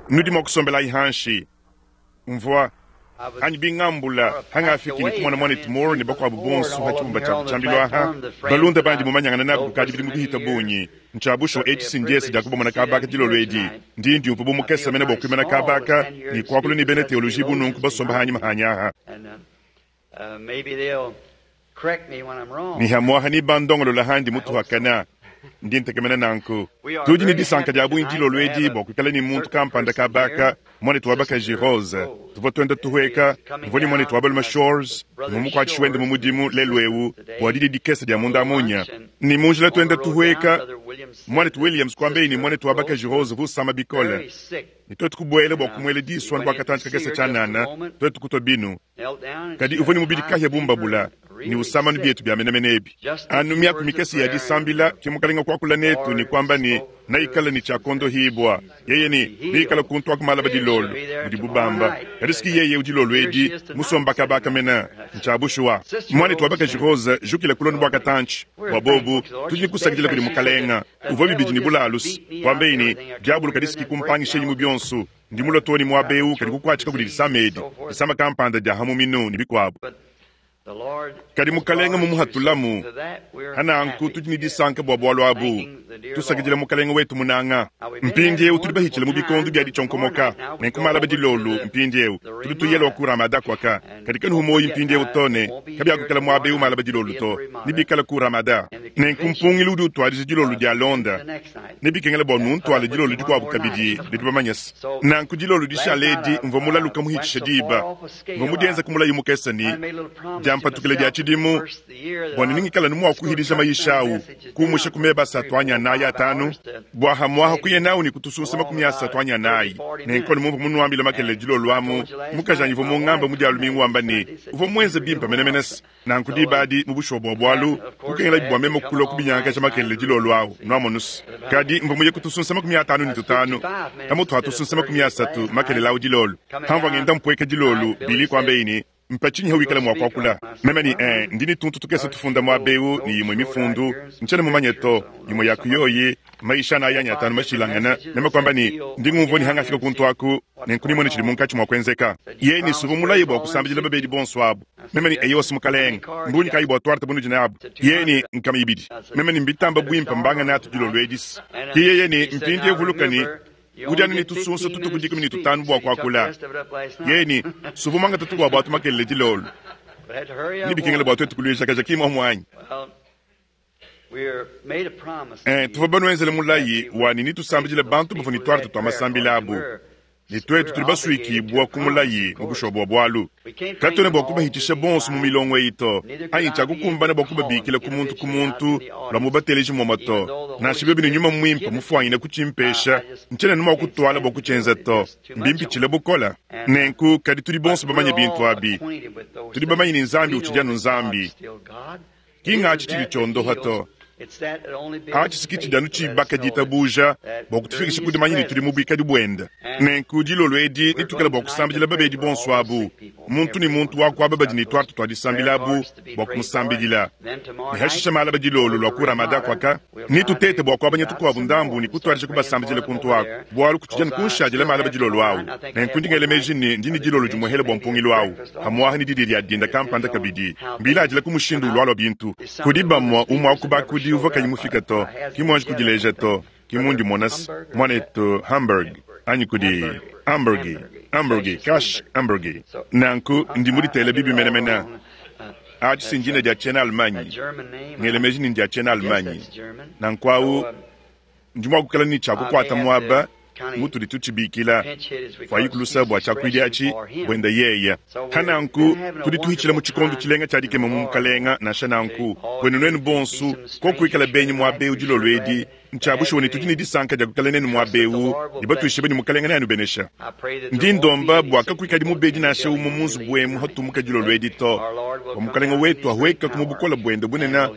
Nudi mua kusombelayi hanshi. Mvua, anyi bingambula, hangafiki ne kumona muanetu Moore ne bakuabu bonso ha tshibumba tshiabu tshiambilu aha, balunda bandi mumanyangana nabu kukadi bidimu bihita bungi. Ntshia bushuwa etshi si ndiese dia kubamona kaba aka dilolo edi. Ndi ndiumvua bu mukese mene bua kuimana kaba aka ne kuakula ne bena teoloji bu nunku basomba hanyima hanyi aha. Ne hamuaha ne bandongolola handi mutuhakana. Ndi ntekemena nanku. Tudi ne disanka dia bungi dilolo edi bua kuikala ne muntu kampanda kaba aka, muanetu wa bakaji Rose. Tuvua tuenda tuhueka, mvua ne muanetu wa balume Shores, ne mumukuatshishi wende mu mudimu lelu eu bua didia dikese dia munda munya. Ne mu njila tuenda tuhueka, muanetu Williams kuambeyi ne muanetu wa bakaji Rose uvua usama bikole. Ne tuetu kubuela bua kumuela disu anu bua katantshi kakese tshianana, tuetu kutua binu. Kadi uvua ne mubidi kahia bu mbabula, ne usama anu bietu bia menemene ebi. Anu miaku mikese ya disambila, ke Mukalenga kuakula netu ne kuamba ne, Neikale ne tshia kuondohibua. Yeye ne, Neikale kuntu aku malaba dilolo, mudibu bamba. Kadi siki yeye udi dilolo edi musomba kaba aka mene. Ntshia bushuwa. Muanetu wa bakaji Rose, jukila kulonda bua katantshi. Bua bobu, tudi ne kusakidila kudi Mukalenga. Uvua bibidi ne bulalu-s. Kuambeyi ne, Diabolo kadi siki kumpangisheyi mu bionso. Ndi mulue too ne muaba eu kadi kukuatshika kudi disama edi, disama kampanda dia ha muminu ne bikuabu. Kadi Mukalenge mumuhatulamu. Hananku tudi ne disanka bua bualu abu, tusakidila Mukalenge wetu munanga. Mpindieu tudi bahitshile mu bikondo bia ditshionkomoka, nenku malaba dilolo mpindieu tudi tuyela wa ku Ramada kuaka. Kadi kanuhu muoyo mpindieu to ne kabiakuikala muaba eu malaba dilolo to, nebikale ku Ramada. Nenku mpungilu udi utuadija dilolo dialonda. Nebikengele bua nuntuale dilolo dikuabu kabidi, nudi bamanye se. Nanku dilolo dishale edi mvua mulaluka muhitshishe diba. Mvua mudienze ku mulayi mukese ne diampatukila dia tshidimu bua ne ningikale anu mua kuhidija mayisha au kuumusha ku meba asatu anyi anayi atanu bua hamuaha kuya nawu ne kutusunsa 30 anyi anayi. Nenku anu mumvua munuambile makelela dilolo amu, mukajanyi uvua mungamba mu dia lumingu wamba ne, uvua muenze bimpe menemene se Nanku diba adi, mu bushuwa bua bualu, kukengelabi bua meme kulua kubinyangakaja makelela dilolo awu, nwamonu's. Kadi mvua muye ku tusunsa 55, pamutu ha tusunsa 30 makelela awu dilolo. Pamvua ngenda mpueka dilolo, Billy kuambeyi ne, Mpa tshinyi hawikala mua kuakula? Meme ne, Ee, ndi ne tuntu tukese tufunda muaba ewu ne imue mifundu. Ntshiena mumanye to. Imue ya ku yoyi, mayisha anayi anyi atanu mashilangane. Meme kuamba ne, Ndi ngumvua ne hangafika kuntu aku, nenku nimone tshidi munkatshi mua kuenzeka. Yeye ne, Suvua mulaye bua kusambidila babedi bonso abu. Meme ne, Eyowa, Mukalenge. Mbungi kayi bua tuarte bunudi nabu? Yeye ne, Nkama ibidi. Meme ne, Mbitamba buimpe, mbanga natu dilolo edis. Ke yeye ne, Mpindieu vuluka ne, udi anu ne tusunsa tutuku 15 bua kuakula. Yeye ne, Suvua muangate tukuabu atu makelela dilolo. Nebikengele bua tuetu kuluejakaja, ki mmuomu anyi? Ee, tuvua banuenzele mulayi wa ne netusambidile bantu bavua ne tuarte tua masambila abu, ne tuetu tudi basuikibua ku mulayi mu bushuwa bua bualu. Katuena bua kubahitshisha bonso mu milongo eyi to, anyi tshiakukumbana bua kubabikila ku muntu ku muntu lua mubateleji muamua to. Nansha biobi ne Nyuma Muimpe mufuanyine kutshimpesha, ntshiena anu mua kutuala bua kutshienza to, mbimpitshile bukole. Nenku, kadi tudi bonso bamanye bintu abi. Tudi bamanye ne Nzambi utshidi anu Nzambi. Ki ng'atshi tshidi tshiondoha to. Atshi si ki tshidi anu tshibaka ditabuja bua kutufikisha ku dimanya ne tudi mu buikadi buende. Nenku dilolo edi netuikale bua kusambidila babedi bonso abu, muntu ne muntu wa ku aba badi ne tuarte tua disambila abu bua kumusambidila. Ne hashishe malaba dilolo lua ku Ramada kuaka, netutete bua kuabanya tukuabu ndambu ne kutuadija kubasambidila kuntu aku, bualu kutshidi anu kunshadila malaba dilolo au. Nenku ndi ngela meji ne ndi ne dilolo dimuehele bua mpungilu au. Pamuaha ne didia dia dinda kampanda kabidi, mbiladila ku mushindu ulualua bintu. Kudi bamue, umue wa ku bakudi uvua kayi mufike to, ki muanji kudileja to, ki mundi mmona se, muanetu Hamburg, anyi kudi Hamburgi, Hamburgi, Cash Hamburgi. Nanku, ndi muditele bibi menemene. Atshi si ndina dia tshiena-Allemagne, ngela meji ne ndia tshiena-Allemagne. Nanku awu. Ndi mua kuikala ne tshia kukuata muaba mutudi tutshibikila fuayiku lusa bua tshiakuidi atshi buenda yeya. Pa nanku tudi tuhitshila mu tshikondo tshilenga tshia dikema mu Mukalenga. Nansha nanku, buenu nuenu bonsu, koku kuikala benyi muaba ewu dilolo edi, ntshia bushuwa ne tudi ne disanka dia kuikala nenu muaba ewu ne batuishibue ne Mukalenga neanubenesha. Ndi ndomba bua kakuikadi mubedi nansha umue mu nzubu emu hatumuka dilolo edi to, bua Mukalenga wetu ahuekaku mu bukole buende bunene,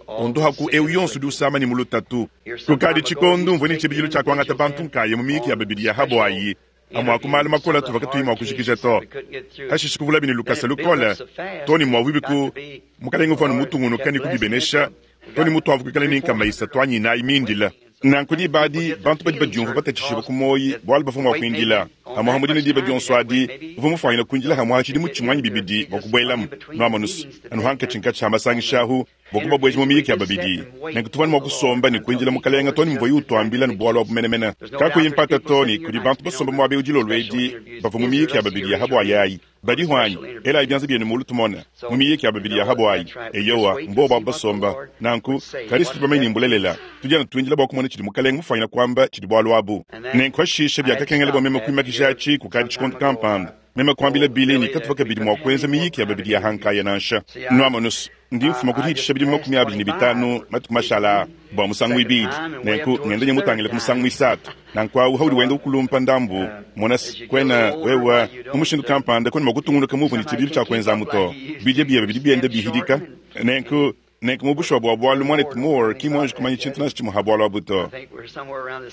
ondohaku ewu yonso udi usama ne mu lutatu. Kukadi tshikondo mvua ne tshibidilu tshia kuangata bantu nkaya mu miyiki ya babidi ya ha buayi, amue a ku malu makole atuvua katuyi mua kujikija to. Hashishe kuvulabi ne lukasa lukole too ne muavuibi ku Mukalenge uvua anu mutungunuke ne kubibenesha too ne mutuavua kuikala ne nkama isatu anyi inayi mindile. Nanku diba adi, bantu badi badiumvua batatshishibua ku muoyi bualu bavua mua kuindila amu amu dine diba dionso adi. Uvua mufuanyine kuindila amu ha tshidimu tshimue anyi bibidi bua kubuelamu, nuamonu's, anu hankatshinkatshi ha masangisha ahu, bua kubabueja mu miyiki ya babidi. Nenku tuvua anu mua kusomba ne kuindila Mukalenga too ne muvuaye utuambila anu bualu abu menemene. Kakuyi mpata to ne kudi bantu basomba muaba eu dilolo edi bavua mu miyiki ya babidi ya ha buayi ayi. Badihu anyi? Elayi bianza bienu mulu tumone. Mu miyiki ya babidi ya ha buayi. Eyowa, mbobu abu basomba. Nanku, kadi si tudi bamanye ne mbulelela. Tudi anu tuindila bua kumona tshidi Mukalenga mufuanyine kuamba tshidi bualu abu. Nenku pashishe biakakengela bua meme kuimakija atshi kukadi tshikondo kampanda. Meme kuambila Billy ne katuvua kabidi mua kuenza miyiki ya babidi ya ha nkaya nansha. Nuamonu's, ndi mfuma ku dihitshisha bidimu 25 matuku mashala aa bua musangu muibidi, nenku ngenda nya mutangile ku musangu muisatu. Nanku awu haudi wenda ukulumpa ndambu, mona's, kuena wewe mu mushindu kampanda kuena mua kutungunuka muuvua ne tshibidilu tshia kuenza amu to. Bidia biebe bidi bienda bihidika. Nenku, nenku mu bushuwa bua bualu, Muanetu Moore ki muanji kumanya tshintu nansha tshimue ha bualu abu to.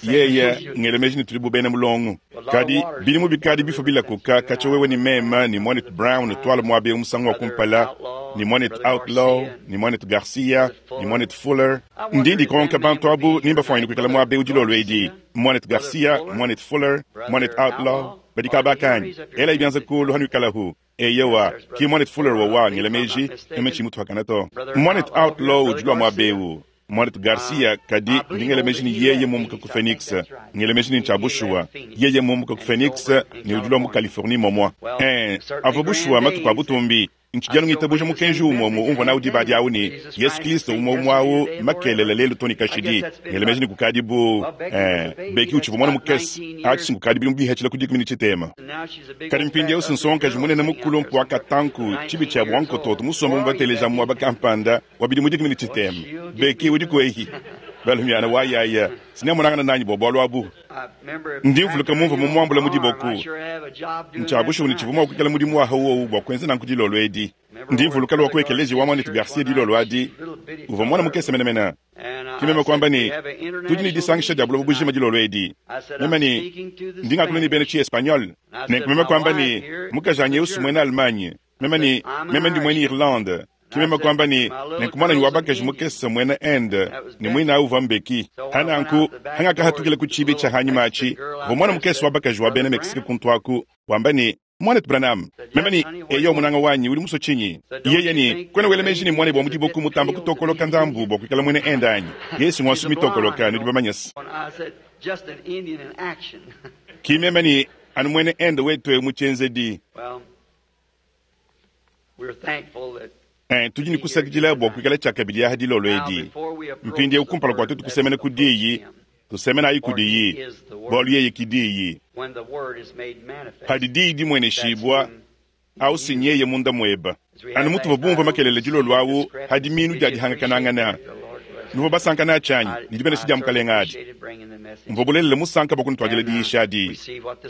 Yeye, ngela meji ne tudi bu bena mulongo. Kadi, bidimu bikadi bifua bilakuka katshia wewe ne meme ne Muanetu Brown tuala muaba eu musangu wa kumpala, ne Muanetu Outlaw, ne Muanetu Garcia, ne Muanetu Fuller. Ndi ndikonka bantu abu ni mbafuanyine kuikala muaba eu dilolo edi, Muanetu Garcia, Muanetu Fuller, Muanetu Outlaw, badi kaba kanyi? Elayi bianza kulu hanuikalahu. Eyowa, ki Muanetu Fuller wawa, ngela meji, meme tshiyi mutuakana to. Muanetu Outlaw udi lua muaba eu. Muanetu Garcia, kadi ndi ngela meji ne yeye mumbuka ku Phoenix. Ngela meji ne ntshia bushuwa. Yeye mumbuka ku Phoenix ne udi lua mu Californie momua. Ee, avua bushuwa matuku a butumbi. Ntshidi anu ngitabuja mukenji umue umue umvua nawu diba adi awu ne, Yesu Kilisto umue umue awu makelela, lelu too ne kashidi. Ngela meji ne kukadi bu, ee, Becky utshivua muana mukese, atshi si nkukadi bidimu bihatshila ku 13. Kadi mpindieu si nsongakaji munene mukulumpe wa katanku, tshibi tshia bua nkototo musombe mu bateleja muaba kampanda wa bidimu 13. Becky udi kuehi? Balumiana wa yaya, sinemonangana nanyi bua bualu abu. Ndi mvuluka mumvua mumuambula mu diboku. Ntshia bushuwa ne tshivua mua kuikala mudimu wa wowu bua kuenza nanku dilolo edi. Ndi mvuluka lua ku ekeleziya wa muanetu Garcia dilolo adi. Uvua muana mukese menemene. Ke meme kuamba ne, Tudi ne disangisha dia buloba bujima dilolo edi. Meme ne, Ndi ngakula ne bena tshi-Espagnol. Nenku meme kuamba ne, Mukajanyi eu si muena Allemagne. Meme ne, Meme ndi muena Irlande. Ke meme kuamba ne, Nenku muananyi wa bakaji mukese mmuena Inde, ne muine au uvua Mbeki. Pa nanku, pangakahatukila ku tshiibi tshia hanyima atshi, kuvua muana mukese wa bakaji wa bena Mexique kuntu aku, wamba ne, Muanetu Branham, meme ne, Eyo, munanga wanyi, udi musue tshinyi? Yeye ne, Kuena wela meji ne muanebe wa mu diboku mutamba kutokoloka ndambu bua kuikala muena Inde anyi? Yeye ngua nsumi mitokoloka, nudi bamanye's. Ki meme ne, Anu muena Inde wetu eu mu tshienzedi. Eh, tudi ne kusakidila bua kuikala tshiakabidi aha dilolo edi. Mpindieu kumpala kua tuetu kusemena ku Diyi, tusemenayi kudiyi, bualu yeye ki Diyi. Padi Diyi dimueneshibua, au si nyeye munda mueba. Anu mutuvua bumvue makelela dilolo au ha dimiinu dia dihangakanangana, nuvua basanka natshi anyi? Ne dibenesha dia Mukalenga adi. Mvua bulelela musanka bua kunutuadila diyisha adi.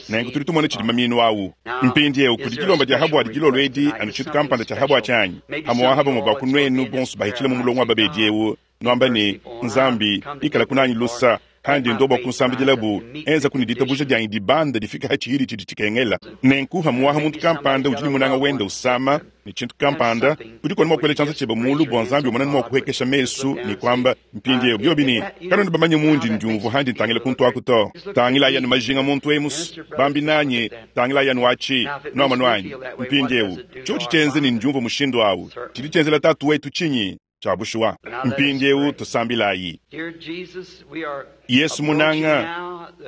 Nenku tudi tumona tshidi mamiinu au. Mpindieu kudi dilomba dia ha buadi dilolo edi, anu tshintu kampanda tshia ha buatshi anyi? Pamu'apa bamue ba ku nuenu bonso bahitshila mu mulongo wa babedi eu, nuamba ne, Nzambi, ikalaku nanyi lusa, handi ndua bua kunsambidilabu, enzaku ne ditabuja dianyi dibanda difike ha tshihidi tshidi tshikengela. Nenku hamuaha muntu kampanda udi ne munanga wende usama ne tshintu kampanda, udiku anu mua kuela tshianza tshiebe mulu bua Nzambi umone mua kuhuekesha mesu ne kuamba, Mpindieu biobi ne, kanuena bamanye mundi ndiumvua handi ntangila kuntu aku to. Tangilayi anu majinga muntu emus, bambi nanyi, tangilayi anu atshi, nuamonu anyi? Mpindieu, tshiotshi tshienze ne ndiumvua mushindu au, tshidi tshienzela Tatu wetu tshinyi? Tshia bushuwa. Mpindieu tusambilayi. Yesu munanga,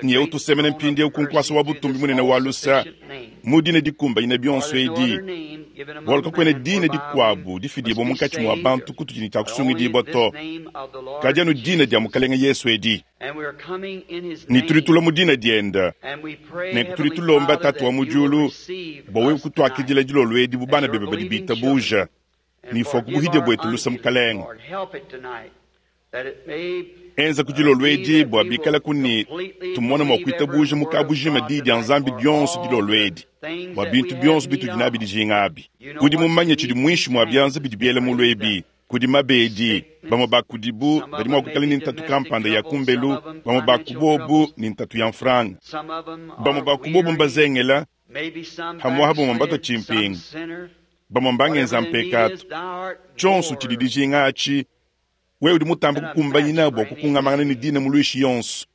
nyeu tusemena mpindieu ku nkuasa wa butumbi munene wa lusa, mu dina dikumbanyine bionso edi, bualu kakuena dina dikuabu difidibua munkatshi mua bantu kutudi ne tshia kusungidibua to, kadi anu dina dia Mukalenge Yesu edi. Ne tudi tulua mu dina diende, nenku tudi tulomba Tatu wa mu diulu bua wewe kutuakidila dilolo edi bu bana bebe badi bitabuja. Ne fua ku buhidia buetu lusa, Mukalenge. Enza ku dilolo edi bua bikalaku ne tumona mua kuitabuja mu kabujima Diyi dia Nzambi dionso dilolo edi, bua bintu bionso bitudi nabi dijinga abi. Udi mumanye tshidi muinshi mua bianza bidi biela mulu ebi. Kudi mabedi, bamue ba kudibu badi mua kuikala ne ntatu kampanda ya kumbelu, bamue ba ku bobu ne ntatu ya mfranga, bamue ba ku bobu mbazengela, pamu'apa bamue mbatua tshimpingu, bamue mbangenza mpekatu. Tshionso tshidi dijinga atshi. Wewe udi mutambe kukumbanyina bua kukungamangana ne dina muluishi yonso.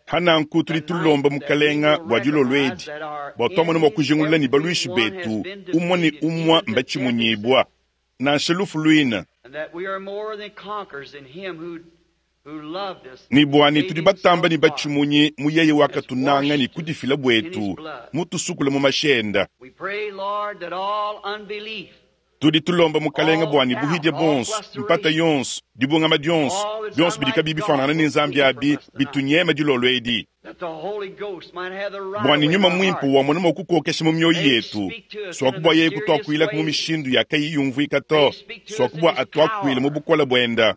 Pa nanku tudi tulomba Mukalenga bua dilolo edi, bua tuamona mua kujingulula ne baluishi betu umue ne umue mbatshimunyibua, nansha lufu luine, ne bua ne tudi batamba ne batshimunyi mu yeye wakatunanga ne kudifila buetu, mutusukule mu mashi enda. Tudi tulomba Mukalenga bua ne buhidia buonso, mpata yonso, dibungama dionso, bionso bidi kabiyi bifuanangana ne Nzambi abi bitunyeme dilolo edi, bua ne Nyuma Muimpe wamona mua kukokesha mu mioyo yetu, suaku bua yeye kutuakuilaku mu mishindu ya kayiyi yumvuika to, suaku bua atuakuile mu bukole buenda.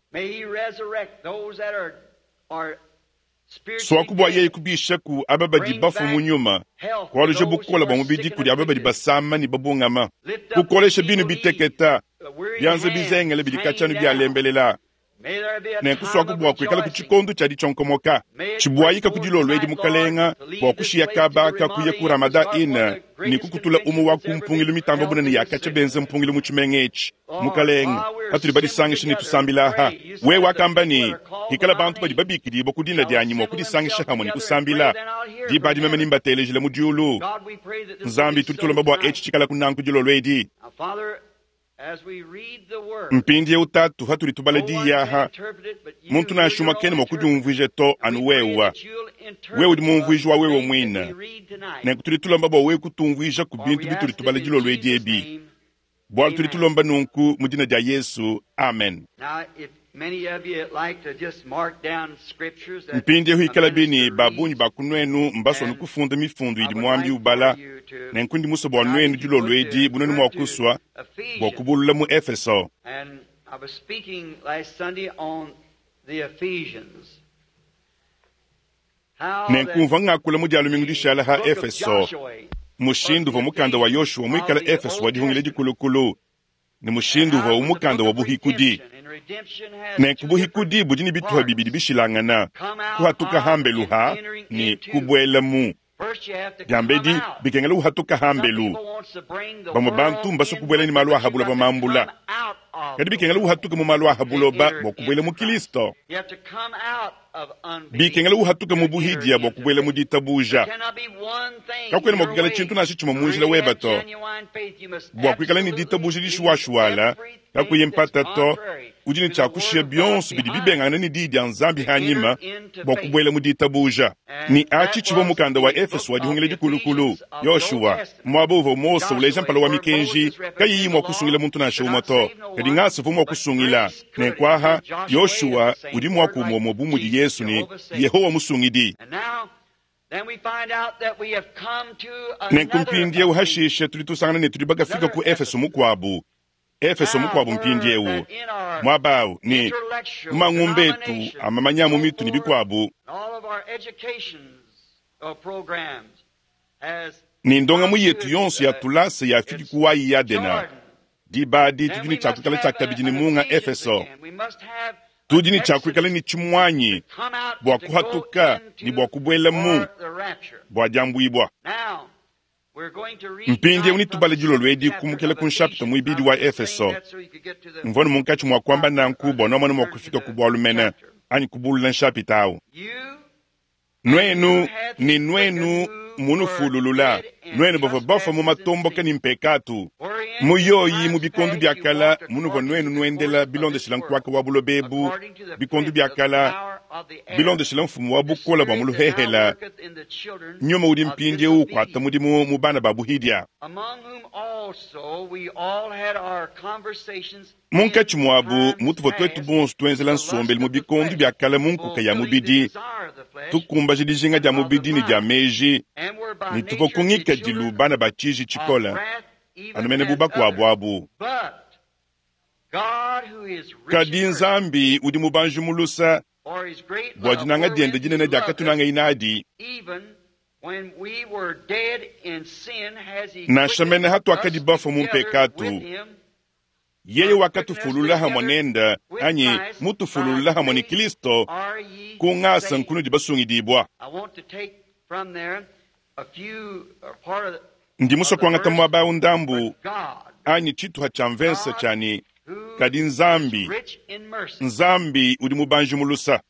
Suaku bua yeye kubishaku aba badi bafue mu nyuma, kualuja bukole bua mubidi kudi aba badi basama ne babungama, kukolesha binu biteketa, bianza bizengele bidi katshia anu bialembelela. Nenku suaku bua kuikalaku tshikondo tshia ditshionkomoka tshibuayika ku dilolo edi, Mukalenga, bua kushiya kaba ka kuya ku Ramada Inn ne kukutula umue wa ku mpungilu mitamba bunene ya katshia benza mpungilu mu tshimenga etshi. Mukalenge, patudi badisangisha ne tusambila aha, wewe wakamba ne, Hikala bantu badi babikidibua ku dina dianyi mua kudisangisha hamue ne kusambila, diba adi meme nembatelejile mu diulu. Nzambi, tudi tulomba bua etshi tshikalaku nanku dilolo edi. Mpindieu, Tatu, patudi tubala diyi aha, muntu nansha umue kena mua kudiumvuija to, anu wewe. Wewe udi mumvuiji wa wewe muine. Nenku tudi tulomba bua wewe kutumvuijaku bintu bitudi tubala dilolo edi ebi. Bualu tudi tulomba nunku mu dina dia Yesu. Amen. Mpindieu ikalabi ne ba bungi ba ku nuenu mbasue anu kufunda mifundu idi muambi ubala, nenku ndi musue bua nuenu dilolo edi, bu nuenu mua kusua, bua kubulula mu Efeso. Nenku mvua ngakula mu Dia lumingu dishala ha Efeso, mushindu uvua mukanda wa Yoshua muikale Efeso wa Dihungila Dikulukulu, ne mushindu uvuawu mukanda wa buhikudi. Nenku buhikudi budi ne bituha bibidi bishilangana, kuhatuka hambelu ha ne kubuela mu. Diambedi bikengela uhatuka hambelu. Bamue bantu mbasue kubuela ne malu a ha buloba mambula, kadi bikengela uhatuke mu malu a ha buloba bua kubuela mu Kilisto. Bikengela uhatuke mu buhidia bua kubuela mu ditabuja. Kakuena mua kuikala tshintu nansha tshimue mu njila weba to. Bua kuikala ne ditabuja dishuwashuwala, kakuyi mpata to, udi ne tshia kushiya bionso bidi bibengangana ne Diyi dia Nzambi hanyima bua kubuela mu ditabuja. Ne atshi tshivua mukanda wa Efeso wa Dihungila Dikulukulu, Yoshua, muaba uvua Mose uleja mpala wa mikenji kayiyi mua kusungila muntu nansha umue to, kadi ngasa uvua mua kusungila. Nenku aha, Yoshua udi muaku umue umue bu mudi Yesu ne Yehowa Musungidi. Nenku mpindieu hashishe tudi tusangana ne tudi bakafika ku Efeso mukuabu, Efeso mukuabu mpindieu, muaba au, ne mu mangumba etu a mamanya a mu mitu ne bikuabu, ne ndongamu yetu yonso ya tulasa yafiki ku wayi Yadena. Diba adi tudi ne tshia kuikala tshiakabidi ne munga Efeso. Tudi ne tshia kuikala ne tshimuanyi bua kuhatuka ne bua kubuela mu bua diambuibua. Mpindieu netubale dilolo edi kumukila ku nshapita muibidi wa Efeso. Mvua ne munkatshi mua kuamba nanku bua nuamona mua kufika ku bualu mene anyi kubulula nshapita au. Nuenu ne nuenu munufululula, nuenu bavua bafua mu matomboka ne mpekatu, mu yoyi mu bikondo bia kala munuvua nuenu nuendela bilondeshila nkuaka wa buloba ebu, bikondo bia kala bilondeshila mfumu wa bukole bua mu luhehela, nyuma udi mpindieu ukuata mudimu mu bana ba buhidia. Munkatshi muabu mutuvua tuetu bonso tuenzela nsombelu mu bikondo bia kale mu nkuka ya mubidi, tukumbaja dijinga dia mubidi ne dia meji, ne tuvua ku ngikadilu bana ba tshiji tshikole, anu mene bu bakuabu abu. Kadi Nzambi udi mubanji mu luse, bua dinanga diende dinene diakatunangaye nadi, nansha mene hatuakadi bafue mu mpekatu, yeye wakatufulula hamue nende, anyi mutufululula hamue ne Kristo, ku ngasa nkunudi basungidibua. Ndi musue kuangata muaba au ndambu anyi tshituha tshia mvese tshia ne, Kadi Nzambi, Nzambi udi mubanji mu lusa.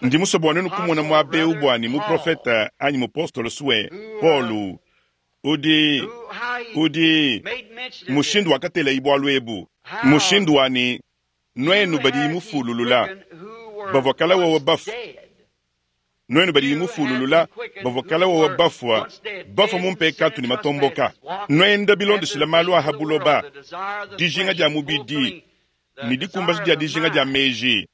Ndi musue bua nuenu kumona muaba eu bua ne muprofete anyi mupostolo sue Paulo udi udi mushindu wakatelayi bualu ebu, mushindu wa ne nuenu badi mufululula bavua kala wawa bafua, nuenu badi mufululula bavua kala wawa bafua, bafua mu mpekatu ne matomboka, nuenda bilondeshila malu aha buloba, dijinga dia mubidi ne dikumbaja dia dijinga dia meji.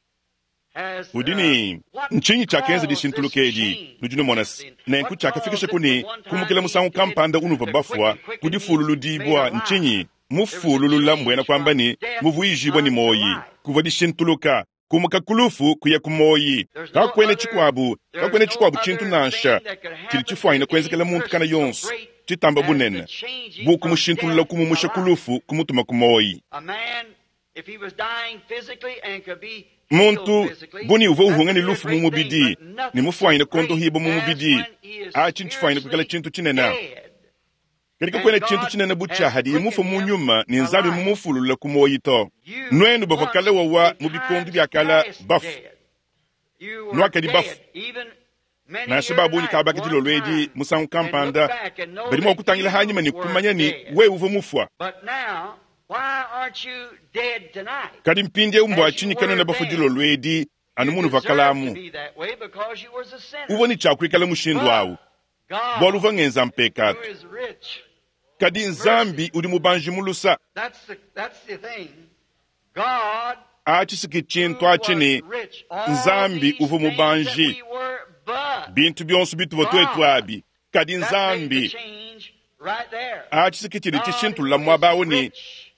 Udi ne ntshinyi tshiakenza dishintuluka edi? Nudi numona se, nenku tshiakafikisha ku ne kumukila musangu kampanda unuvua bafua ku difululudibua ntshinyi? Mufululula mbuena kuamba ne muvuijibua ne muoyi. Kuvua dishintuluka, kumuka ku lufu kuya ku muoyi. Kakuena tshikuabu, kakuena tshikuabu tshintu nansha tshidi tshifuanyine kuenzekela muntu kana yonso tshitamba bunene bu kumushintulula kumumusha ku lufu kumutuma ku muoyi. Muntu buni uvua uhunga ne lufu mu mubidi ne mufuanyine kondohibua mu mubidi, atshi ntshifuanyine kuikala tshintu tshinene. Kadi kakuena tshintu tshinene bu tshia hadiye mufue mu nyuma ne Nzambi mumufululule ku muoyi to. Nuenu bavua kale wawa mu bikondo bia kale bafue, nuakadi bafue. Nansha ba bungi kabaka dilolo edi musangu kampanda badi mua kutangila hanyima ne kumanya ne wewe uvua mufua. Kadi mpindieu mbua tshinyi kanuena bafue dilolo edi anu munuvua kalamu? Uvua ne tshia kuikala mushindu au bualu uvua ngenza mpekatu. Kadi Nzambi udi mubanji mu lusa. Atshi si tshintu atshi ne Nzambi uvua mubanji bintu bionso bituvua tuetu abi, kadi Nzambi atshi si tshidi tshishintulula muaba au ne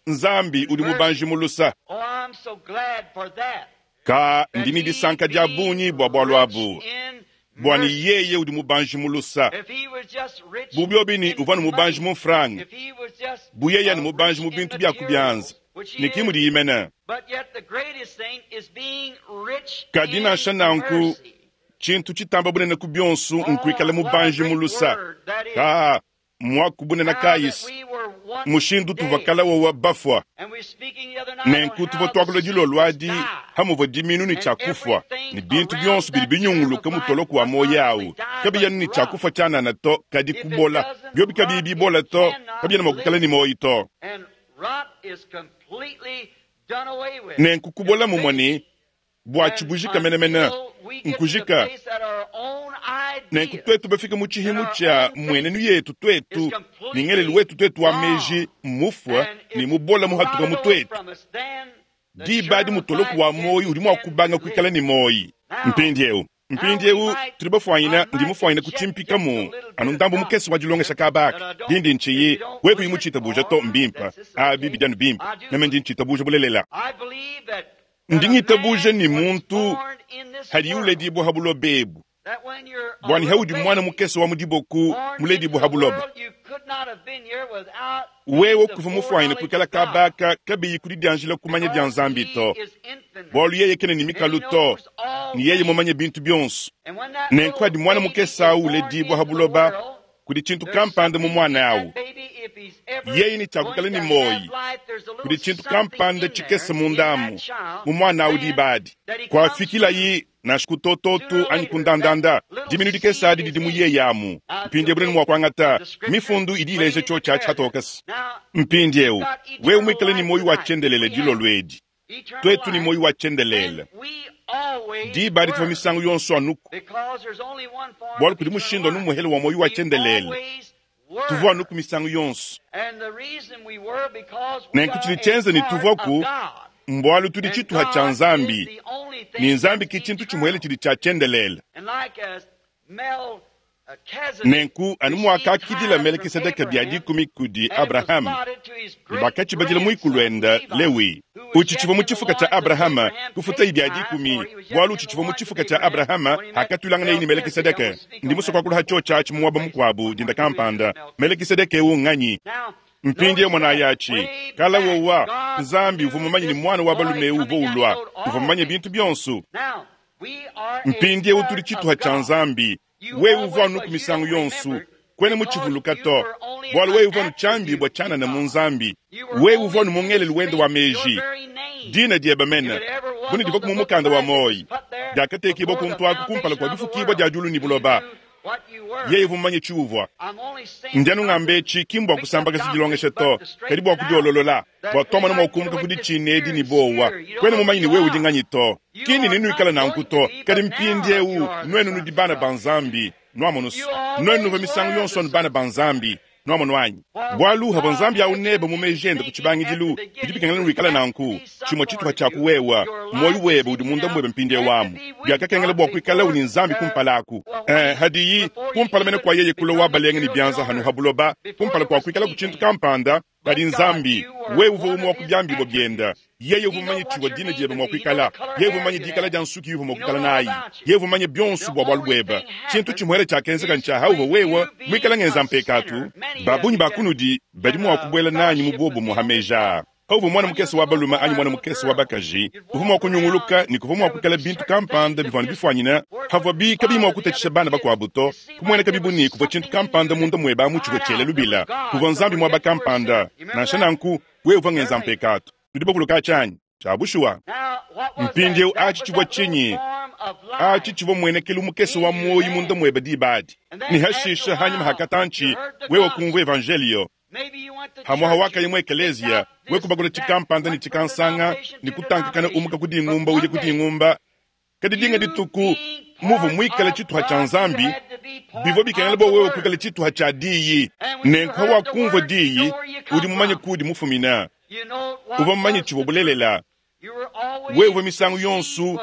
Nzambi udi mubanji mu lusa. Ka ndi ne disanka dia bungi bua bualu abu, bua ne yeye udi mubanji mu lusa. Bu biobi ne uvua ne mubanji mu mfranga, bu yeye ne mubanji mu bintu bia ku bianza, ne ki mudiyi mene. Kadi nansha nanku, tshintu tshitamba bunene ku bionso nkuikala mubanji mu lusa. Ka muaku bunene kayisi mushindu tuvua kala wawa bafua. Nenku tuvua tuakula dilolo adi hamuvua diminu ne tshiakufua ne bintu bionso bidi binyunguluka mutoloko wa muoyo awu kabiyanu ne tshiakufua tshianana to, kadi kubola biobi kabiyi bibola to, kabiena mua kuikala ne muoyo to. Nenku kubola mumue ne bua tshibujika menemene nkujika. Nenku tuetu bafike mu tshihimu tshia mmuenenu yetu tuetu ne ngelelu wetu tuetu wa meji mufua ne mubola muhatuka mu tuetu, diba adi mutoloko wa muoyo udi mua kubanga kuikala ne muoyo. Mpindieu mpindieu tudi bafuanyina, ndi mufuanyina kutshimpikamu anu ndambu mukese wa dilongesha kabaka dindi ntshiyi wewe kuyi mutshitabuja to, mbimpe abi bidi anu bimpe, meme ndi ntshitabuja bulelela. Ndi ngitabuja ni muntu hadi uledibua ha buloba ebu, bua ne haudi mwana mukese wa mudiboku muledibua ha buloba, wewe kuvua mufuanyine kuikala kabaka kabiyi kudidianjila kumanya dia Nzambi to, bualu yeye kena ne mikalu to, ne yeye mumanye bintu bionso. Nenku hadi mwana mukese au uledibua ha buloba, kudi tshintu kampanda mu mwana awu, yeye ne tshiakukala ne muoyi, kudi tshintu kampanda tshikese mundamu mu mwana awu diba adi. Kuafikilayi nansha ku tototu anyi ku ndandanda, diminu dikese adi didi mu yeye amu. Mpindieu bunene mua kuangata mifundu idi ileja tshiotshi atshi hatokese. Mpindieu wewe muikale ne muoyo wa tshiendelele dilolo edi, tuetu ne muoyo wa tshiendelele diba adi tuvua misangu yonso anuku, bualu kudi mushindu anu muhele wa muoyo wa tshiendelele, tuvua anuku misangu yonso. Nenku tshidi tshienza ne tuvuaku mbualu tudi tshituha tshia Nzambi, ne Nzambi ki tshintu tshimuele tshidi tshia tshiendelele. Nenku anu muakakidila Melekisedeke bia dikumi kudi Abrahama, ne bakatshibadila muikuluende Lewi, utshitshivua mu tshifuka tshia Abrahama, kufutayi bia dikumi, bualu utshitshivua mu tshifuka tshia Abrahama hakatuilanganaye ne Melekisedeke. Ndi musue kuakula ha tshiotshi atshi mu muaba mukuabu dinda kampanda. Melekisedeke eu nganyi? Mpindieu monayi atshi kala wowa Nzambi uvua mumanye ne mwana wa balume eu uvua ulua, uvua mumanye bintu bionso. Mpindieu tudi tshituha tshia Nzambi. Wewe uvua anuku misangu yonso. Kwena mutshivuluka to, bwalu wewe uvwa anu cyambibwa cyanana mu Nzambi. Wewe uvwa anu mu ngelelu wende wa meeji. Dina dyebe mene, bu ne divwaku mu mukanda wa mwoyi, dyakateekibwa kuntu aku kumpala kwa difukiibwa dya dyulu ne buloba. Yeye uvwa mumanye tshiuvwa. Ndi anu ngamba eci ki mbwa kusambakaja dilongesha to, kadi bwa kudyololola, bwa twamona mwa kumuka ku diciina edi ne bowa. Kwena mumanye ne wewe udi nganyi to. Ki ne nenwikale nanku to, kadi mpindyewu nwenu nudi bana ba Nzambi. Nwamonu's, nwenu nuvwa misangu yonso anu bana ba Nzambi. Nwamonu anyi? Bwalu havwa Nzambi awu nebe mu meji ende ku cibangidilu, bidi bikengela nwikale nanku. Cimwe cituha cya ku wewa, mwoyi webe udi munda mwebe mpindyewu amu. Byakakengela bwa kwikalawu ne Nzambi kumpala aku. Ee, hadiyi, kumpala mene kwa yeye kulwa wa balenga ne byanza hanu ha buloba, kumpala kwa kwikalaku cintu kampanda, kadi Nzambi, wewe uvwa umwe wa ku byambibwa byenda. Yeye uvwa mumanye civwa dina dyebe mwa kwikala. Yeye uvwa mumanye diikala dya nsuki iwuvwa mwa kwikala naayi. Yeye uvwa mumanye byonso bwa bwalu bwebe. Cintu cimwele cyakenzeka ncya hauvwa wewe mwikale ngenza mpekaatu. Ba bungi ba kunudi badi mwa kubwela naanyi mu bwobumwe ha meeji aa. Hauvwa mwana mukese wa balume anyi mwana mukese wa bakaji, uvwa mwa kunyunguluka ne kuvwa mwa kwikala bintu kampanda bivwa anu bifwanyine havwabi kabiyi mwa kutacisha bana bakwabo to. Kumwenekabi bu ne kuvwa cintu kampanda munda mwebe amu civwa cyela lubila. Kuvwa Nzambi mwaba kampanda. Nansha nanku, wewe uvwa ngenza mpekaatu. Nudi bavuluka aci anyi? Cya bushuwa. Mpindyewu aci civwa cinyi? Aci civwa mmwenekelu mukese wa mwoyi munda mwebe diba adi. Ne hashiisha hanyima ha katanci, wewe kumvwa Evanjeeliyo. Hamwaha wakaya mu ekeleeziya, we kubakula cikampanda ne cikansanga, ne kutankakana umuka ku dingumba uya ku dingumba. Kadi dinga dituku, muvwa mwikale cituha cya Nzambi, bivwa bikengela bwa wewe kwikala cituha cya Diyi. Nenku hawakumvwa Diyi, udi mumanye kuudi mufumina. Uvwa mumanye civwa bulelela. Wewe uvwa misangu yonsu,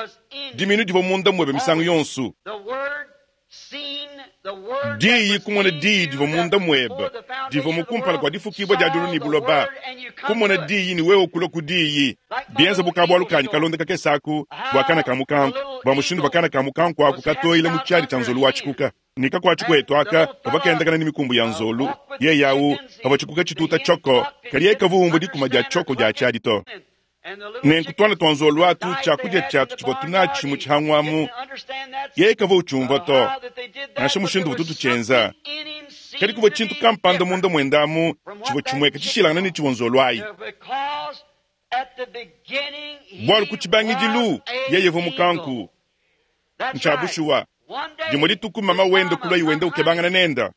diminu divwa munda mwebe misangu yonsu. Diyi, kumona Diyi divwa munda mwebe, divwa mu kumpala kwa difukibwa dya dyulu ne buloba, kumona Diyi ne wewe kulwa ku Diyi. Byenza bu kabwalu kanyi kalonda kakese aku bwa kana ka mukanku, bwa mushindu uvwa kana ka mukanku aku katoyila mu cyadi cya nzolu wa cikuka. Ne kakwatshi kwetu aka kavwa kendakana ne mikumbu ya nzolu, yeye awu kavwa tshikuka tshituta tshoko, kadi yeye kavwa umvwa dikuma dya tshoko dya tshiadi to. Nenku tuana tua nzolu atu, tshiakudia tshiatu tshivua tunatshi mu tshihangu amu, yeye kavua utshiumvua to, nansha mushindu uvutu tutshienza. Kadi kuvua tshintu kampanda munda muende amu tshivua tshimueka tshishilangane ne tshivua nzolu ayi. Bualu ku tshibangidilu yeye uvua mukanku. Ntshia bushuwa. Dimue dituku mama wende kuluaye wenda ukebangana nende.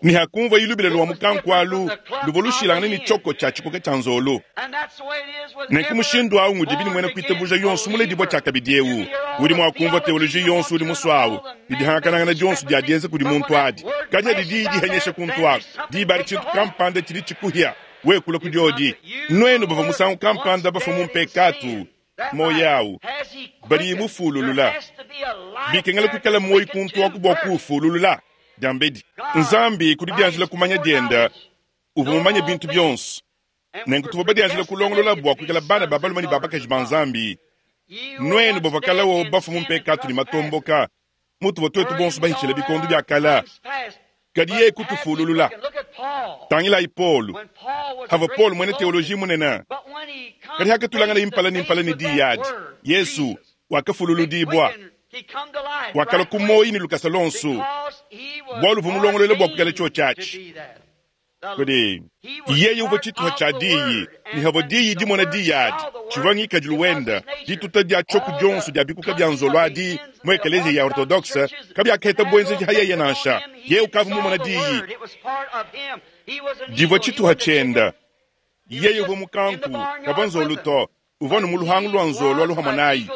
Ne hakumvuaye lubila lua mukanku alu, luvua lushilangane ne tshioko tshia tshikoka tshia nzolo. Nenku mushindu au ngudibi ne muena kuitabuja yonso muledibua tshiakabidi eu udi mua kumvua teoloji yonso udi musue au, ne dihangakanangana dionso dia dienza kudi muntu adi. Kadi hadi diyi dihenyesha kuntu aku, diba adi tshintu kampanda tshidi tshikuhia, wewe kulua kudiodi. Nuenu bavua musangu kampanda bafue mu mpekatu, Muoyo au badi mufululula. Bikengela kuikala muoyo kuntu aku bua kuufululula. Diambedi, Nzambi ku didianjila kumanya dienda uvua mumanye bintu bionso. Nenku tuvua badianjila kulongolola bua kuikala bana ba balume ne ba bakaji ba Nzambi. Nuenu bavua kale wo bafue mu mpekatu ne matomboka, mutuvua tuetu bonso bahitshile bikondo bia kale, kadi yeye kutufululula. Tangilayi Paulo, havua Paulo muena teoloji munene, kadi hakatulanganaye mpala ne mpala ne diyi adi, Yesu wakafululudibua, wakalua ku muoyo ne lukasa luonso, bualu uvua mulongolole bua kuikala tshiotshi atshi. Kadi yeye uvua tshituha tshia Diyi, ne havua Diyi dimona Diyi adi, tshivua ngikadilu wende. Dituta dia tshioku dionso dia bikuka bia nzolo adi mu ekeleziya ya Ortodokse kabiakaheta buenzeji ha yeye nansha. Yeye ukavua mumona Diyi. Divua tshituha tshiende. Yeye uvua mukanku, kavua nzolo to. Uvua anu mu luhangu lua nzolo alu hamue nayi,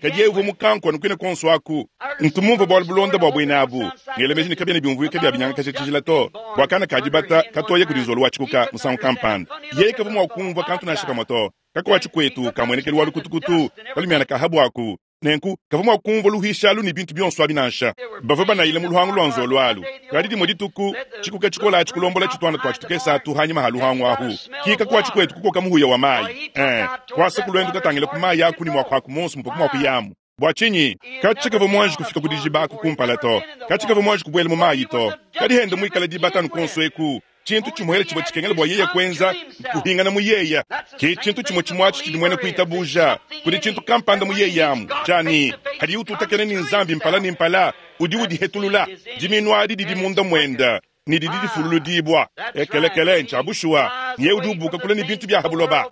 kadi yeye uvua mukanku anu kuine kuonso aku. Ntu mumvue bualu bulonda bua buena abu, ngela meji ne kabiena biumvuika bia binyangakaja tshijila to, bua kana ka dibata katoya kudi nzolo wa tshikuka musangu kampanda. Yeye kavua mua kumvua kantu nansha kamue to. Kakuatshi kuetu ka muenekelu wa lukutukutu, kalumiana ka habuaku. Nenku kavua mua kumvua luhuishi alu ne bintu bionso abi nansha. Bavua banayila mu luhangu lua nzolo alu. Kadi dimue dituku, tshikuka tshikole atshi kulombola tshituana tuatshi tukese atu hanyima ha luhangu ahu. Kika kuatshi kuetu kukoka muhuya wa mayi. Ee, kuasa ku luendu katangila ku mayi aku ne muakuaku muonso muvua muakuyamu. Bua tshinyi? Katshi kavua muanji kufika ku dijiba aku kumpala to. Katshi kavua muanji kubuela mu mayi to. Kadi hende muikale dibata anu kuonso eku. Tshintu tshimuele tshivua tshikengela bua yeye kuenza nkuhingana mu yeye. Ke tshintu tshimue tshimue atshi tshidi muena kuitabuja. Kudi tshintu kampanda mu yeye amu, tshia ne, padiye ututakena ne Nzambi mpala ne mpala, udi udihetulula. Dimiinu adi didi munda muende ne didi difululudibua. Ekelekele, ntshia bushuwa. Nyeye udi ubuka kule ne bintu bia ha buloba.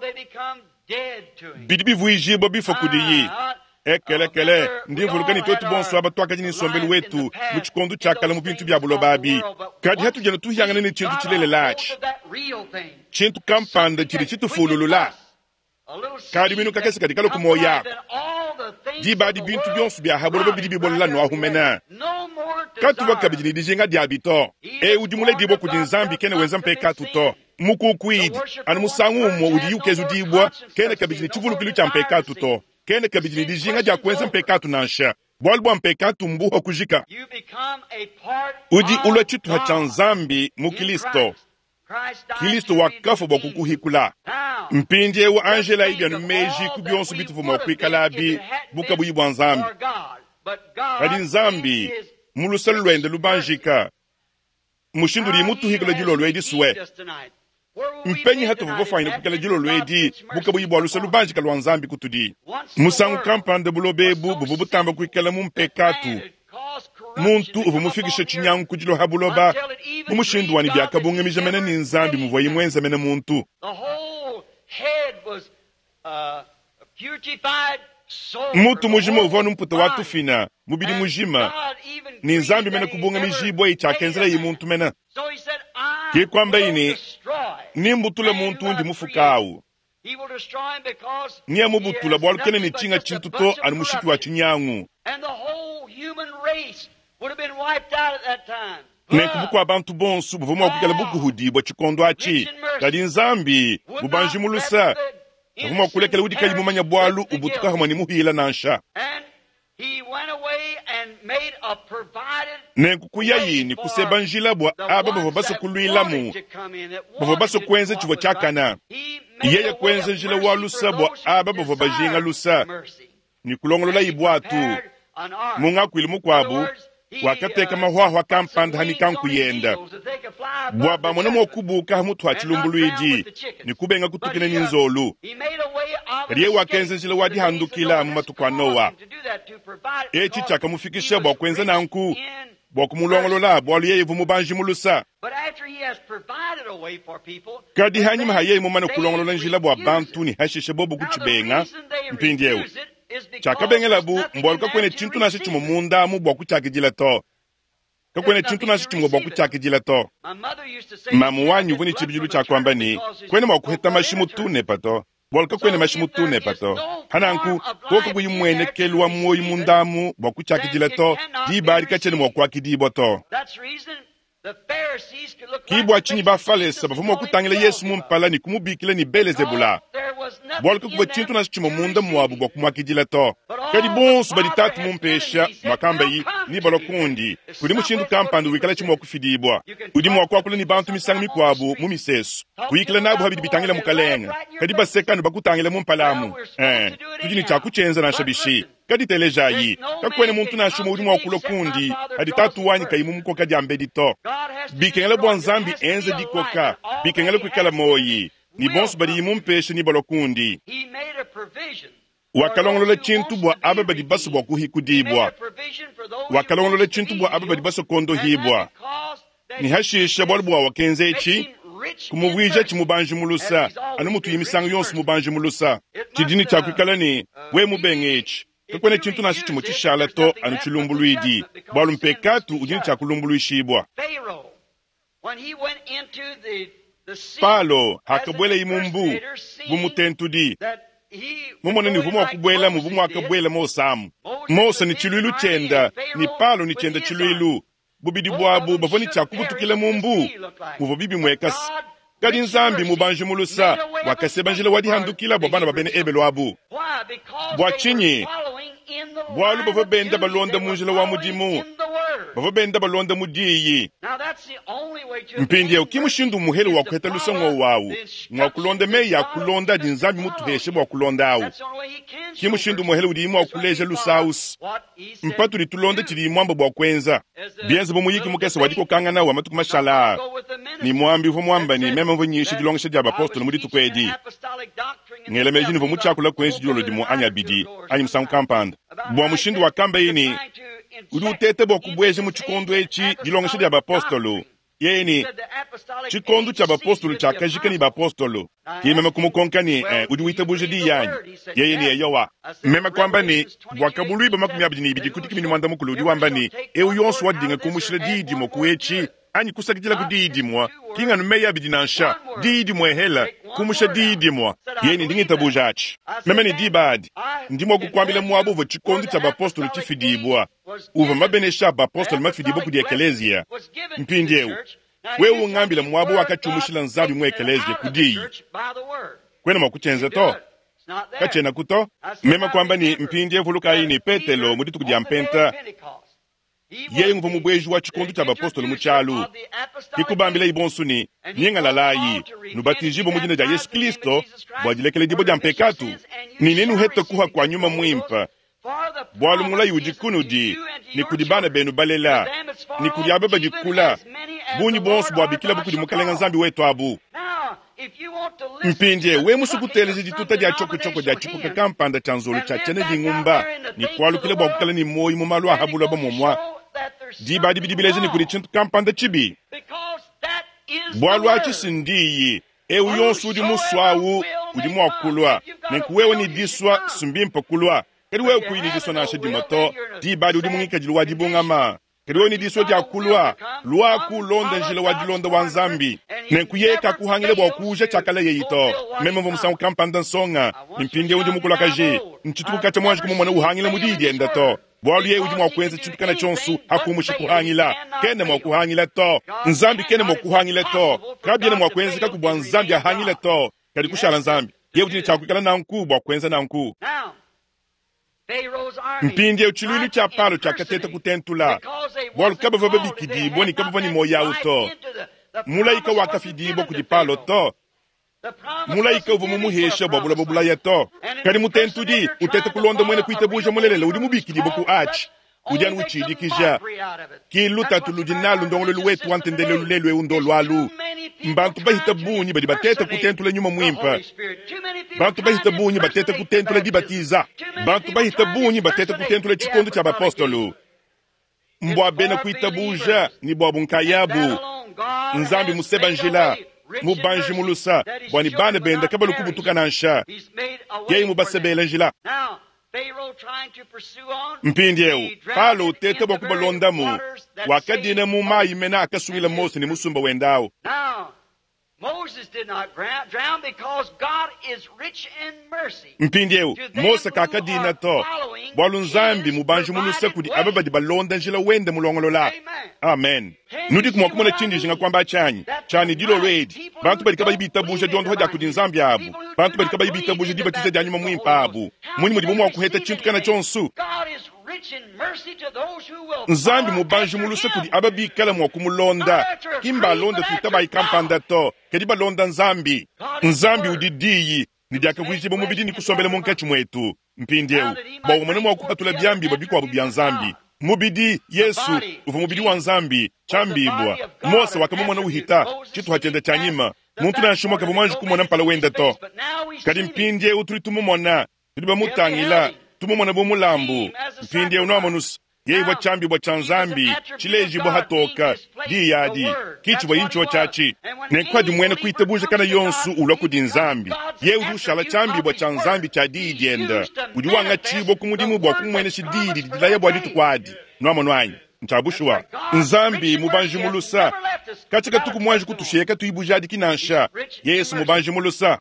Bidi bivuijibua bifua kudiyi. Ekelekele, ndi mvuluka ne tuetu bonso aba tuakadi ne nsombelu wetu mu tshikondo tshia kale mu bintu bia buloba abi. Kadi hatudi anu tuhiangana ne tshintu tshilelela atshi, tshintu kampanda tshidi tshitufululula, kadiminu kakese kadi kalua ku muoyo aku. Diba adi bintu bionso bia ha buloba bidi bibolela nuahu mene. Katuvua kabidi ne dijinga diabi to. Eu udi muledibue kudi Nzambi kena wenza mpekatu to. Mukukuidi, anu musangu umue udiyi ukezudibua, kena kabidi ne tshivulukilu tshia mpekatu to. Kena kabidi ne dijinga dia kuenza mpekatu nansha, bualu bua mpekatu mbuha kujika. Udi ulua tshituha tshia Nzambi mu Kilisto. Kilisto wakafua bua kukuhikula. Mpindieu anjelayi bianu meji ku bionso bituvua mua kuikalabi bu kabuyi bua Nzambi. Kadi Nzambi, mu luse luende lubanjika, mushindu udiye mutuhikula dilolo edi sue. Mpenyi hatuvua bafuanyine kuikala dilolo edi bu kabuyi bua luse lubanjika lua Nzambi kutudi. Musangu kampanda buloba ebu buvua butamba kuikala mu mpekatu. Muntu uvua mufikishe tshinyangu ku diloha buloba mu mushindu wa ne biakabungamija mene ne Nzambi muvuaye muenze mene muntu. Mutu mujima uvua anu mputa wa tufina, mubidi mujima, ne Nzambi mene kubungamijibua tshiakenzelaye muntu mene. Ke kuambaye ne, Nembutule muntu undi mufuka awu. Neamubutula bualu kena ne tshinga tshintu to anu mushiki wa tshinyangu. Nenku bukua-bantu bonso buvua mua kuikala bukuhudibua tshikondo atshi. Kadi Nzambi, bubanji mu lusa, kavua mua kulekela udi kayi mumanye bualu ubutuka hamue ne muhila nansha. Nenku kuyayi ne kuseba njila bua aba bavua basue kuluilamu, bavua basue kuenza tshivua tshiakana. Yeye kuenza njila wa lusa bua aba bavua bajinga lusa, ne kulongololayi buatu. Mu ngakuilu mukuabu, wakateka mahuahua kampanda ha mikanku yenda bua bamone mua kubuka ha mutu ha tshilumbuluidi ne kubenga kutukina ne nzolu. Kadi yeye wakenza njila wa dihandukila mu matuku a Noa. Etshi tshiakamufikisha bua kuenza nanku bua kumulongolola, bualu yeye uvua mubanji mu lusa. Kadi hanyima ha yeye mumane kulongolola njila bua bantu ne hashishe bobo kutshibenga, mpindieu tshiakabengelabu mbualu kakuena tshintu nansha tshimue munda amu bua kutshiakidila to. Kakuena tshintu nansha tshimue bua kutshiakidila to. Mamu wanyi uvua ne tshibidilu tshia kuamba ne, Kuena mua kuheta mashi mu tunepa to, bualu kakuena mashi mu tunepa to. Hananku, koku kakuyi mmuenekelu wa muoyo munda amu bua kutshiakidila to, diba adi katshiena mua kuakidibua to. Ki bua tshinyi Bafalese bavua mua kutangila Yesu mu mpala ne kumubikila ne Belezebula, bualu kakuvua tshintu nansha tshimue munda muabu bua kumuakidila to. Kadi bonso badi Tatu mumpesha, muakambayi, nebalua kundi. Kudi mushindu kampanda wikalatshi mua kufidibua. Udi mua kuakula ne bantu misangu mikuabu mu misesu, kuyikila nabu pa bidi bitangila Mukalenge, kadi baseka anu bakutangila mu mpala amu. Ee, tudi ne tshia kutshienza nansha bishi. Kadi telejayi, kakuena muntu nansha umue udi mua kulua kundi padi Tatu wanyi kayi mumukoka diambedi to. Bikengela bua Nzambi enze dikoka, bikengela kuikala muoyi, ne bonso badiyi mumpeshe nebalua kundi. Wakalongolola tshintu bua aba badi basue bua kuhikudibua, wakalongolola tshintu bua aba badi basue kuondohibua. Ne hashisha bualu bua wakenza etshi, kumuvuijatshi mubanji mu lusa, anu mutuye misangu yonso mubanji mu lusa. Tshidi ne tshia kuikala ne, wewe mubenge etshi, kakuena tshintu nansha tshimue tshishala to anu tshilumbuluidi, bualu mpekatu udi ne tshia kulumbuluishibua. Palo hakabuelaye mu mbu bu mutentudi, mumone ne uvua mua kubuelamu bu muakabuela Mose amu, Mose ne tshiluilu tshienda ne Palo ne tshienda tshiluilu, Bubidi buabu bavua ne tshia kubutukila mu mbu muvua bibimueka se, kadi Nzambi mubanji mu lusa wakaseba njila wa dihandukila bua bana ba bena Ebelu abu. Bua tshinyi? Bualu bavua benda balonda mu njila wa mudimu. Bavua benda balonda mu diyi. Mpindieu ki mushindu muhele wa kuheta luse ng'wowu awu, ng'wa kulonda meyi a kulonda adi Nzambi mutuheshe bua kulonda awu. Ki mushindu muhele udiyi mua kuleja luse awu's, mpatudi tulonda tshidiyi muamba bua kuenza. Bienze bu muyiki mukese wa dikokangana wa matuku mashala aa, ne muambi uvua muamba ne meme mvua nyisha dilongesha dia bapostolo mu dituku edi. Ngela meji ne mvua mutshiakula kuenji dilolo dimue anyi abidi, anyi musangu kampanda, bua mushindu wakambaye ne, udi uteta bua kubueja mu tshikondo etshi dilongesha dia bapostolo. Yeye ne, tshikondo tshia bapostolo tshiakajika ne bapostolo. Ke meme kumukonka ne, eh, udi witabuja diyi anyi? Yeye ne, eyowa. Meme kuamba ne, Buakabuluibua 22 ku 14 udi wamba ne, eu yonso wadinga kumushila diyi dimue ku etshi, anyi kusakidila ku diyi dimue, ki nganu meyi abidi nansha, diyi dimue hela, kumusha diyi dimue. Yeye ne, ndi ngitabuja atshi. Meme ne, diba adi, ndi mua kukuambila muaba uvua tshikondo tshia bapostolo tshifidibua, uvua mabenesha a bapostolo mafidibua kudi ekeleziya. Mpindieu, wewe ungambila muaba wakatshiumushila Nzambi mu ekeleziya ku diyi. Kuena mua kutshienza to. Katshienaku to. Meme kuamba ne, Mpindieu vulukayi ne, Petelo, mu dituku dia Mpenta, Yeye nguvua mubueji wa tshikondo tshia bapostolo mu tshialu. Ke kubambilaye bonso ne, Nyingalalayi, nubatijibue mu dina dia Yesu Kristo bua dilekeledibua dia mpekatu, ne nenuhete kuha kua Nyuma Muimpe, bualu mulayi udi kunudi ne kudi bana benu balela ne kudi aba badi kula, bungi buonso buabikilabu kudi Mukalenge Nzambi wetu abu. Mpindieu, wewe musue kuteleja dituta dia tshiokotshoko dia tshipuka kampanda tshia nzolo tshia tshiena dingumba ne kualukila bua kuikala ne muoyo mu malu a ha buloba muomua, diba adi bidi bileja ne kudi tshintu kampanda tshibi. Bualu atshi si ndiyi. Eu yonso udi musue au udi mua kulua. Nenku wewe ne disua, si mbimpe kulua. Kadi wewe kuyi ne disua nansha dimue to, diba adi udi mu ngikadilu wa dibungama. Kadi wewe ne disua dia kulua, luaku ulonde njila wa dilonda wa Nzambi. Nenku yeye kakuhangila bua kuuja tshiakalayeyi to. Meme mvua musangu kampanda nsonga, ne mpindieu ndi mukulakaje. Ntshituku katshia muanji kumumona uhangila mu diyi diende to. Bualu yeye udi mua kuenza tshintu kana tshionso akumusha kuhangila. Kena mua kuhangila to. Nzambi kena mua kuhangila to. Kabiena mua kuenzekaku bua Nzambi ahangile to. Kadi kushala Nzambi, yeye udi ne tshia kuikala nanku bua kuenza nanku. Mpindieu tshiluilu tshia Palo tshiakateta kutentula, bualu kabavua babikidibue ne kabavua ne muoyo au to. Mulayi kawakafidibua kudi Palo to. Mulayi kauvua mumuhesha bua buloba bulaya to. Kadi mutentudi uteta kulonda muena kuitabuja mulelela udi mubikidibue ku atshi, udi anu utshidikija. Ki lutatu ludi nalu ndongoluelu wetu wa ntendelelu lelu eu ndolu alu. Mbantu bahita bungi badi bateta kutentula nyuma muimpe. Bantu bahita bungi bateta kutentula dibatiza. Bantu bahita bungi bateta kutentula tshikondo tshia bapostolo. Mbua bena kuitabuja ne buabu nkayabu. Nzambi museba njila, mubanji mu lusa, bua ne bana bende kabalu kubutuka nansha. Yeye mubasebela njila. Mpindieu Palo uteta bua kubalondamu, wakadina mu mayi mene akasungila Mose ne musumba wende au. Mpindieu Mose kakadina to, bualu Nzambi mubanji mu luse kudi aba badi balonda njila wende mulongolola. Amen. Nudiku mua kumona tshindi njinga kuamba atshi anyi? Tshia ne, dilolo edi, bantu badi kabayi bitabuja diondoha dia kudi Nzambi abu, bantu badi kabayi bitabuja dibatiza dia Nyuma Muimpe abu, mmunyi mudibo mua kuheta tshintu kana tshionso? Nzambi mubanji mu luse kudi aba bikala mua kumulonda, ki mbalonda tuitabayi kampanda to, kadi balonda Nzambi. Nzambi udi Diyi, ne diakavuijibua mubidi ne kusombela munkatshi muetu. Mpindieu, bua umone mua kupatula biambibua bikuabu bia Nzambi, mubidi, Yesu, uvua mubidi wa Nzambi, tshiambibua. Mose wakamumona uhita tshituha tshiende tshia nyima. Muntu nansha umue kavua muanji kumona mpala wende to. Kadi mpindieu tudi tumumona, tudi bamutangila, tumumona bu mulambu. Mpindieu nuamonus, Yeye uvua tshiambibua tshia Nzambi tshilejibua hatoka, diyi adi ki tshivua intshio tshiatshi. Nenku padi muena kuitabuja kana yonso ulua kudi Nzambi, yeye udi ushala tshiambibua tshia Nzambi tshia diyi diende, udi wangatshibua ku mudimu bua kumuenesha diyi didi dilaya bua dituku adi. Nuamonu anyi? Ntshia bushuwa. Nzambi mubanji mu lusa, katshia katuku muanji kutushiya katuyi bujadiki nansha. Yesu mubanji mu lusa.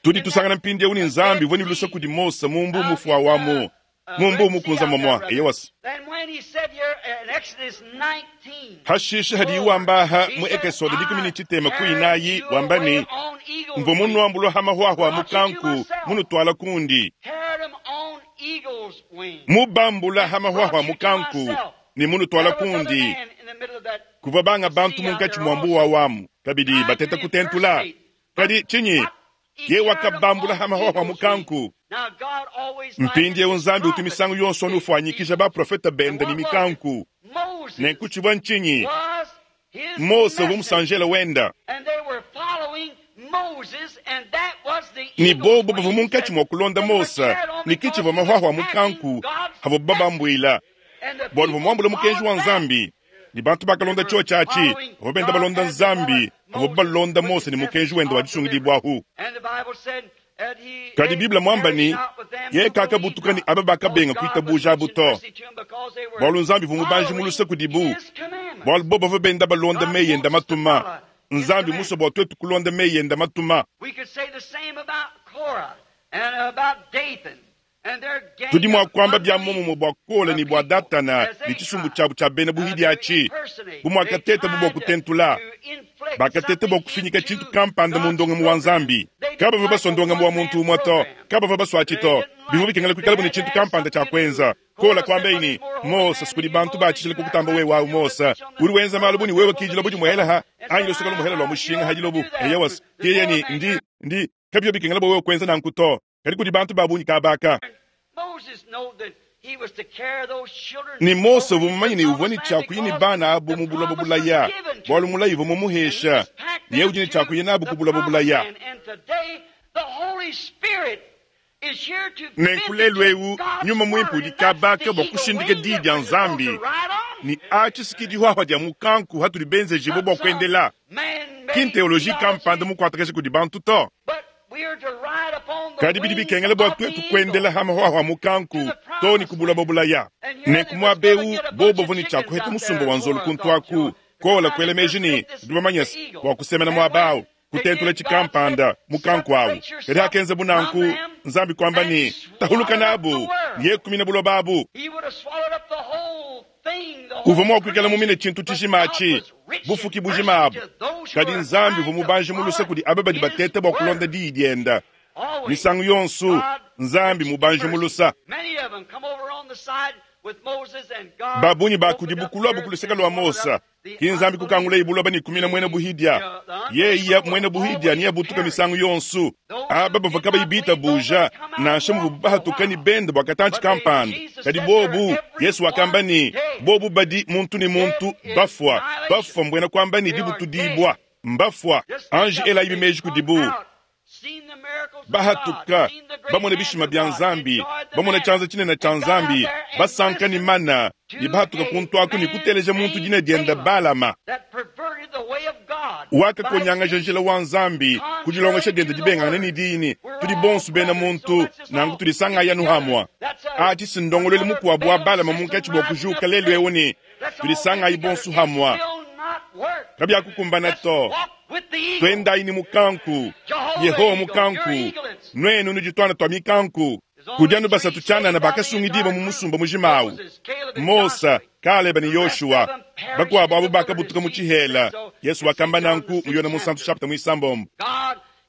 Tudi tusangana mpindieu ne Nzambi uvua ne luse kudi Mose mu mbuu mufua wa mu mu mbuu mukunza momua. Eyowas. Hashishe hadiye wamba aha mu Ekesode dikumi ne tshitema ku inayi wamba ne, Mvua munuambulua ha mahuahua a mukanku, munutuala kundi. Mubambula ha mahuahua mukanku ne munutuala kundi. Kuvua banga bantu munkatshi mua mbuwa wamu kabidi bateta kutentula. Kadi tshinyi? Ye wakabambula ha mahuahua mukanku. Mpindieu Nzambi utu misangu yonso unufuanyikija baprofete bende ne mikanku. Nenku tshivua ntshinyi? Mose uvua musanjela wenda. Ne bobu bavua munkatshi mua kulonda Mose, ne ke tshivua mahuahua mukanku avua babambuila, bualu uvua muambule mukenji wa Nzambi. Ne bantu bakalonda tshiotshi atshi, bavua benda balonda Nzambi, bavua balonda Mose ne mukenji wende wa disungidibuahu. Kadi Bible muamba ne, Yeye kakabutuka ne aba bakabenga kuitabuja abu to, bualu Nzambi uvua mubanji mu luse kudibu, bualu bobu bavua benda balonda meyi ende matuma. Nzambi musue bua tuetu kulonda meyi ende matuma. Tudi mua kuamba bia muomumue bua Kola ne bua Datana ne tshisumbu tshiabu tshia bena buhidi atshi. Bu muakatetabu bua kutentula, bakateta bua kufinyika tshintu kampanda mu ndongamu wa Nzambi. Kabavua basua ndongamu wa muntu umue to, kabavua basua atshi to. Bivua bikengela kuikalabu ne tshintu kampanda tshia kuenza. Kola kuambaye ne, Mose, kudi bantu ba tshijila kukutamba wewe awu Mose. Udi wenza malu bu ne wewe ki dilobo dimuhela ha anyi lusuka lumuhela lua mushinga ha dilobo. Eyowa, yeye ne, ndi, ndi, kabivua bikengela bua wewe kuenza nanku to. Kadi kudi bantu ba bungi kaba aka. Ne Mose uvua mumanye ne uvua ne tshia kuya ne bana abu mu buloba bulaya, bualu mulayi uvua mumuhesha, ne yeye udi ne tshia kuya nabu ku buloba bulaya. Nenku lelu eu Nyuma Muimpe udi kabaka bua kushindika Diyi dia Nzambi, ne atshi si ke dihuahua dia mukanku hatudi benzejibue bua kuendela, ki nteoloji kampanda mukuatakaja kudi bantu to. Kadi bidi bikengela bua tuetu kuendela ha mahuahua mukanku to ne ku buloba bulaya. Nenku muaba eu bobo bavua ne tshia kuheta musumba wa nzolu kuntu aku, Kola kuela meji ne, Ndi bamanye se, bua kusemena muaba au, kutentula tshikampanda mukanku au. Kadi hakenzabu nanku, Nzambi kuamba ne, Tahuluka nabu, ne yeye kumina buloba abu. Uvua mua kuikala mumine tshintu tshijima atshi, bufuki bujima abu. Kadi Nzambi uvua mubanji mu luse kudi aba badi bateta bua kulonda diyi diende. Misangu yonso, Nzambi mubanji mu lusa. Ba bungi ba kudibu kuluabu ku luseke lua Mose. Ki Nzambi kukangulaye buloba ne kumina muena buhidia. Yeye muena buhidia neabutuke misangu yonso. Aba bavua kabayi bitabuja, nansha muvuabu bahatuka ne bende bua katantshi kampanda, kadi bobu, Yesu wakamba ne, bobu badi muntu ne muntu bafua. Bafua mbuena kuamba ne dibutudibua. Mbafua. Anji elayibi meji kudibu. Bahatuka, bamona bishima bia Nzambi, bamona tshianza tshinene tshia Nzambi, basanka ne mana, ne bahatuka kuntu aku ne kuteleja muntu dina diende Balama, wakakonyangaja njila wa Nzambi ku dilongesha diende dibengangane ne diyi ne tudi bonso bena muntu, nanku tudisangayi anu hamua. Atshi si ndongoluelu mukuabu wa Balama munkatshi bua kujuka lelu eu ne tudisangayi bonso hamua. Kabiakukumbana to. Tuendayi ne mukanku, Yehowa mukanku, nuenu nudi tuana tua mikanku. Kudi anu basatu tshianana bakasungidibua mu musumba mujima au, Mose, Kaleba ne Yoshua. Bakuabu abu bakabutuka mu tshihela. Yesu wakamba nanku mu Yone Munsantu chapter muisambombo.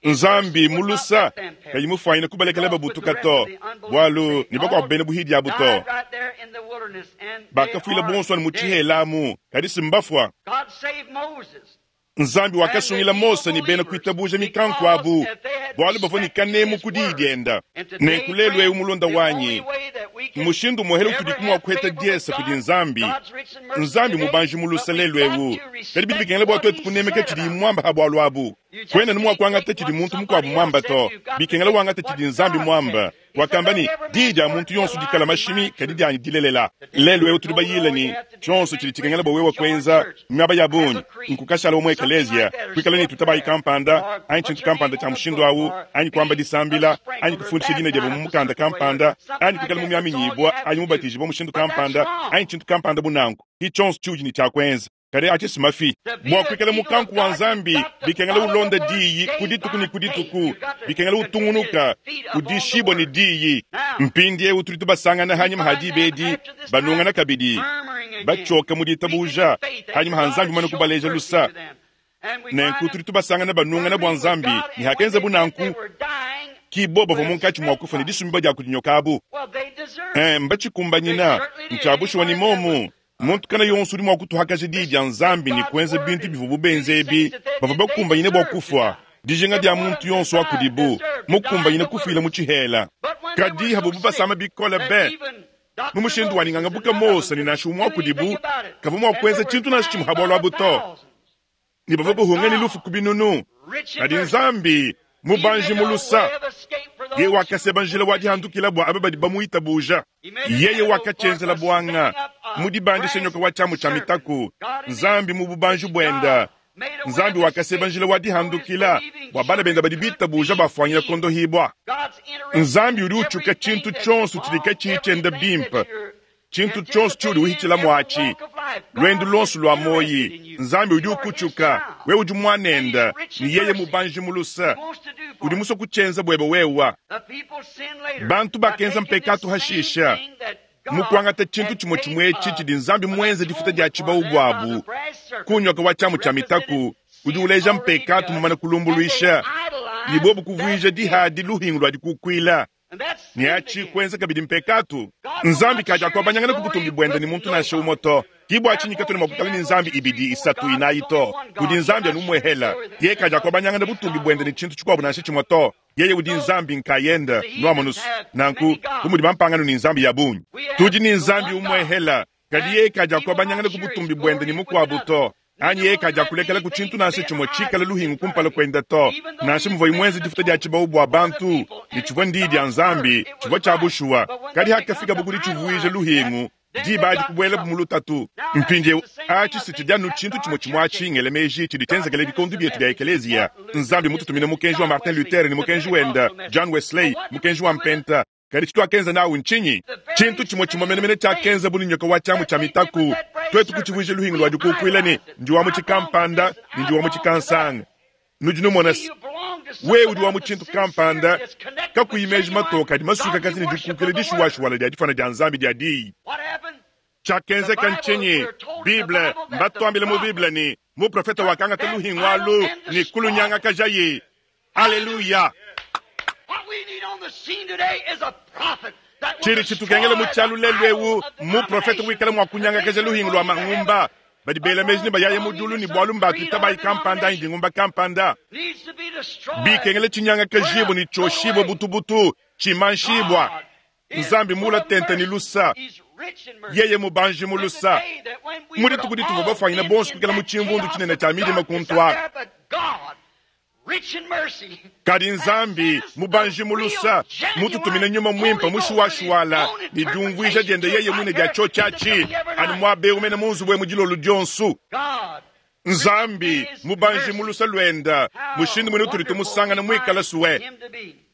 Nzambi mu lusa kayi mufuanyine kubalekela babutuka to, bualu ne bakuabu bena buhidi abu to. Bakafuila bonso anu mu tshihela amu, kadi si mbafua. Nzambi wakasungila Mose ne bena kuitabuja mikanku abu, bualu bavua ne kanemu ku diyi dienda. Nenku lelu eu, mulunda wanyi, mmushindu umuehele utudiku mua kuheta diesa kudi Nzambi. Nzambi mubanji mu lusa lelu eu, kadi bidi bikengela bua tuetu kunemeka tshidiyi muamba ha bualu abu. Kuena anu mua kuangata tshidi muntu mukuabu muamba to, bikengela wangata tshidi Nzambi muamba. Wakamba ne, Diyi dia muntu yonso dikala mashimi, kadi dianyi dilelela. Lelu eu tudi bayile ne, tshionso tshidi tshikengela bua wewe kuenza miaba ya bungi nkukashala mu ekeleziya, kuikala ne tutabayi kampanda anyi tshintu kampanda tshia mushindu au, anyi kuamba disambila, anyi kufundisha dina diebe mu mukanda kampanda, anyi kuikala mumiaminyibua anyi mubatijibua mushindu kampanda, anyi tshintu kampanda bu nanku. Ki tshionso tshiudi ne tshia kuenza. Kadi atshi si mafi. Bua kuikala mukanku wa Nzambi, bikengela ulonda diyi ku dituku ne ku dituku, bikengela utungunuka udishibua ne diyi. Mpindieu tudi tubasangana hanyima ha diba edi banungana kabidi, batshioka mu ditabuja, hanyima ha Nzambi mumane kubaleja lusa. Nenku tudi tubasangana banungana bua Nzambi, ne hakenzabu nanku, ki bo bavua munkatshi mua kufua ne disumiba dia kudi nyoka abu. Eh, mbacikumbanyina. Ncya bushuwa ni momu. Muntu kana yonso udi mwa kutuhakaja diyi dya Nzambi ne kuenza bintu bivwabu benze ebi, bavwa bakumbanyine bwa kufwa. Dijinga dya muntu yonso wa kudibu, mukumbanyine kufwila mu cihela. Kadi havubu basama bikole be. Mu mushindu wa ninganga buka Mose ne nansha umwe wa kudibu kavwa mwa kuenza cintu nansha cimwe ha bwalu abu to. Ne bavwa bahunga ne lufu ku binunu. Kadi Nzambi, mubanji mu lusa, yeye wakaseba njila wa dihandukila bua aba badi bamuitabuja. Yeye wakatshienzela buanga mu dibandisha nyoka wa tshiamu tshia mitaku. Nzambi mu bubanji buenda, Nzambi wakaseba njila wa dihandukila bua bana benda badi bitabuja bafuanyila kondohibua. Nzambi udi utshuka tshintu tshionso tshidi katshiyi tshienda bimpe, tshintu tshionso tshiudi uhitshila muatshi, luendu luonso lua muoyi. Nzambi udi ukutshuka, wewe udi muanende, ne yeye mubanji mu luse. Udi musue kutshienza buebe wewa. Bantu bakenza mpekatu hashisha mu kuangata tshintu tshimue tshimue etshi tshidi Nzambi muenze difuta dia tshibawu buabu ku nyoka wa tshiamu tshia mitaku udi uleja mpekatu mumane kulumbuluisha, ne bobu kuvuija dihadi luhingu lua dikukuila, ne atshi kuenza kabidi mpekatu. Nzambi kadiakuabanyangana ku butumbi buende ne muntu nansha umue to. Ki bua tshinyi katuena mua kuikala ne nzambi ibidi, isatu, inayi to. Kudi Nzambi anu umuehela. Yeye kadiakuabanyangana butumbi buende ne tshintu tshikuabu nansha tshimue to. Yeye udi Nzambi nkayende. Nuamonus? Nanku, bu mudi bampangano ne nzambi ya bungi, tudi ne Nzambi umuehela. Kadi yeye kadiakuabanyangana ku butumbi buende ne mukuabu to, anyi yeye kadiakulekela ku tshintu nansha tshimue tshikale luhingu kumpala kuende to. Nansha muvuaye muenze difuta dia tshibawu bua bantu, ne tshivua ndiyi dia Nzambi, tshivua tshia bushuwa, kadi hakafikabu ku ditshivuija luhingu, diba adi kubuelabu mu lutatu. Mpindieu, atshi si tshidi anu tshintu tshimue tshimue atshi, ngela meji, tshidi tshienzekele bikondo bietu bia ekeleziya. Nzambi mmututumine mukenji wa Martin Luther ne mukenji wende, John Wesley, mukenji wa Mpenta. Kadi tshituakenza nawu ntshinyi? Tshintu tshimue tshimue menemene tshiakenza bu ne nyoka wa tshiamu tshia mitaku, tuetu kutshivuija luhingu lua dikukuila ne, Ndi wa mu tshikampanda ne ndi wa mu tshikansanga. Nudi numona se, wewe udi wa mu tshintu kampanda, kakuyi meji matoke adi masuikakaja ne dikukila dishuwashuwala dia difuana dia Nzambi dia Diyi. Tshiakenzeka ntshinyi? Bible, mbatuambile mu Bible ne, muprofete wakangata luhingu alu ne kulunyangakajaye. Aleluya! Tshidi tshitukengela mu tshialu lelu eu mmuprofete wikala mua kunyangakaja luhingu lua mangumba. Badi bela meji ne bayaya mu diulu ne bualu mbatuitabayi kampanda anyi dingumba kampanda. Bikengela tshinyangakajibue ne tshioshibue butubutu, tshimanshibua. Nzambi mula tente ne lusa, yeye mubanji mu lusa. Mu dituku dituvua bafuanyine bonso kuikala mu tshimvundu tshinene tshia midima kuntu aku, Kadi Nzambi, mubanji mu lusa, mututumine Nyuma Muimpe mushuwashuwala ne diumvuija diende yeye muine dia tshiotshi atshi, anu muaba eu mene mu nzubu emu dilolo dionso. Nzambi, mubanji mu lusa luende, mushindu muine utudi tumusangana muikale sue.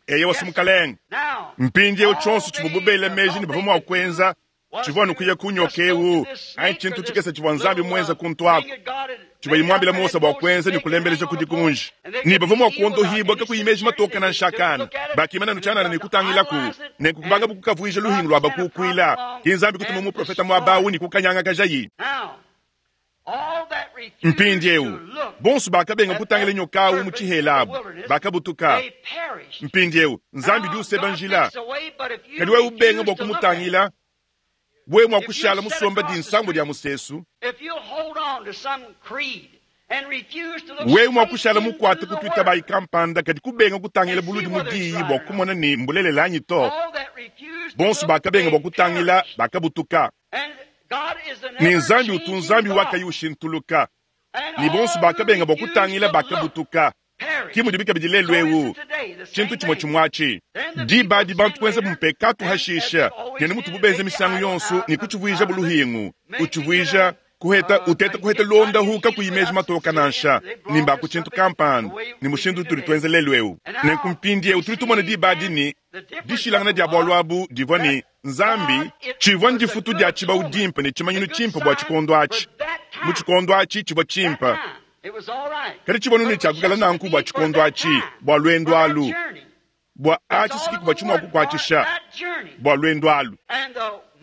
Eyowa, Mukalenge. Mpindieu tshionso tshivuabu bela meji ne bavua mua kuenza tshivua anu kuya ku nyoka eu anyi tshintu tshikese tshivua Nzambi muenze kuntu aku, tshivuaye muambile Mose bua kuenza ne kulembeleja ku dikunji, ne bavua mua kuondohibua kakuyi meji matoke nansha akana. Bakimana anu tshianana ne kutangilaku, nenku kubangabu kukavuija luhingu lua bakukuila. Ke Nzambi kutuma muprofete muaba au ne kukanyangakajayi. Mpindieu, bonso bakabenga kutangila nyoka au mu tshihela abu bakabutuka. Mpindieu, Nzambi udi useba njila, kadi wewe ubenga bua kumutangila, wewe mua kushala musomba dinsambu dia musesu, wewe mua kushala mukuate ku tuitabayi kampanda, kadi kubenga kutangila buludi mu diyi bua kumona ne mbulelela anyi to. Bonso bakabenga bua kutangila bakabutuka. Ne Nzambi utu Nzambi wa kayi ushintuluka, ne bonso bakabenga bua kutangila bakabutuka. Ke mudibi kabidi lelu eu, tshintu tshimue tshimue atshi. Diba adi bantu kuenzabu mpekatu hashisha, ne mutubu benza misangu yonso, ne kutshivuijabu luhingu, utshivuija kuheta uteta kuheta luondahu kakuyi meji matoka nansha, ne mba ku tshintu kampanda, ne mushindu utudi tuenza lelu eu. Nenku mpindieu tudi tumona diba adi ne dishilangana dia bualu abu divua ne Nzambi, tshivua ndifutu dia tshibawu dimpe ne tshimanyinu tshimpe bua tshikondo atshi. Mu tshikondo atshi tshivua tshimpe, kadi tshivua ne tshia kuikala nanku bua tshikondo atshi, bua luendu alu, bua atshi si kikuvua tshimua kukuatshisha bua luendu alu.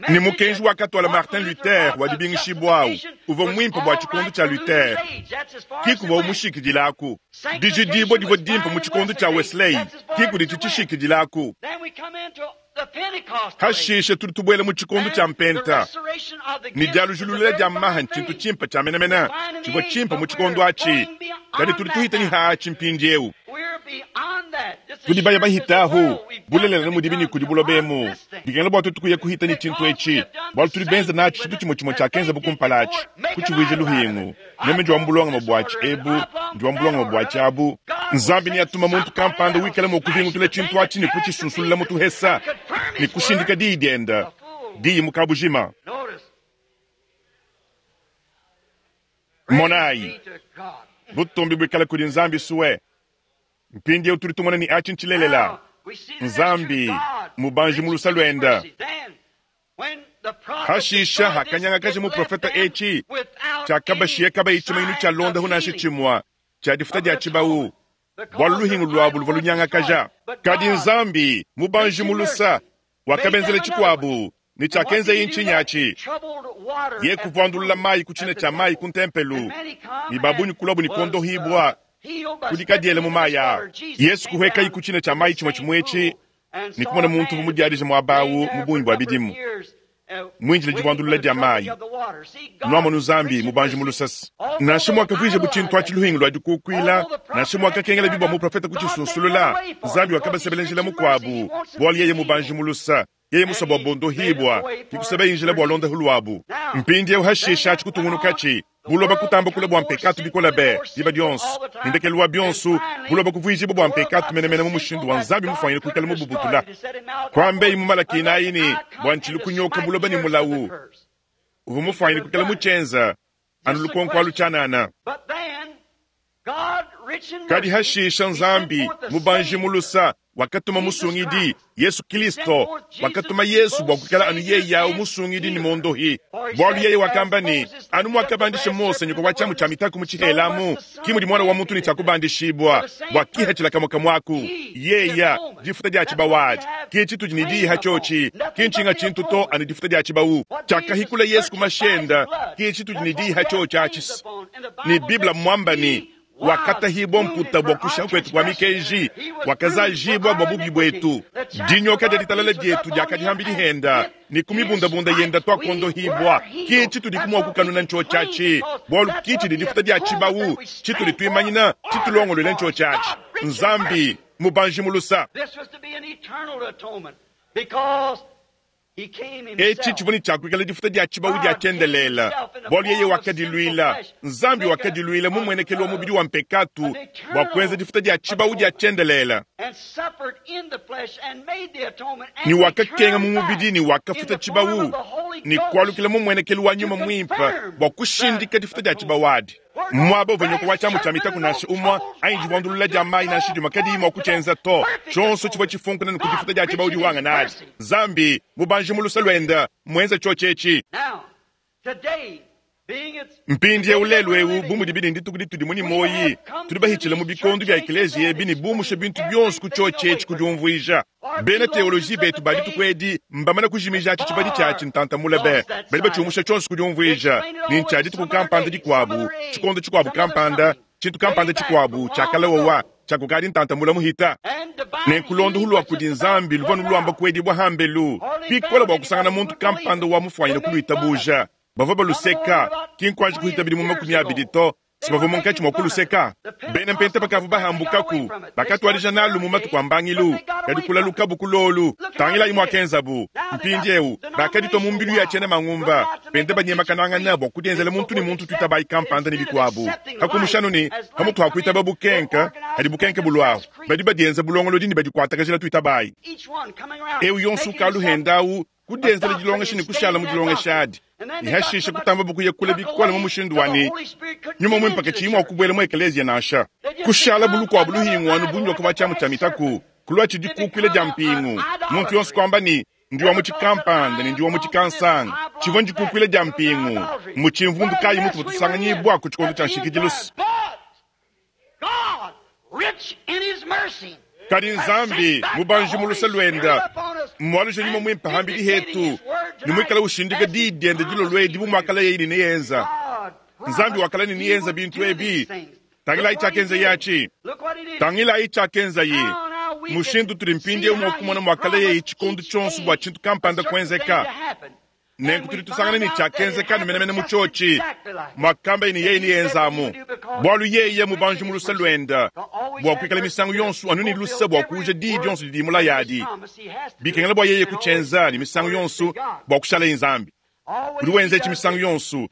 Ne mukenji wakatuala Martin Luther wa dibingishibua au uvua muimpe bua tshikondo tshia Luther, kikuvua umushikidilaku. Dijidibua divua dimpe mu tshikondo tshia Wesley, kikuditshi tshishikidilaku. Hashishe tudi tubuela mu tshikondo tshia mpenta, ne dialujulula dia maha ntshintu tshimpe tshia menemene tshivua tshimpe mu tshikondo atshi, kadi tudi tuhita ne haatshi mpindieu. Tudi baya bahitahu bulelela ne mudibi ne kudi buloba emu. Bikengela bua tuetu kuya kuhita ne tshintu etshi, bualu tudi benza natshi tshintu tshimue tshimue tshiakenzabu kumpala atshi, kutshivuija luhingu. Meme ndi wa mu bulongame buatshi ebu, ndi wa mu bulongame buatshi abu. Nzambi neatuma muntu kampanda wikala mua kuvingutula tshintu atshi ne kutshisunsulula mu tuhesa ne kushindika diyi diende, diyi mu kabujima. Monayi, butumbi buikale kudi Nzambi sue. Mpindieu tudi tumona ne atshi ntshilelela. Nzambi mubanji mu lusa luende. Hashisha hakanyangakaja muprofeta etshi tshiakabashiya kabayi tshimanyinu tshia londahu nansha tshimue tshia difuta dia tshibawu, bualu luhingu luabu luvua lunyangakaja. Kadi Nzambi mubanji mu lusa wakabenzela tshikuabu, ne tshiakenzeye ntshinyi atshi? Ye kuvuandulula mayi ku tshina tshia mayi ku ntempelu, ne ba bungi kuluabu ne kuondohibua ku dikadiela mu mayi aa. Yesu kuhuekayi ku tshina tshia mayi tshimue tshimue etshi ne kumona muntu uvua mudiadije muaba au mu bungi bua bidimu, muindile divuandulula dia mayi. Nuamonu Nzambi mubanji mu lusese. Nansha muakavuijabu tshintu atshi luhingu lua dikukuila, nansha muakakengelabi bua muprofete kutshisunsulula, Nzambi wakabasebela njila mukuabu, bualu yeye mubanji mu lusa. Yeye musua bua bondohibua, ke kusebaye njila bua londahu luabu. Mpindieu hashishe atshi kutungunukatshi, buloba kutamba kula bua mpekatu bikole be diba dionso, ne ndekelu wa bionso buloba kuvuijibua bua mpekatu menemene mu mushindu wa Nzambi mufuanyine kuikala mububutula. Kuambeyi mu Malaki inayi ne, Bua ntshilu kunyoka buloba ne mulawu uvua mufuanyine kuikala mutshienza anu lukonko alu tshianana. Kadi hashisha Nzambi, mubanji mu lusa, wakatuma Musungidi, Yesu Kilisto. Wakatuma Yesu bua kuikala anu yeye au Musungidi ne Mondohi. Bualu yeye wakamba ne, Anu muakabandisha Mose nyoka wa tshiamu tshia mitaku mu tshihela amu, ki mudi Muana wa muntu ne tshia kubandishibua, bua kihachila kamue kamue aku. Yeya, difuta dia tshibawu adi, ki tshitudi ne diyi hatshiotshi, ki ntshinga tshintu to anu difuta dia tshibawu. Tshiakahikula Yesu ku mashenda, ki tshitudi ne diyi hatshiotshi atshi. Ne Bible mmuamba ne, Wakatahibua mputa bua kushiha kuetu kua mikenji, wakazajibua bua bubi buetu. Dinyoka dia ditalala dietu diakadi ham'bidi henda, ne ku mibundabunda yenda tuakuondohibua. Ki tshitudiku mua kukanuna ntshiotshi atshi, bualu ki tshidi difuta dia tshibawu tshitudi tuimanyina, tshitulongoluela ntshiotshi atshi. Nzambi mubanji mu lusa. Etshi tshivua ne tshia kuikala difuta dia tshibawu dia tshiendelele, bualu yeye wakadiluila, Nzambi wakadiluila mu mmuenekelu wa mubidi wa mpekatu bua kuenza difuta dia tshibawu dia tshiendelele, ne wakakenga mu mubidi ne wakafuta tshibawu, ne kualukila mu mmuenekelu wa Nyuma Muimpe bua kushindika difuta dia tshibawu adi. Muaba uvua nyoka wa tshiamu tshia mitaku nansha umue anyi divuandulula dia mayi nansha dimue kadiyi mua kutshienza to. Tshionso tshivua tshifunkuna ne ku difuta dia tshibawu diwangana nadi. Nzambi, mubanji mu luse luende, mmuenze tshiotshi etshi. Mpindieu lelu eu, bu mudibi ne ndituku ditudi mu ne muoyi, tudi bahitshile mu bikondo bia ekeleziya ebi ne bumushe bintu bionso ku tshiotshi etshi ku diumvuija. Bena teoloji betu ba dituku edi mbamane kujimija atshi tshibadi tshiatshi ntanta mule be. Badi batshiumusha tshionso ku diumvuija ne, ntshia dituku kampanda dikuabu, tshikondo tshikuabu kampanda, tshintu kampanda tshikuabu tshia kale wowa tshia kukadi ntanta mule muhita. Nenku londohu lua kudi Nzambi luvua nuluamba kuedibua hambelu bikole bua kusangana muntu kampanda wa mufuanyine kuluitabuja. Bavua baluseka, ki nkuanji kuhita bidimu 20 to, Si bavua munkatshi mua kuluseka. Bena Mpenta bakavua bahambukaku, bakatuadija nalu mu matuku a mbangilu, kadi kulalukabu ku lolu. Tangilayi muakenzabu. Mpindieu bakaditua mu mbilu ya tshiena mangumba, benda banyemakanangana bua kudienzela muntu ne muntu tuitabayi kampanda ne bikuabu. Pakumusha anu ne pamutu ha kuitaba bukenke, hadi bukenke buluahu, badi badienza bulongolodi ne badikuatakajila tuitabayi. Eu yonso ukalu henda au kudienzela dilongesha ne kushala mu dilongesha adi, ne hashishe kutamba kuya kule bikole mu mushindu wa ne Nyuma Muimpe katshiyi mua kubuela mu ekeleziya nansha. Kushala bu lukuabu luhingu anu bu nyoka wa tshiamu tshia mitaku, kulua tshidikukuila dia mpingu. Muntu yonso kuamba ne, Ndi wa mu tshikampanda ne ndi wa mu tshikansanga. Tshivua ndikukuila dia mpingu. Mmu tshimvundu kayi mutuvua tusanganyibua ku tshikondo tshia nshikidilu? Kadi Nzambi, mubanji mu luse luende, mmualuje Nyuma Muimpe hambidi hetu ne muikale ushindika diyi diende dilolo edi bu muakalayeye ne neyenza. Nzambi wakala ne neyenza bintu ebi. Tangilayi tshiakenzaye atshi. Tangilayi tshiakenzaye. Mushindu utudi mpindieu mua kumona muakalayeyi tshikondo tshionso bua tshintu kampanda kuenzeka. Nenku tudi tusangana ne tshiakenzeka anu menemene mu tshiotshi, muakambaye ne yeye neyenzamu, bualu yeye mubanji mu luse luende, bua kuikala misangu yonso anu ne luse bua kuuja diyi dionso didi mulaya adi. Bikengela bua yeye kutshienza ne misangu yonso bua kushalaye Nzambi. Udi wenza etshi misangu yonso.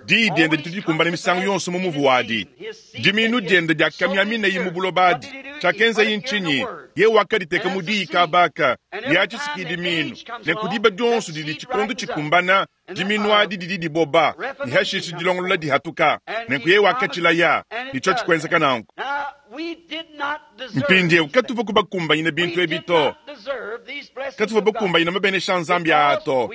Diyi diende ditu dikumbana misangu yonso mu muvu wadi. Dimiinu diende diakamiaminayi mu buloba adi. Tshiakenzaye ntshinyi? Yeye wakaditeka mu diyi kaba aka, ne atshi si dimiinu. Nenku diba dionso didi tshikondo tshikumbana, dimiinu adi didi diboba, ne hashishe dilongolola dihatuka. Nenku yeye wakatshilaya, ne tshiotshi kuenzeka nanku. Mpindieu katuvua kubakumbanyina bintu ebi to. Katuvua bakumbanyina mabenesha a Nzambi aa to,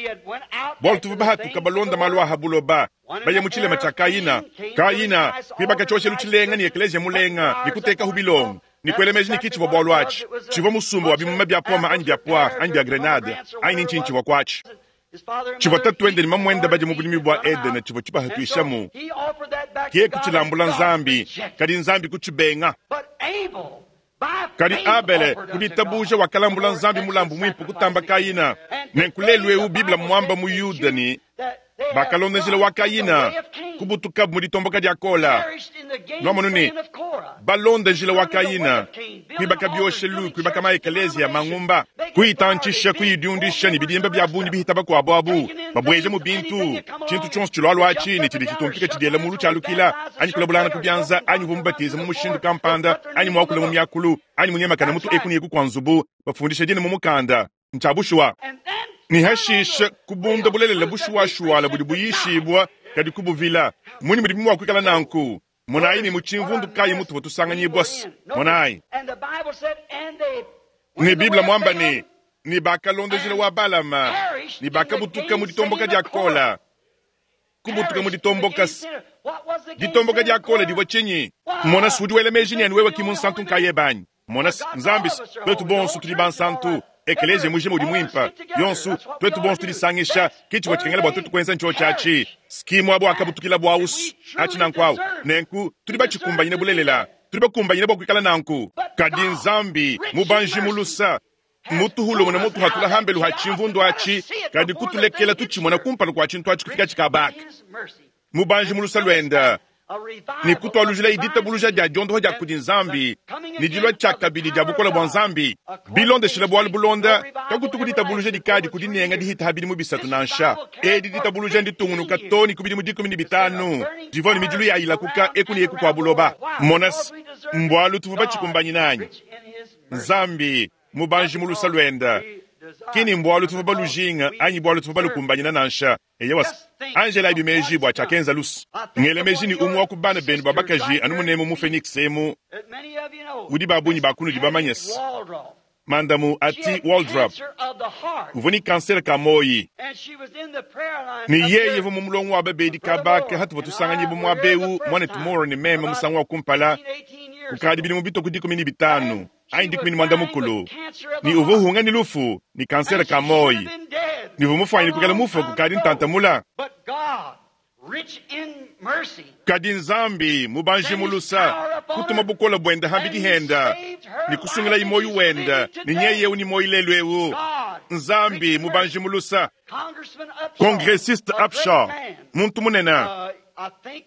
bualu tuvua bahatuka balonda malu a ha buloba, baya mu tshilema tshia Kayina. Kayina kuibaka tshioshelu tshilenga ne ekeleziya mulenga ne kutekahu bilongo ne kuela meji ne ki tshivua bualu atshi. Tshivua musumba wa bimuma bia pome anyi bia poire anyi bia grenade anyi ne ntshinyi tshivua kuatshi. Tshivua tatuende ne mamuende badia mu budimi bua Edene tshivua tshibahatuishamu. Ke kutshilambula Nzambi, kadi Nzambi kutshibenga. Kadi Abele, ku ditabuja wakalambula Nzambi mulambu muimpe kutamba Kayina. Nenku lelu eu Bible mmuamba mu Yuda ne, bakalonda njila wa Kayina, kubutukabu mu ditomboka dia Kola. Nuamonu ne, balonda njila wa Kayina, kuibaka bioshelu, kuibaka maekeleziya, mangumba, kuyitantshisha, kuyidiundisha ne bidimba bia bungi bihita bakuabu abu, babueja mu bintu, tshintu tshionso tshilualua atshi ne tshidi tshitumpika tshidiela mulu tshialukila, anyi kulabulangana ku bianza, anyi uvua mubatiza mu mushindu kampanda, anyi muakule mu miakulu, anyi munyemakana mutu eku ne eku kua nzubu, bafundisha dina mu mukanda. Ntshia bushuwa. Ne hashishe kubunda bulelela bushuwashuwala budi buyishibua, kadi kubuvila. Mmunyi mudibi mua kuikala nanku? Monayi ne mu tshimvundu kayi mutuvua tusanganyibua. Monayi. Ne Bible muamba ne, ne bakalonda njila wa Balama, ne bakabutuka mu ditomboka dia Kola. Kubutuka mu ditomboka. Ditomboka dia Kola divua tshinyi? Mona, udi wela meji ne anu wewe ki munsantu nkayebe anyi? Mona, Nzambi, tuetu bonso tudi bansantu. Ekeleziya mujima udi muimpe. Yonso, tuetu bonso tudisangisha, ke tshivua tshikengela bua tuetu kuenza ntshiotshi atshi. Ski muaba wakabutukila buawu atshi nanku au. Nenku, tudi batshikumbanyine bulelela. Tudi bakumbanyine bua kuikala nanku. Kadi Nzambi, mubanji mu lusa, mmutuhulumune mutuhatula hambelu ha tshimvundu atshi, kadi kutulekela tutshimona kumpala kua tshintu atshi kufikatshi kabaka. Mubanji mu lusa luende, ne kutualujilayi ditabuluja dia diondoha dia kudi Nzambi ne dilua tshiakabidi dia bukole bua Nzambi. Bilondeshile bualu bulonda, kakutuku ditabuluja dikadi ku dinenga dihita ha bidimu bisatu nansha. Edi ditabuluja nditungunuka to ne ku bidimu 15 divua ne midilu ya ilakuka eku ne eku kua buloba. Mona se, mbualu tuvua batshikumbanyine anyi? Nzambi, mubanji mu lusa luende, ki ni mbualu tuvua balujinga anyi bualu tuvua balukumbanyina nansha. Eyowa, anjelabi meji bua tshiakenza Lusi. Ngela meji ne umue wa ku bana benu ba bakaji anu munemu mu Phoenix emu, udi ba bungi ba kunudi bamanye se, Mandamu Hattie Waldrop uvua ne kansere ka muoyi, ne yeye uvua mu mulongo wa babedi kaba aka hatuvua tusanganyibua muaba eu, muanetu Moore ne meme musangu wa kumpala, kukadi bidimu bitue ku 15 anyi 15, ne uvua uhunga ne lufu ne kansere ka muoyi, ne uvua mufuanyine kuikala mufue kukadi ntantamula. Kadi Nzambi, mubanji mu lusa, kutuma bukole buende hambidi henda ne kusungilayi muoyo wende, ne nyeye eu ne muoyo lelu eu. Nzambi, mubanji mu lusa. Congressiste Upshaw, muntu munene,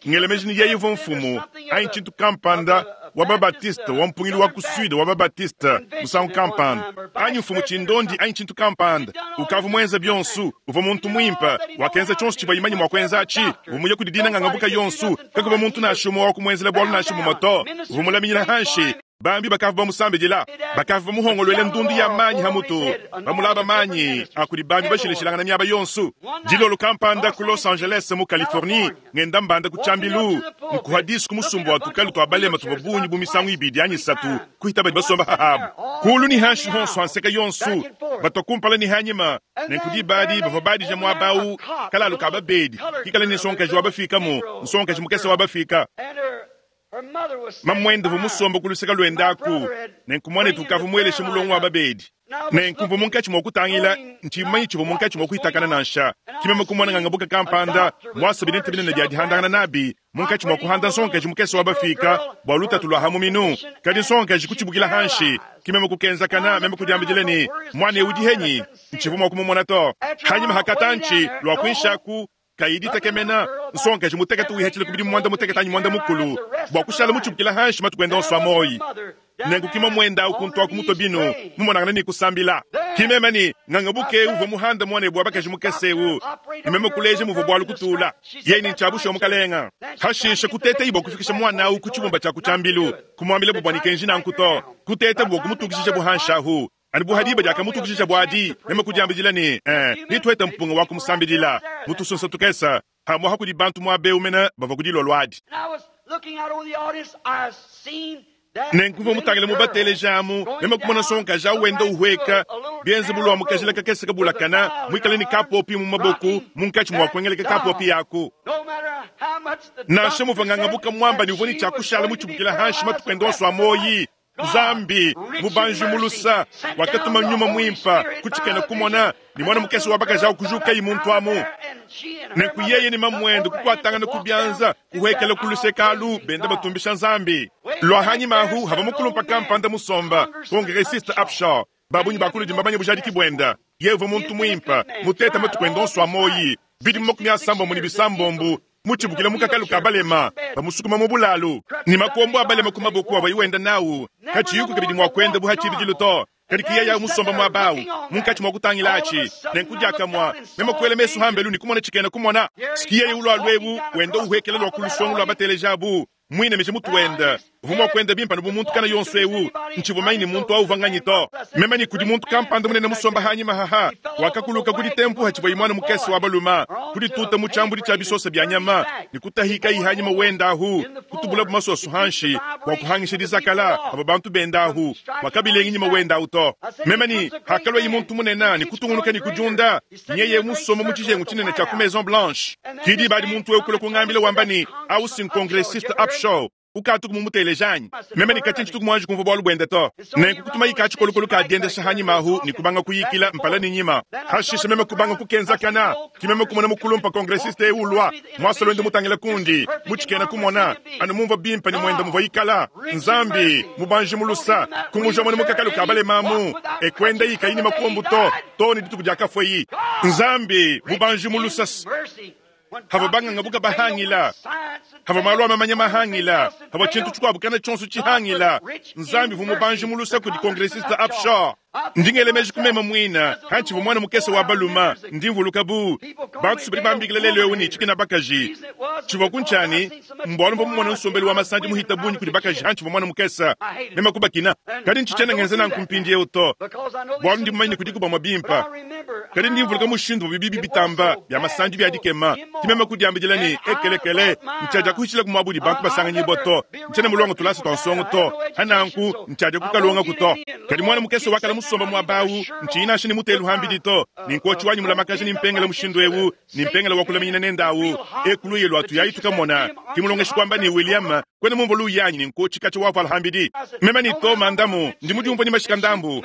ngela meji ne yeye uvua mfumu anyi tshintu kampanda wa ba-Baptiste wa mpungilu wa ku Sud wa ba-Baptiste musangu kampanda, anyi mfumu tshindondi anyi tshintu kampanda, ukavua muenze bionso, uvua muntu muimpe, wakenza tshionso tshivua imanye mua kuenza atshi, uvua muye kudi dina ngangabuka yonso, kakuvua muntu nansha umue wa kumuenzela bualu nansha bumue to, uvua mulaminyina hanshi. Bambi bakavua bamusambidila, bakavua bamuhongoluela ndundu ya manyi ha mutu, bamulaba manyi a kudi bambi bashilashilangana miaba yonso. Dilolo kampanda ku Los Angeles mu Californie, ngenda mbanda ku tshiambilu, nkuha disu ku musumba wa tukalu tua balema tuvua bungi bu misangu ibidi anyi isatu kuhita badi basomba hahabu. Kulu ne hanshi honso ha nseka yonso, batua kumpala ne hanyima, nenku diba adi bavua badija muaba au kalalu ka babedi, kikale ne nsongakaji wa bafikamu, nsongakaji mukese wa bafika. Mamuende uvua musombe ku luseke luende aku, nenku muanetu ukavua mueleshe mulongo wa babedi. Nenku mvua munkatshi mua kutangila, ntshiyi mumanye tshivua munkatshi mua kuhitakana nansha. Ke meme kumona ngangabuka kampanda muasa bintu binene bia dihandangana nabi munkatshi mua kuhanda nsongakaji mukese wa bafika bua lutatu lua ha muminu. Kadi nsongakaji kutshibukila hanshi. Ke meme kukenzakana, meme kudiambidila ne, Muana eu udi henyi? Ntshivua mua kumumona to. Hanyima ha katantshi, lua kuinshi aku, kayi ditekemena, nsongakaji mutekete wihatshila ku bidimu muanda mutekete anyi muanda mukulu bua kushala mutshibukila hanshi matuku ende onso a muoyi. Nenku ki mamuende au kuntu aku mutua binu, mumonangane ne kusambila. Ki meme ne, Ngangabuke eu uvua muhande muanebu wa bakaji mukese eu, ne meme kuleja muvua bualu kutula. Yeye ne, Ntshia bushuwa, mukalenga. Hashishe kuteteyi bua kufikisha muana au ku tshibumba tshia ku tshiambilu, kumuambilabu bua ne kenji nanku to, kutetabu bua kumutukishishabu hanshi ahu. Anu bu ha diba diakamutukishishabu adi, meme kudiambidila ne, Ee, netuhete mpunga wa kumusambidila mu tusunsa tukese, hamuaha kudi bantu muaba eu mene bavua ku dilolo adi. Nenku mvua mutangile mu bateleji amu, meme kumona nsongakaji au wenda uhueka, bienze bu lua mu kajila kakese kabulakana, muikale ne kapopi mu maboko, munkatshi mua kuengeleka kapopi aku. Nansha muvua ngangabuka muamba ne uvua ne tshia kushala mutshibukila hanshi matuku ende onso a muoyi, Nzambi, mubanji mu lusa, wakatuma Nyuma Muimpa ku tshikena kumona, ne muana mukese wa bakaji au kujukayi muntu amu. Nenku yeye ne mamuende kukuatangana ku bianza, kuhuekela ku luseke alu, benda batumbisha Nzambi. Lua hanyima ahu hava mukulumpa kampanda musomba, Congressiste Upshaw. Ba bungi ba kunudi mbamanye bujadiki buende. Yeye uvua muntu muimpe, mutete matuku ende onso a muoyi, bidimu 36 ne bisambombo, mutshibukile mu kakalu ka balema, bamusukuma mu bulalu, ne makombo a balema ku maboko avuaye wenda nawu, katshiyiku kabidi mua kuenda bu ha tshibidilu to. Kadi ke yeye musomba muaba au, munkatshi mua kutangila atshi. Nenku diakamue, meme kuela mesu hambelu ne kumona tshikena kumona. Ski yeye ulua luebu, wenda uhuekela lua ku lusongo lua bateleji abu, muinamije mutu wende. Uvua mua kuenda bimpe anu bu muntu kana yonso eu. Ntshivua manye ne muntu au uvua nganyi to. Meme ne kudi muntu kampanda munene musomba hanyima haha, wakakuluka ku ditempu hatshivuaye muana mukese wa balume, kudituta mu tshiambudi tshia bisosa bia nyama, ne kutahikayi hanyima wenda ahu, kutubulabu masoso hanshi bua kuhangisha dizakala havua bantu benda ahu, bua kabilengi nyima wenda ahu to. Meme ne hakaluaye muntu munene ne kutungunuka ne kudiunda, nyeye musomba mu tshijengu tshinene tshia ku Maison Blanche. Ki diba adi muntu eu kulua kungambila wamba ne, Au si nkongressiste Upshaw, ukatuku mumuteleja anyi? Meme ne katshia tshituku muanji kumvua bualu buende to. Nenku kutumayi ka tshikolokolo ka diendesha hanyima ahu ne kubanga kuyikila mpala ne nyima. Hashishe meme kubanga kukenzakana, ki meme kumona mukulumpa congressiste eu ulua, muasa luende mutangila kundi, mu tshikena kumona, anu mumvua bimpe ne muenda muvua ikala. Nzambi, mubanji mu lusa, kumuja muena mu kakalu ka balema amu, e kuendayi kayi ne makombu to, too ne dituku diakafueyi. Nzambi, mubanji mu lusa, havua bangangabuka bahangila, havua malu a mamanya mahangila, havua tshintu tshikuabu kana tshionso tshihangila. Nzambi uvua mubanji mu lusa kudi Congressiste Upshaw. Ndi ngela meji ku meme muine, hantshivua muana mukese wa balume, ndi mvuluka bu bantu badi bambikila lelu eu ne tshikena bakaji. Tshivua ku ntshiani mbualu mvua mumone nsombelu wa masandi muhita bungi kudi bakaji hantshivua muana mukese, meme kubakina. Kadi ntshitshiena ngenza nanku mpindieu to, bualu ndi mumanye ne kudiku bamue bimpe. Kadi ndi mvuluka mushindu uvua bibi bitamba bia masandi bia dikema. Ke meme kudiambidila ne, Ekelekele, ntshiadia kuhitshilaku muaba udi bantu basanganyibua to, ntshiena mulonge tulasa tua nsongo to, ha nanku ntshiadia kukalongaku to. Kadi muana mukese wakala musomba muaba au, ntshiyi nansha ne mutelu hambidi to, ne nkotshi wanyi mulamakaja ne mpengele mushindu eu, ne mpengele wa kulaminyina nende au, eku luye lua tuyayi tukamona. Ke mulongeshi kuamba ne, William, kuena mumvua luya anyi ne nkotshi katshia wavuala hambidi? Meme ne Toma ndamu, ndi mudiumvua ne mashika ndambu.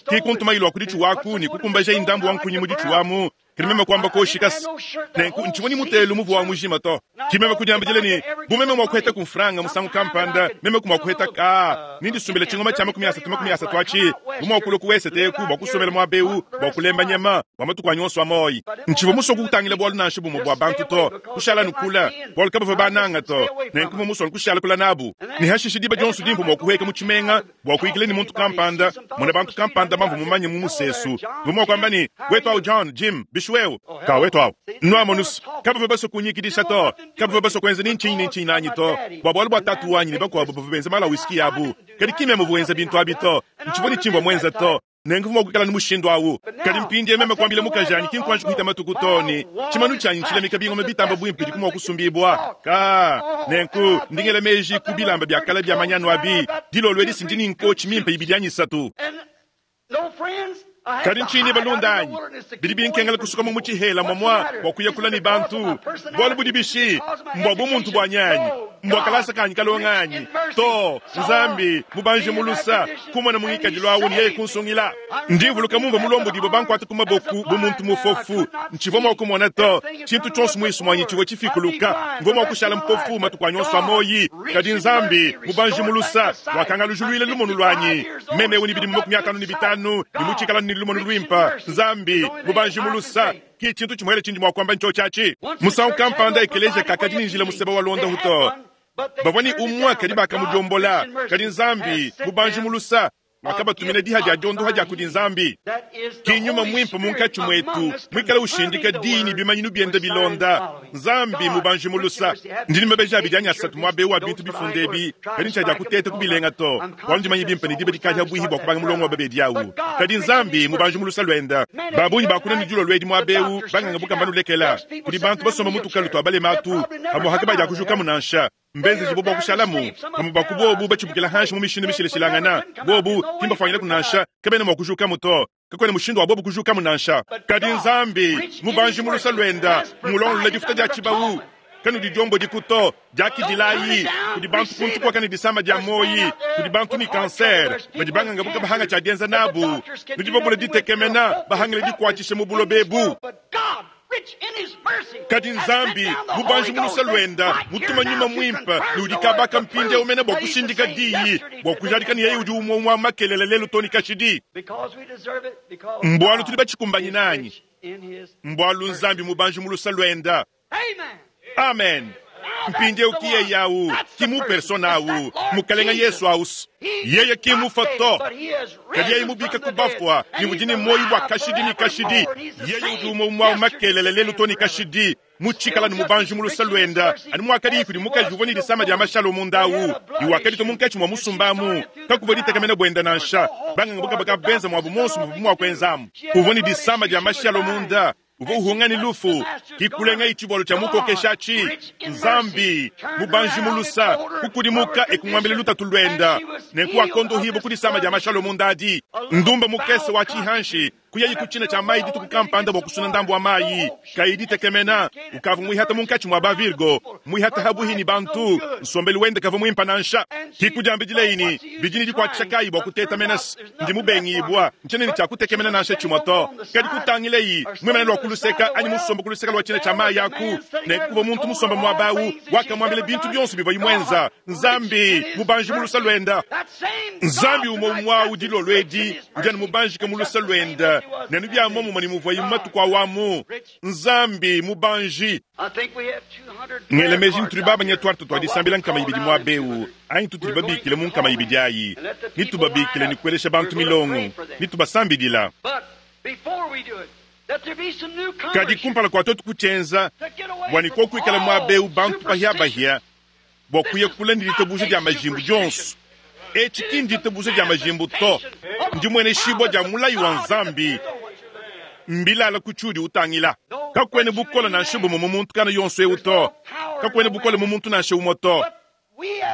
Ke kuntumayi lua ku ditshuwa aku ne kukumbajayi ndambu wa nkunyi mu ditshuwa amu. Kadi meme kuamba koshi kasi. Nenku ntshivua ne mutelu muvua wa mujima to. Ke meme kudiambidila ne, bu meme mua kuheta ku mfranga musangu kampanda, meme ku mua kuheta ka, ne ndisumbila tshingoma tshia 30 atshi, bu mua kulua ku wesete eku bua kusombela muaba eu bua kulemba nyama bua matuku anyi onso a muoyo. Ntshivua musue kutangila bualu nansha bumue bua bantu to, kushala anu kule, bualu kabavua bannanga to. Nenku mvua musue anu kushala kule nabu. Ne hashishe diba dionso dimvua mua kuhueka mu tshimenga bua kuyikila ne muntu kampanda, mona bantu kampanda bamvua mumanye mu musesu, mvua mua kuamba ne, Wetu au John, Jim, bishi wewe? Ka wetu au. Nuamonus, kabavua basue kunyikidisha to, kabavua basue kuenza ni ntshinyi ni ntshinyi nanyi to, bua bualu bua tatu wanyi ne bakuabu bavua benza malu a whisky abu. Kadi ki meme uvua wenza bintu abi to, ntshivua ne tshimvua muenza to. Nenku mvua mua kuikala ne mushindu au. Kadi mpindieu meme kuambila mukajanyi, ki nkuanji kuhita matuku to, ne tshimanu tshianyi ntshilamika bingoma bitamba buimpe bidiku mua kusumbibua. Ka nenku ndi ngela meji ku bilamba bia kale bia manyanu abi. Dilolo edi si ndi ne nkotshi mimpe ibidi anyi isatu. Kadi ntshinyi balunda anyi? Bidi binkengela kusokoma mu tshihela mwamwa bua kuya kula ne bantu. Bualu budi bishi? Mbua bumuntu buanyi anyi? Mbua kalasa kanyi kalonga anyi? To, Nzambi, mubanji mu lusa, kumona mu ngikadilu awu ne yeye kunsungila. Ndi mvuluka mumvua mulombodibue bankuate ku maboku bu muntu mufofu. Ntshivua mua kumona to. Tshintu tshionso muisu muanyi tshivua tshifikuluka. Mvua mua kushala mpofu matuku anyi onso a muoyi. Kadi Nzambi, mubanji mu lusa, wakangalujuluila lumonu luanyi. Meme eu ne bidimu 55 ne mutshikala ne lumonu luimpe. Nzambi, mubanji mu lusa, ki tshintu tshimuele tshindi mua kuamba ntshiotshi atshi. Musangu kampanda ekeleziya kakadi ne njila museba wa luondapu to. Bavua ne umue kadi bakamudiombola. Kadi Nzambi, mubanji mu lusa, wakabatumina diha dia diondoha dia kudi Nzambi. Ki Nyuma Muimpe munkatshi muetu muikale ushindika diyi ne bimanyinu biende bilonda. Nzambi mubanji mu lusa. Ndi ne mabeji abidi anyi asatu muaba eu wa bintu bifunda ebi, kadi ntshiadiakuteta kubilenga to, bualu ndimanye bimpe ne diba dikadi habuihi bua kubanga mulongo wa babedi au. Kadi Nzambi mubanji mu lusa luende. Ba bungi bakuna ne dilolo edi muaba eu, banganga bukamba nulekela. Kudi bantu basomba mu tukalu tua balema atu, pamu'apa kabadiakujukamu nansha. Mbenzejibue bua kushalamu, bamue ba ku bobu batshibukila hanshi mu mishindu mishilashilangana. Bobu ki mbafuangileku nansha, kabena mua kujukamu to. Kakuena mushindu wa bobu kujukamu nansha. Kadi Nzambi, mubanji mu luse luenda, mmulongolole difuta dia tshibawu. Kanudidiombodiku to, diakidilayi. Kudi bantu kuntu kuaka ne disama dia muoyi, kudi bantu ne kansere, badi banganga buka bahanga tshia dienza nabu. Nudi babule ditekemena, bahangile dikuatshisha mu buloba ebu. Kadi Nzambi, mubanji mu luse luenda, mutuma Nyuma Muimpe, ne udi kabaka mpindieu mene bua kushindika Diyi, bua kujadika ne yeye udi umue umue wa makelela lelu too ne kashidi. Mbualu tudi batshikumbanyine anyi? Mbualu Nzambi mubanji mu luse luenda. Amen. Mpindieu ki yeye au, ki mu persona au, Mukalenga Yesu aus. Yeye ki mufua to, kadi yeye mubika ku bafua ne udi ne muoyo bua kashidi ne kashidi. Yeye udi umue umue au makelela lelu to ne kashidi, mutshikala ne mubanji mu luse luenda, anu muakadiyi kudi mukaji uvua ne disama dia mashalo munda au, ne wakaditua munkatshi mua musumba amu. Kakuvua ditekemena buenda nansha. Banganga bukabaka benza muabu muonso muvuabu mua kuenzamu. Uvua ne disama dia mashalo munda. Uvua uhunga ne lufu, kikulengayi tshivualu tshia mukokeshi atshi. Nzambi, mubanji mu lusa, kukudimuka e kumuambila lutatu luenda. Nenku wakondohibua ku disama dia mashalo munda adi. Ndumba mukese wa tshihanshi kuyayi ku tshina tshia mayi dituku kampanda bua kusuna ndambu wa mayi. Kayi ditekemena, ukavua muihata munkatshi mua ba Virgo, muihata habuhi ne bantu. Nsombelu wende kavua muimpe nansha. Kikudiambidileyi ne, Bidi ne dikuatshisha kayi bua kuteta menas? Ndi mubengibua, ntshiena ne tshia kutekemena nansha tshimue to. Kadi kutangileyi, muimane lua ku luseka anyi musombe ku luseka lua tshina tshia mayi aku, ne kuvua muntu musombe muaba au, wakamuambila bintu bionso bivuaye muenza. Nzambi, mubanji mu lusa luenda. Nzambi umue umue au dilolo edi udi anu mubanjike mu lusa luenda, ne anu bia muomumue ne muvuaye mu matuku au amu. Nzambi, mubanji. Ngela meji ne tudi babanya tuarte tua disambila 200 muaba eu, anyi tutudi babikile mu 200 ayi, ne tubabikile ne kuelesha bantu milongo, ne tubasambidila. Kadi kumpala kua tuetu kutshienza, bua ne kuoku kuikala muaba eu bantu bahiabahia bua kuya kule ne ditabuja dia majimbu dionso. Etshi ki nditabuja dia majimbu to, ndimueneshibua dia mulayi wa Nzambi. Mbilala ku tshiudi utangila. Kakuena bukole nansha bumue mu muntu kana yonso eu to. Kakuena bukole mu muntu nansha umue to.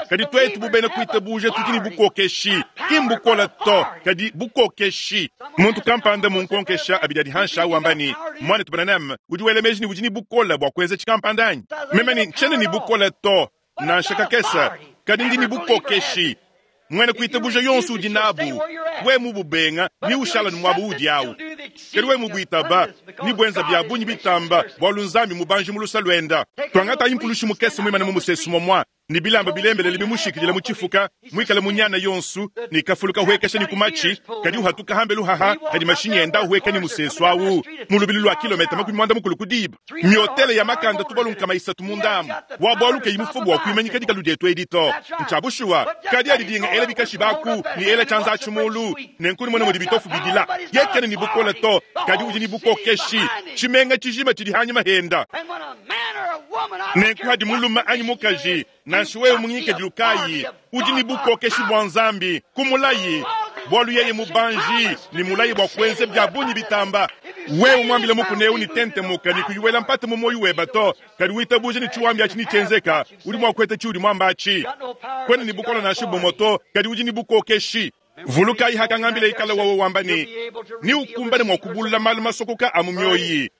Kadi tuetu bu bena kuitabuja tudi ne bukokeshi, ki mbukole to, kadi bukokeshi. Muntu kampanda munkonkesha abidi adi hanshi au wamba ne, Muanetu Branham, udi wela meji ne udi ne bukole bua kuenza tshikampanda anyi? Meme ne, ntshiena ne bukole to, nansha kakese, kadi ndi ne bukokeshi. Muena kuitabuja yonso udi nabu. Wewe mububenga, ne ushala ne muaba uudi au. Kadi wewe mubuitaba, ne buenza bia bungi bitamba, bualu Nzambi mubanji mu lusa luenda. Tuangatayi mpulushi mukese muimane mu musesu momua, ne bilamba bilembelele bimushikidila mu tshifuka, muikale mu nyana yonsu, ne kafulu kahuekesha ne ku matshi, kadi uhatuka hambelu haha hadi mashinyi enda ahueka ne musesu au mu lubilu lua kilometa 40 ku diba. Miotele ya makanda tubalu 300 munda amu wa bualu kayi mufubu wa kuimanyika dikalu dietu edi to. Ntshia bushuwa, kadi adi dinga ela bikashi baku ne ela tshianza atshi mulu, nenku numone mudi bitofu bidila. Yeye kena ne bukole to, kadi udi ne bukokeshi. Tshimenga tshijima tshidi hanyima henda. Nenku hadi mulume anyi mukaji, nansha wewe mu ngikadilu kayi, udi ne bukokeshi bua Nzambi ku mulayi, bualu yeye mubanji ne mulayi bua kuenza bia bungi bitamba. Wewe muambile mukuna eu ne tentemuka ne kuyuela mpata mu muoyo webe to, kadi witabuja ne tshiwambi atshi netshienzeka, udi mua kueta tshiudi muamba atshi. Kuena ne bukole nansha bumue to, kadi udi ne bukokeshi. Vulukayi hakangambila ikala wawe wamba ne, Neukumbane mua kubulula malu masokoka a mu mioyi.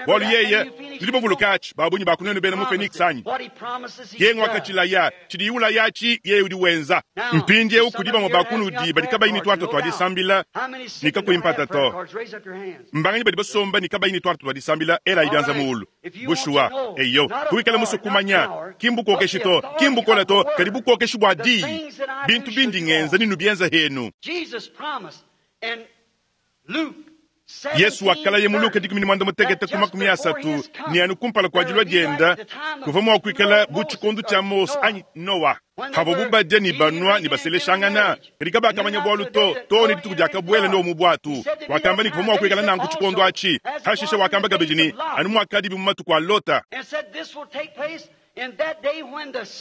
Bualu yeye, nudi bavuluka atshi, ba bungi ba ku nuenu bena mu Phoenix anyi? Yeye nguakatshilaya, tshidiye ulaya atshi, yeye udi wenza. Mpindieu kudi bamue ba kunudi badi kabayi ne tuarte tua disambila, ne kakuyi mpata to. Mbanganyi badi basomba ne kabayi ne tuarte tua disambila? Elayi bianza muulu. Bushuwa, eyo, kuikala musue kumanya, ki mbukokeshi to, ki mbukole to, kadi bukokeshi bua Diyi. Bintu bindi ngenza nenubienza henu. Yesu wakalaya mu Luka 16 ku 30 ne anu kumpala kua dilua dienda kuvua mua kuikala bu tshikondo tshia Mose anyi Noa, pavuabu badia ne banua ne baseleshangana, kadi kabakamanya bualu to, too ne dituku diakabuela Noa mu buatu. Wakamba ne kuvua mua kuikala nanku tshikondo atshi. Pashishe wakamba kabidi ne, anu muakadibi mu matuku a Lota.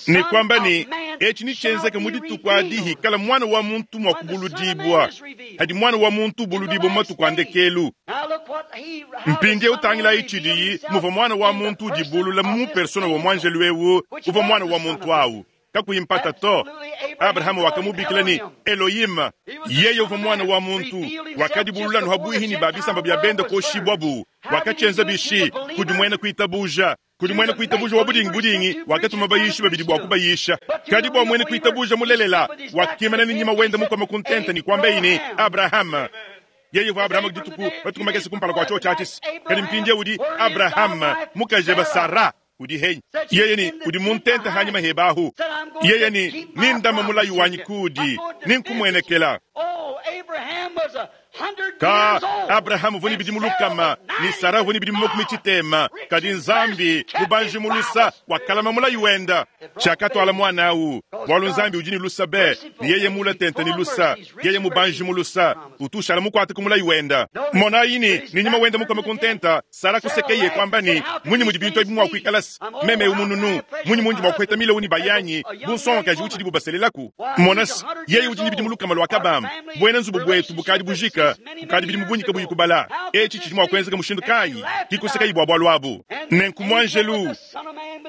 Ne kuamba ne, Etshi netshienzeke mu dituku adi hikala Muana wa muntu mua kubuludibua, hadi Muana wa muntu ubuludibua mu matuku a ndekelu. Mpindieu tangilayi tshidiyi muvua Muana wa muntu udibulula mu persona wa muanjelu eu uvua Muana wa muntu au. Kakuyi mpata to, Abrahama wakamubikila ne, Elohim. Yeye uvua Muana wa muntu, wakadibulula anu habuihi ne ba bisamba bia bende kuoshibuabu. Wakatshienza bishi? Kudi muena kuitabuja. Kudi muena kuitabuja wa budingi budingi wakatuma bayishi babidi bua kubayisha. Kadi bua muena kuitabuja mulelela, wakimana ne nyima wende mukome ku ntenta ne kuambaye ne, Abrahama. Yeye uvua Abrahama dituku matuku makese kumpala kua tshiotshi atshi. Kadi mpindieu udi Abrahama, mukajebe Sara udi henyi? Yeye ne, udi mu ntenta hanyima hebe ahu. Yeye ne, nindame mulayi wanyi kuudi, ninkumuenekela. Ka Abrahama uvua ne bidimu lukama ne Sara uvua ne bidimu makumi tshitema, kadi Nzambi mubanji mu lusa wakalama mulayi wenda. Tshiakatuala muana au, bualu Nzambi udi ne lusa be, ne yeye mula tente ne lusa, yeye mubanji mu lusa, utu ushala mukuate ku mulayi wenda. Monayi ne, ne nyuma wenda mukome ku ntenta, Sara kusekeye kuamba ne, Munyi mudi bintu ebi mua kuikala se meme eu mununu? Munyi mundi mua kupeta milowu ne bayanyi bu nsongakaji utshidibu baselelaku? Mona se, yeye udi ne bidimu lukama lua kabamba. Buena nzubu buetu bukadi bujika kukadi bidimu bungi kabuyi kubala. Etshi tshidi mua kuenzeka mushindu kayi? Kikusekayi bua bualu abu. Nenku muanjelu,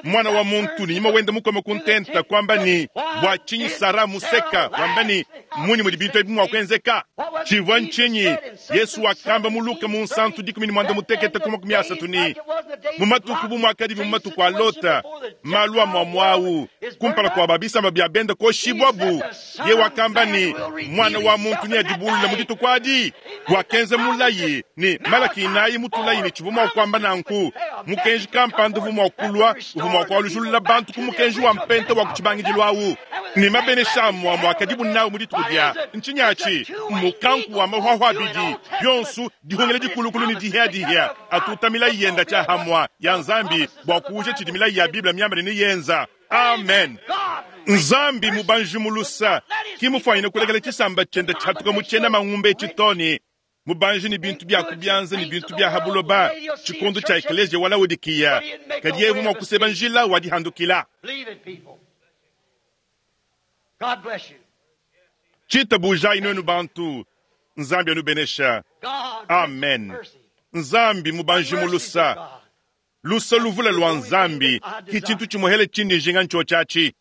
Muana wa muntu, ne nyuma wende mukome ku ntenta, kuamba ne, Bua tshinyi Sara museka, wamba ne, Mmunyi mudi bintu ebi mua kuenzeka? Tshivua ntshinyi? Yesu wakamba mu Luka munsantu 16 ku 30 ne, Mu matuku bu muakadibi mu matuku a Lota, malu amue amue au, kumpala kua ba bisamba bia bende kuoshibuabu, ye wakamba ne, Muana wa muntu neadibulule mu dituku adi. Wakenza mulayi ne Malaki inayi mutulayi ne tshivua mua kuamba nanku, mukenji kampanda uvua mua kulua uvua mua kualujulula bantu ku mukenji wa mpenta wa ku tshibangidilu au ne mabenesha amue amue akadibu nawu mu dituku dia ntshinyi atshi mukanku wa mahuahua abidi bionso dihungila dikulukulu ne dihiadihia atuta milayi yenda tshia hamua ya Nzambi bua kuuja tshidi milayi ya Bible miamba ne neyenza. Amen. Nzambi mubanji mu lusa ki mufuanyine kulekela tshisamba tshiende tshiatuka mu tshiena mangumba etshi to ne mubanji ne bintu bia ku bianza ne bintu bia ha buloba tshikondo tshia ekeleziya wa Laodikiya, kadi yeye uvua mua kuseba njila wa dihandukila. Tshitabujayi nuenu bantu. Nzambi anubenesha. Amen. Nzambi mubanji mu lusa. Lusa luvule lua Nzambi ki tshintu tshimuehele tshindi njinga ntshiotshi atshi.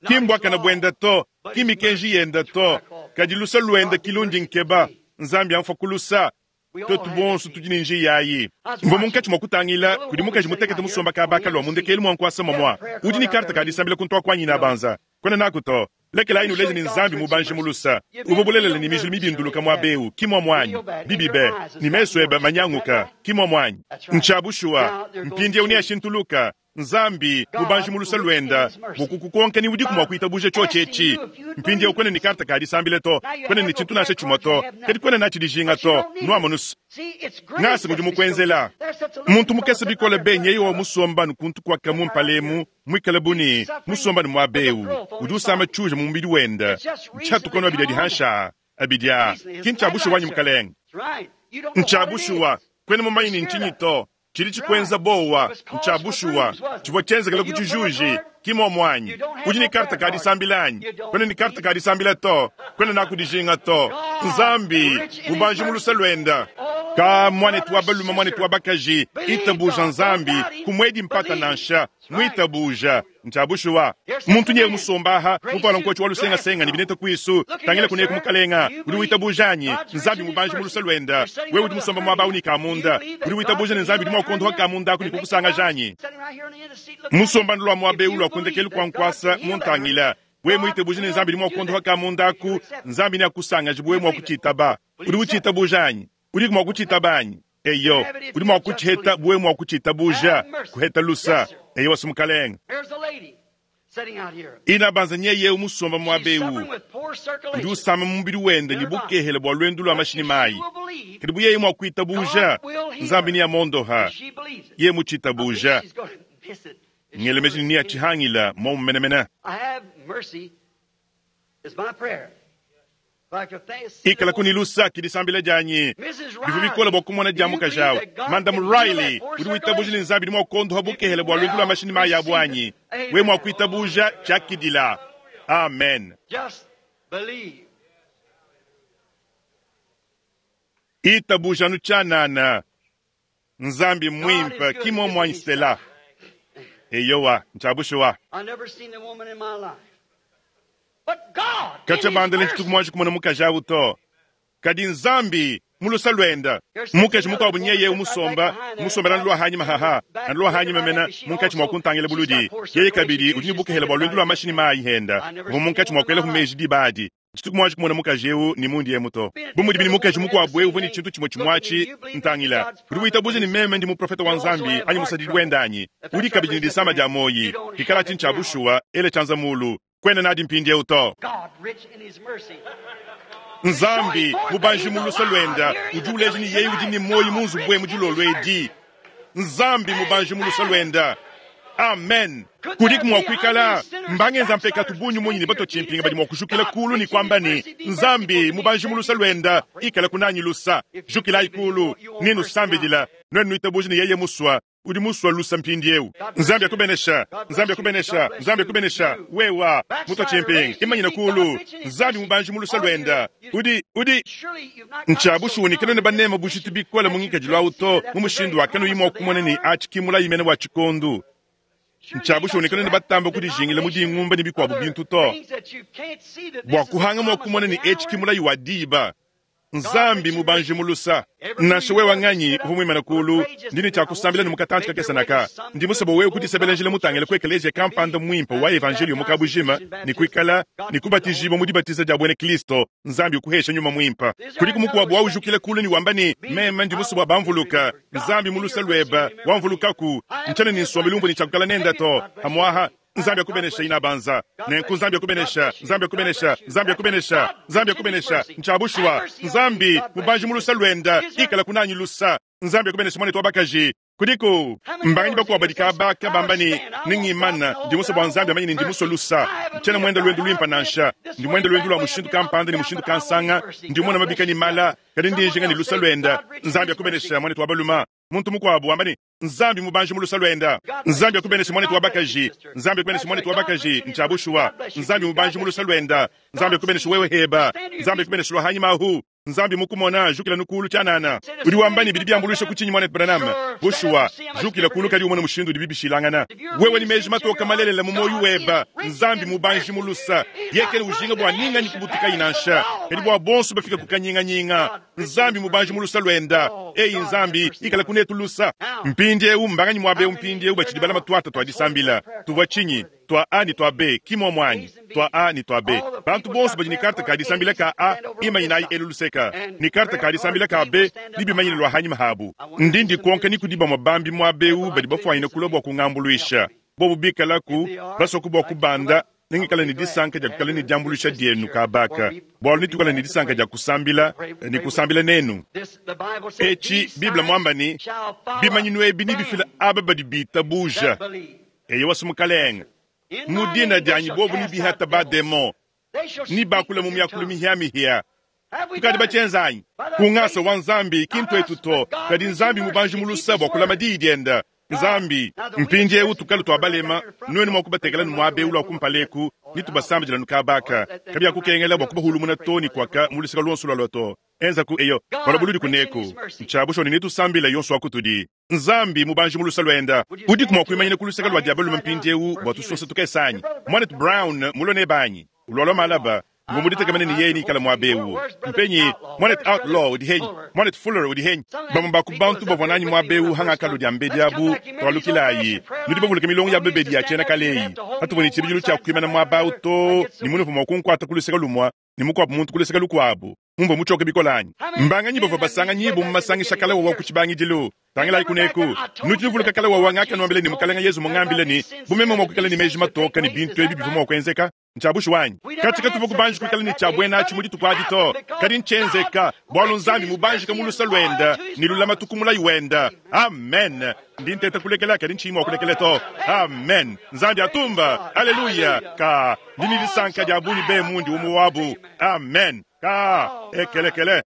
Ki mbuakane buende to, ki mikenji yende to, kadi lusa luende ki lundi nkeba. Nzambi amfua ku lusa. Tuetu bonso tudi ne njiya ayi. Mvua munkatshi mua kutangila kudi mukaji mutekete musomba kaba kalua mu ndekelu mua nkuasa momua. Udi ne karte ka disambila kuntu aku anyi nabanza? Kuena naku to. Lekelayi nuleje ne Nzambi mubanji mu lusa. Uvua bulelela ne mijilu mibinduluka muaba eu, ki muamua anyi? Bibi be, ne mesu ebe manyanguka, ki muamua anyi? Ntshia bushuwa. Mpindieu neashintuluka. Nzambi mubanji mu lusa luenda bua kukukonka ni udiku mua kuitabuja tshiotshi etshi. Mpindieu kuena ne karte ka disambila to, kuena ne tshintu nansha tshimue to, kadi kuena natshi dijinga to. Nuamonus. Ngasa ngudi mukuenzela. Muntu mukese bikole be nyeye wa musomba anu kuntu kuaka mu mpala emu, muikale bu ne musomba anu muaba eu, udi usama tshiuja mu mubidi wende. Ntshiatuka anu abidi adi hanshi aa, abidi aa. Ki ntshia bushuwa anyi, mukalenge? Ntshia bushuwa. Kuena mumanye ne ntshinyi to. Tshidi tshikuenza bowa ntshia bushuwa. Tshivua tshienzekele ku tshijuji, ki muomu anyi? Udi ne karte ka disambila anyi? Kuena ne karte ka disambila to. Kuena naku dijinga to. Nzambi, mubanji mu luse luenda. Ka muanetu wa balume, muanetu wa bakaji, itabuja Nzambi, kumuedi mpata nansha. Muitabuja. Ntshia bushuwa. Muntu nyeye musomba aha, muvuala nkotshi wa lusengasenga ne bineta kuisu, tangila kuneku mukalenga, udi witabuja anyi? Nzambi mubanji mu luse luenda. Wewe udi musomba muaba au ne kamunda, udi witabuja ne Nzambi udi mua kuondoha kamunda aku ne kukusangaja anyi? Musomba ndulua muaba eu lua ku ndekelu kua nkuasa, muntangila. Wewe muitabuje ne Nzambi udi mua kuondoha kamunda aku, Nzambi neakusangaje bu wewe mua kutshitaba. Udi utshitabuja anyi? Udiku mua kutshitaba anyi? Eyo, udi mua kutshiheta bu wewe mua kutshitabuja, kuheta lusa. Eyowa, si Mukalenge. Inabanza nyeye eu musomba muaba eu udi usama mu mubidi wende ne bukehele bua luendu lua mashi ne mayi. Kadi bu yeye mua kuitabuja, Nzambi neamondoha. Yeye mutshitabuja, ngele meji ne neatshihangila muomu menemene. Ikalaku ne lusa, ke disambila dianyi. Bivua bikole bua kumona dia mukaji au. Madame Riley, udi witabuja ne Nzambi udi mua kuondoha bukehele bua luendu lua mashi ne mayi abu anyi? Wewe mua kuitabuja, tshiakidila. Amen. Itabuja anu tshianana. Nzambi mmuimpe, ki muomu anyi, Stella? Eyowa, ntshia bushuwa. Katshia bandela ntshituku muanji kumona mukaji au to. Kadi Nzambi, mu lusa luenda, mukaji mukuabu nyeye eu musomba, musombela anu lua hanyima haha, anu lua hanyima mena, munkatshi mua kuntangila buludi. Yeye kabidi udi ne bukehela bua luendu lua mashi ne mayi henda, uvua munkatshi mua kuelaku meji diba adi. Tshituku muanji kumona mukaji eu ne mundi emu to. Bu mudibi ne mukaji mukuabu eu uvua ne tshintu tshimue tshimue atshi, ntangila, udi witabuja ne meme ndi muprofete wa Nzambi anyi musadidi wende anyi? Udi kabidi ne disama dia muoyi. Pikalatshi ntshia bushuwa, ela tshianza mulu. Kuena nadi mpindieu to. Nzambi, mubanji mu luse luenda, udi uleja ne yeye udi ne muoyi mu nzubu emu dilolo edi. Nzambi mubanji mu luse luenda. Amen. Kudiku mua kuikala mbangenza mpekatu bungi munyi ne batua tshimpinga badi mua kujukila kulu ne kuamba ne, Nzambi mubanji mu luse luenda, ikala kunanyi lusa. Jukilayi kulu ne nusambidila. Nuenu nuitabuja ne yeye musua, udi musua lusa mpindieu. Nzambi akubenesha. Nzambi akubenesha. Nzambi akubenesha. Wewa mutua tshimpinga, imanyina kulu. Nzambi mubanji mu lusa luenda. Udi, udi. Ntshia bushuwa ne kanuena banema bujitu bikole mu ngikadilu au to, mu mushindu wa kanuyi mua kumona ne atshi ki mulayi mene wa tshikondu. Ntshia bushuwa ne kanuena batamba kudijingila mu dingumba ne bikuabu bintu to, bua kuhanga mua kumona ne etshi ki mulayi wa diba. Nzambi mubanji mu lusa. Nansha wewe nganyi uvua muimane kuulu, ndi ne tshia kusambila ne mu katantshi kakese naka. Ndi musue bua wewe kudisebela njila mutangile ku ekeleziya kampanda muimpe wa evanjeliyo mu kabujima ne kuikala ne kubatijibua mu dibatiza dia buena Kristo. Nzambi ukuhesha nyuma muimpe. Kudiku mukuabu waujukila kuulu ne wamba ne, Meme ndi musue bua bamvuluka. Nzambi mu luse luebe, wamvulukaku. Ntshiena ne nsombelu umvua ne tshia kuikala nende to. Pamuaha Nzambi akubenesha inabanza. Nenku Nzambi akubenesha, Nzambi akubenesha, Nzambi akubenesha, Nzambi akubenesha. Ntshia bushuwa. Nzambi, mubanji mu lusa luenda, ikala kunanyi lusa. Nzambi akubenesha muanetu wa bakaji. Kudiku mbanganyi bakuabu badi kabaka bamba ne, Nengimana, ndi musue bua Nzambi amanye ne ndi musue lusa. Ntshiena muende luendu luimpe nansha. Ndi muende luendu lua mushindu kampanda ne mushindu kansanga. Ndi mmona mabika ne mala, kadi ndi njinga ne lusa luenda. Nzambi akubenesha muanetu wa baluma. Muntu mukuabu wamba ne, Nzambi mubanji mu lusa luenda. Nzambi akubeneshe muanetu wa bakaji. Nzambi akubeneshe muanetu wa bakaji. Ntshia bushuwa. Nzambi mubanji mu lusa luenda. Nzambi akubeneshe wewe heba. Nzambi akubeneshe lua hanyima ahu. Nzambi mukumona, jukila nu kulu tshianana. Udi wamba ne bidi biambuluisha ku tshinyi muanetu Branham? Bushuwa, jukila kulu kadi umone mushindu udibi bishilangana. Wewe ne meji matoka malelela mu muoyo weba, Nzambi mubanji mu lusa. Yeye kena ujinga bua ninganyi kubutukayi nansha, kadi bua bonso bafika ku kanyinganyinga. Nzambi mubanji mu lusa luenda. Eyi Nzambi, ikala kunetu lusa. Mpindiewu mbanganyi muaba eu mpindiewu batshidi balama tuata tua disambila? Tuvua tshinyi? Tua A ne tua B, ki muomu anyi? Tua A ne tua B. Bantu bonso badi ne karte ka disambila ka A, imanyinayi elu luseka, ne karte ka disambila ka B, nebimanyine lua hanyima habu. Ndi ndikonka ni kudi bamue bambi muaba eu badi bafuanyine kulua bua kungambuluisha. Bobu bikalaku, basuaku bua kubanda, nengikale ne disanka dia kuikala ne diambuluisha dienu kaba aka, bualu netuikale ne disanka dia kusambila ne kusambila nenu. Etshi Bible muamba ne, bimanyinu ebi nebifile aba badi bitabuja. Eyowa, Mukalenge, mu dina dianyi bobu nebihata ba-demon, nebakule mu miakulu mihiamihia. Tukadi batshienza anyi? Ku ngasa wa Nzambi, ki ntuetu to, kadi Nzambi mubanji mu luse bua kulama diyi diende. Nzambi. Mpindiewu tukalu tua balema, nuenu mua kubatekela nu muaba eu lua kumpala eku, ne tubasambidila nu kaba aka. Kabiakukengela bua kubahulumuna to ne kuaka mu luseke luonso lualua to. Enzaku eyo, bualu buludi kuneku. Ntshia bushuwa ne netusambile yonso wa kutudi. Nzambi, mubanji mu luse luenda, udiku mua kuimanyina ku luseke lua dia balume mpindiewu bua tusosa tukese anyi? Muanetu Brown mulue nebe anyi? Ulualua malaba. Mvua muditekemene ne yeye neikale muaba eu. Mpenyi Muanetu Outlaw udi henyi? Muanetu Fuller udi henyi? Bamue ba ku bantu bavua nanyi muaba eu hangakalua diambedi abu, tualukilayi. Nudi bavuluke milongo ya babedi ya tshiena kale eyi. Patuvua ne tshibidilu tshia kuimana muaba au too ne munuvua mua kunkuata ku luseke lumue ne mukuabu muntu ku luseke lukuabu. Mumvua mutshioke bikole anyi? Mbanganyi bavua basanganyibue mu masangisha kale wawa ku tshibangidilu? Tangilayi kuneku. Nudi nuvuluka kale wawa ngakanuambila ne Mukalenge Yezu mungambile ne, bu meme mua kuikala ne meji matoke ne bintu ebi bivua mua kuenzeka? Ntshia bushuwa anyi? Katshi katuvua kubanji kuikala ne tshia buena atshi mu dituku adi to, kadi ntshienzeka bualu Nzambi mubanjika mu luse luende ne lulamatu ku mulayi wende. Amen. Ndi nteta kulekela kadi ntshiyi mua kulekela to. Amen. Nzambi atumba. Aleluya. Ka ndi ne disanka dia bungi be mundi umue wabu. Amen. Ka ekelekele.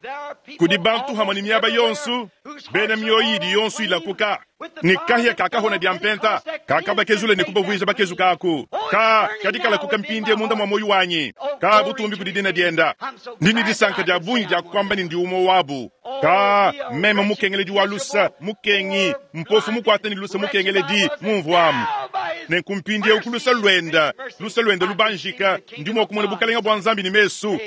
Kudi bantu hamue ne miaba yonso, bena mioyo idi yonso ilakuka, ne kahia ka kahona dia mpenta kakabakezula ne kubavuija bakezuka aku. Ka kadi kalakuka mpindie munda mua muoyo wanyi. Ka butumbi kudi dina dienda. Ndi ne disanka dia bungi dia kuamba ne ndi umue wabu. Ka meme mukengeledi wa lusa, mukengi, mpofu mukuata ne lusa mukengeledi, mumvuamu. Nenku mpindieu ku lusa luenda, lusa luenda lubanjika, ndi mua kumona bukalenga bua Nzambi ne mesu.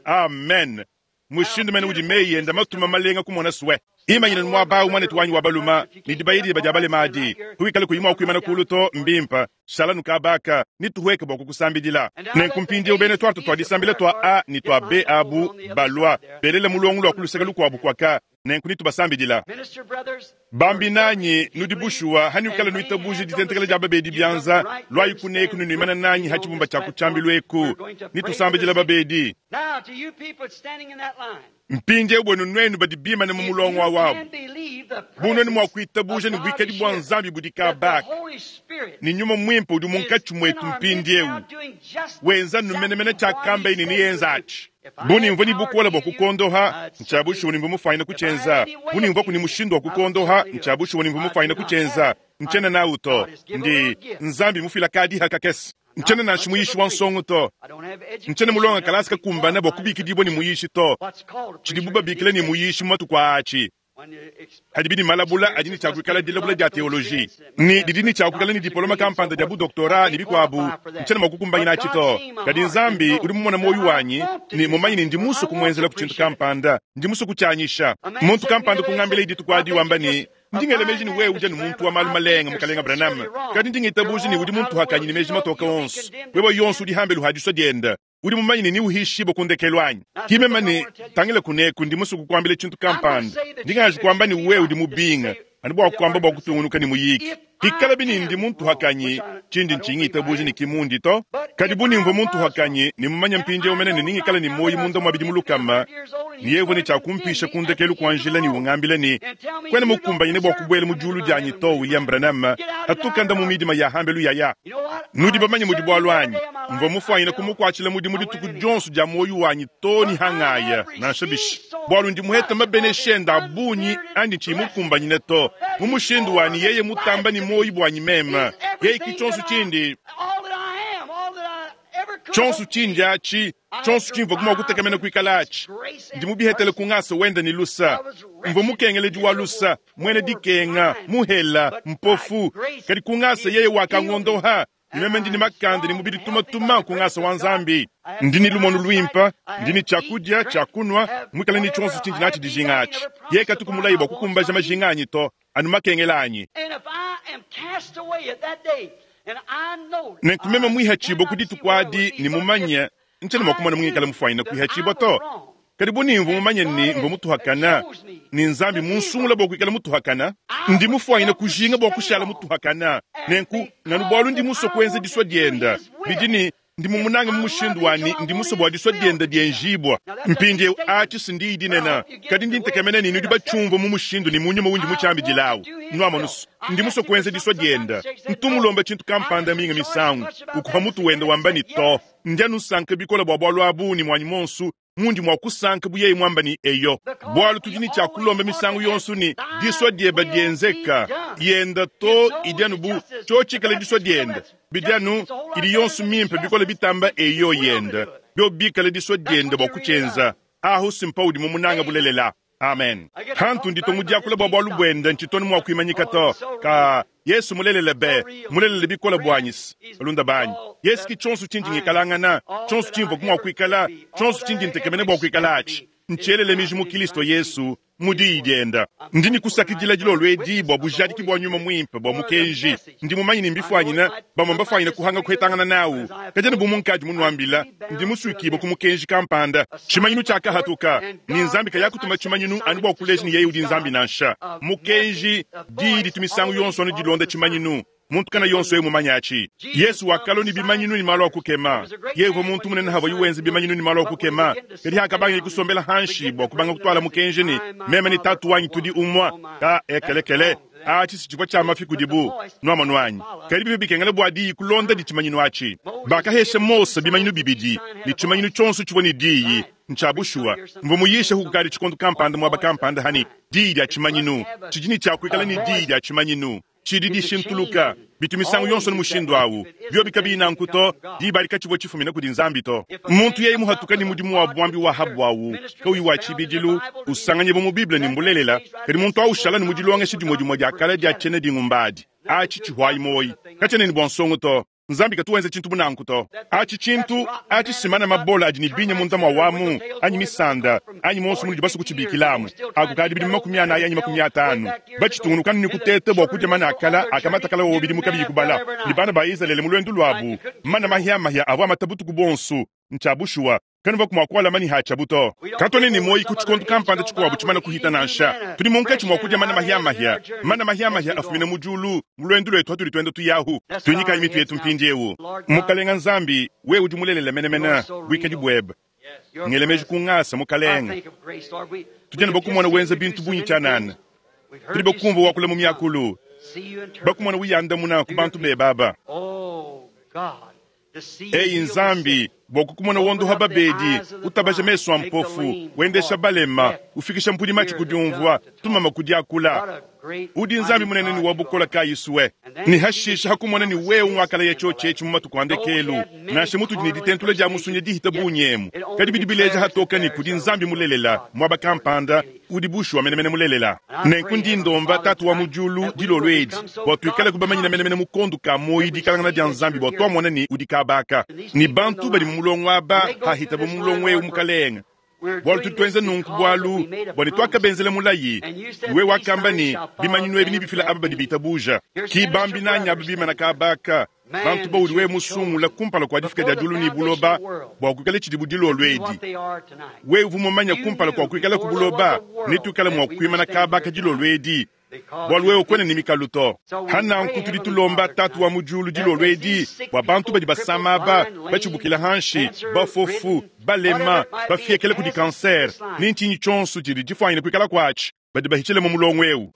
Amen. Mushindu mene udi meyi enda matuma malenga kumona sue. Imanyina muaba au muanetu wanyi wa baluma, ne dibaya dieba dia balema adi. Kuikala kuyi mua kuimana kulu to, mbimpe. Shala nu kaba aka, ne tuhueke bua kukusambidila. Nenku mpindieu bena tuarte tua disambila tua A ne tua B abu balua, belela mulongo lua ku luseke lukuabu kuaka, nenku netubasambidila. Bambi nanyi, nudi bushuwa hanuikala nuitabuja ditentekela dia babedi bianza, luayi kuneku ne nuimana nanyi ha tshibumba tshia ku tshiambilu eku, netusambidila babedi. Mpindieu buenu nuenu badi bimane mu mulongo wa wabu, bu nuenu mua kuitabuja ne buikadi bua Nzambi budi kabaka ne Nyuma Muimpe udi munkatshi muetu mpindieu wenza numenemene tshiakamba ne neyenza atshi. Bu nimvua ne bukole bua kukondoha, ntshia bushuwa nimvua mufuanyine kutshienza. Bu nimvuaku ne mushindu wa kukondoha, ntshia bushuwa nimvua mufuanyine kutshienza. Ntshiena nawu to. Ndi Nzambi mufila kadiha kakese. Ntshiena nansha muyishi wa nsongo to. Ntshiena mulonga kalasa kakumbana bua kubikidibua ne muyishi to. Tshidibu babikila ne muyishi mu matuku aa atshi Hadibi ne malabula adi ne tshia kuikala dilabula dia teoloji ne didi ne tshia kuikala ne dipoloma kampanda dia budoktora ne bikuabu, ntshiena mua kukumbanyina atshi to. Kadi Nzambi udi mumone muoyo wanyi ne mumanye ne ndi musue kumuenzelaku tshintu kampanda, ndi musue kutshianyisha. Muntu kampanda kungambila dituku adi wamba ne, Ndi ngela meji ne wewe udi anu muntu wa malu malenga, Mukalenga Branham, kadi ndi ngitabuja ne udi muntuhakanyi ne meji matoke onso. Wewe yonso udi hambelu ha disua diende. Udi mumanye ne neuhishibue ku ndekelu anyi? Ki meme ne, Tangila kuneku, ndi musue kukuambila tshintu kampanda. Ndi nganji kuamba ne wewe udi mubinga, anu bua kuamba bua kutungunuka ne muyiki. Pikalabi ne ndi muntuhakanyi, tshindi ntshinyi ngitabuja ne ki mundi to. Kadi bu nimvua muntuhakanyi ne mumanye mpindieu mene ne ningikala ne muoyo munda mua bidimu lukama, ne yeye uvua ne tshia kumpisha ku ndekelu kua njila ne ungambila ne, Kuena mukumbanyine bua kubuela mu diulu dianyi to, William Branham, patuka nda mu midima ya hambelu yaya. Nudi bamanye mudi bualu anyi? Mvua mufuanyine kumukuatshila mudimu dituku dionso dia muoyo wanyi too ne hangaya, nansha bishi, bualu ndi muhete mabenesha ende a bungi andi tshiyi mukumbanyine to, mu mushindu wa ne yeye mutamba ne muoyo buanyi meme. Yeye ki tshionso tshindi. Tshionso tshindi atshi, tshionso tshimvua mua kutekemena kuikala atshi, ndi mubihetele ku ngasa wende ne lusa. Mvua mukengeledi wa lusa, muena dikenga, muhela, mpofu, kadi ku ngasa yeye wakangondoha. Ne meme ndi ne makanda ne mubidi tumatuma ku ngasa wa Nzambi. Ndi ne lumonu luimpe, ndi ne tshiakudia, tshiakunua, muikale ne tshionso tshindi natshi dijinga atshi. Yeye katuku mulaye bua kukumbaja majinga anyi to, anu makengela anyi. Nenku meme muihatshibue ku dituku adi ne mumanye, ntshiena mua kumona mungikale mufuanyine kuihatshibua to. Kadi bu nimvua mumanye ne mvua mutuhakana, ne Nzambi munsungula bua kuikala mutuhakana, ndi mufuanyine kujinga bua kushala mutuhakana. Nenku nganu bualu ndi musue kuenza disua dienda, bidi ne Ndi mumunange mu mushindu wa ne ndi musue bua disua diende dienjibua. Mpindieu, atshi si ndiyi dinene, kadi ndi ntekemena ne nudi batshiumvue mu mushindu ne mu nyuma undi mutshiambidilawu. Nuamonu's, ndi musue kuenza disua diende. Ntu mulomba tshintu kampanda minga misangu, ukupa mutu wende wamba ne, To. Ndi anu nsanka bikole bua bualu abu ne muanyi muonso. Mundi mua kusanka bu yeye muamba ne, Eyo. Bualu tudi ne tshia kulomba misangu yonso ne, Disua diebe dienzeka. Yenda to idi anu bu tshiotshikala disua diende. Bidi anu idi yonso mimpe bikole bitamba eyo yenda, biobi bikale disua diende bua kutshienza. Ahu si mpaudi mumunanga bulelela. Amen. Hantu nditua mu diakula bua bualu buende ntshitonu mua kuimanyika to. Ka Yesu mulelela be, mulelela bikole buanyi-se, balunda banyi. Yesu ki tshionso tshindi ngikalangana, tshionso tshimvua mua kuikala, tshionso tshindi ntekemena bua kuikala atshi. Ntshielele miji mu Kilisto Yesu, mu Diyi dienda. Ndi ne kusakidila dilolo edi bua bujadiki bua Nyuma Muimpe bua mukenji. Ndi mumanye ne mbifuanyine, bamue mbafuanyine kuhanga kuhetangana nawu. Kadi anu bu munkadi munuambila, ndi musuikibue ku mukenji kampanda. Tshimanyinu tshiakahatuka, ne Nzambi kayakutuma tshimanyinu anu bua kuleja ne yeye udi Nzambi nansha. Mukenji, diyi ditu misangu yonso anu dilonda tshimanyinu. Muntu kana yonso yeye mumanye atshi. Yesu wakalua ne bimanyinu ne malu a kukema. Yeye uvua muntu munene havuaye wenza bimanyinu ne malu a kukema. Kadi hakabangeye kusombela hanshi bua kubanga kutuala mukenji ne, Meme ne Tatu wanyi tudi umue, ka ekelekele, atshi si tshivua tshia mafi kudibu. Nuamonu anyi? Kadi bivua bikengela bua diyi kulondadi tshimanyinu atshi. Bakahesha Mose bimanyinu bibidi, ne tshimanyinu tshionso tshivua ne diyi. Ntshia bushuwa. Mvua muyisheku kukadi tshikondo kampanda muaba kampanda ha ne, diyi dia tshimanyinu. Tshidi ne tshia kuikala ne diyi dia tshimanyinu. Tshidi dishintuluka. Bitu misangu yonso ne mushindu awu. Biobi kabiyi nanku to, diba adi katshivua tshifumina kudi Nzambi to. Muntu yeye muhatuka ne mudimu wa buambi wa ha buawu kauyi wa tshibidilu, usanganyibua mu Bible ne mbulelela, kadi muntu awu ushala ne mu dilongesha dimue dimue dia kale dia tshiena dingumba adi, atshi tshihuayi muoyi. Katshiena ne bua nsongo to. Nzambi katu wenza tshintu bu nanku to. Atshi tshintu atshi simana mabola adi ne binya munda mua wamu, anyi misanda, anyi muonso munudi basue kutshibikilamu. Aku kadi bidimu 40 anyi 50, batshitungunuka anu ne kuteta bua kudia mana a kala akamata kala wowo bidimu kabiyi kubala, ne bana ba Izalele mu luendu luabu, mana mahiamahia avua amata butuku buonso. Ntshia bushuwa. Kanuvaku mua kualama ne hatshiabu to. Katuena ne muoyi ku tshikondo kampanda tshikuabu tshimane kuhita nansha. Tudi munkatshi mua kudia mana mahia-mahia, mana mahia-mahia afumina mu diulu mu luendu luetu hatudi tuenda tuyahu. Tuinyikayi mitu yetu mpindieu. Mukalenga Nzambi, wewe udi mulelela menemene, buikadi buebe. Ngela meji ku ngasa, Mukalenge. Tudi anu bakumona wenza bintu bungi tshianana. Tudi bakumvua wakula mu miakulu, bakumona uyandamuna ku bantu bebe aba. Eyi Nzambi, bua kukumona wondoha babedi, utabaja mesu a mpofu, wendesha balema, ufikisha mpudi matshi ku diumvua, tumama ku diakula. Udi Nzambi munene ne wa bukole kayi sue. Ne hashisha ha kumona ne wewe nguakalaya tshiotshi etshi mu matuku a ndekelu, nansha mutudi ne ditentula dia musunya dihita bungi emu, kadi bidi bileja hatoka ne kudi Nzambi mulelela muaba kampanda udi bushuwa menemene mulelela. Nenku ndi ndomba Tatu wa mu Diulu dilolo edi bua tuikale kubamanyina menemene mu kondo ka muoyo dikalangana dia Nzambi bua tuamona ne udi kaba aka ne bantu badi mu mulongo aba hahitabo mu mulongo eu Mukalenge. Bualu tudi tuenza nunku bualu bua ne tuakabenzela mulayi, wewe wakamba ne, Bimanyinu ebi nebifila aba badi bitabuja. Ki bambi nanyi aba bimana kaba aka, bantu baudi wewe musungula kumpala kua difika dia diulu ne buloba bua kuikala tshidibu dilolo edi. Wewe uvua mumanye kumpala kua kuikalaku buloba ne tuikale mua kuimana kaba aka dilolo edi, bualu wewe kuena ne mikalu to. Ha nanku tudi tulomba Tatu wa mu diulu dilolo edi bua bantu badi basama aba, batshibukila hanshi, bafofu, balema, bafiekela kudi kansere, ne ntshinyi tshionso tshidi tshifuanyine kuikala kuatshi, badi bahitshile mu mulongo eu.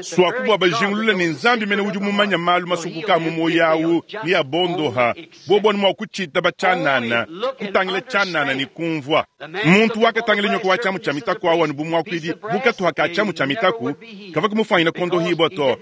Suaku bua bajingulule ne Nzambi mene udi mumanye malu masukuka a mu muoyo au ne abondoha, bobo anu mua kutshitaba tshianana, kutangila tshianana ne kumvua. Muntu wakatangila nyoka wa tshiamu tshia mitaku au anu bu muakuidi, bu katuha ka tshiamu tshia mitaku, kavua kumufuanyina kuondohibua to,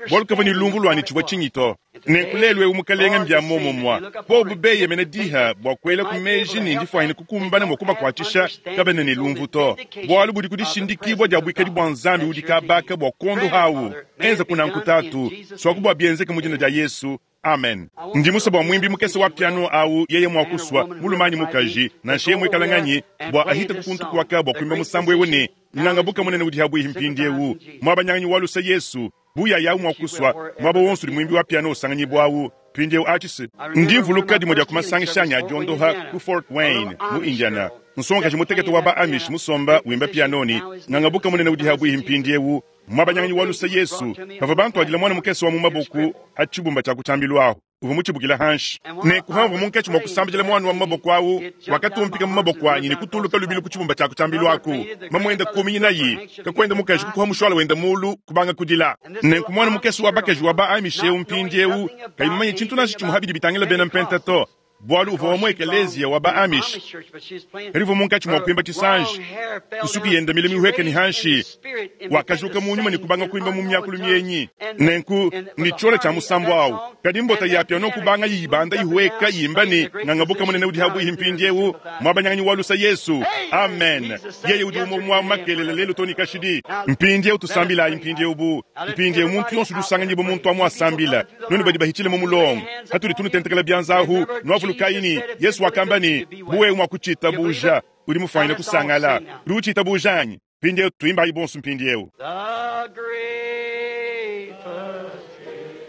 bualu kavua ne lumvu lua ne tshivua tshinyi to. Nenku lelu eu, Mukalenge, mbia muomumue. Bobu beyemena diha bua kuelaku meji ne ndifuanyine kukumbana mua kubakuatshisha, kabena ne lumvu to, bualu budi ku dishindikibua dia buikadi bua Nzambi udi kabaka bua kuondoha au. Enza kunanku, Tatu, suaku bua bienzeke mu dina dia Yesu. Amen. Ndi musue bua muimbi mukese wa piano au yeye mua kusua, mulume anyi mukaji, nansha yeye muikale nganyi, bua ahite ku kuntu kuaka bua kuimba musambu eu ne, Nganga buka munene udi habuihi mpindieu, muabanyanganyi wa luse Yesu, bu yaya au mua kusua, muaba wonso udi muimbi wa piano usanganyibua mpindieu atshi se. Ndi mvuluka dimue dia ku masangisha anyi a diondoha ku Fort Wayne, mu Indiana. Nsongakaji mutekete wa ba Amish musomba wimba piano ne, Nganga buka munene udi habuihi mpindieu, muabanyanganyi wa luse Yesu. Bavua bantuadila muana mukese wa mu maboku a tshibumba tshia ku tshiambilu ahu, uvua mutshibukila hanshi. Nenku pamvua munkatshi mua kusambidila muana wa mu maboko au, wakatumpika mu maboko anyi ne kutuluka lubilu ku tshibumba tshia ku tshiambilu aku. Mamuende kuminyinayi, kakuende mukaji kukuha mushuala wende mulu, kubanga kudila. Nenku muana mukese wa bakaji wa ba Amish eu mpindieu kayi mumanye tshintu nansha tshimue pa bidi bitangila bena Mpenta to. Bwalu uvwa wa mu ekeleeziya wa ba-Amish, kadi uvwa munkaci mwa kwimba cisanji, nsuki yende mile mihweke ni hanshi, wakajuka mu nyuma ne kubanga kwimba mu myakulu myenyi. Nenku, ne cyola cya musambu awu, kadi mbota ya piano kubanga yibanda yihweka yimba ne, Ngangabuka munene udi habwihi mpindyewu, mwabanyanganyi wa lusa Yesu. Amen. Yeye udi umwe mwa makelela lelu too ne kashidi. Mpindyewu tusambilayi mpindyewu bu, mpindyewu muntu yonso udi usanganyibwa muntu amu asambila. Nwenu badi bahicile mu mulongo, hatudi tunutentekela byanza ahu, nwavulukayi ne, Yesu wakamba ne, Bu wewe mwa kucitabuja, udi mufwanyine kusangala. Udi ucitabuja anyi? Mpindyewu twimbayi bonso mpindyewu. The great physician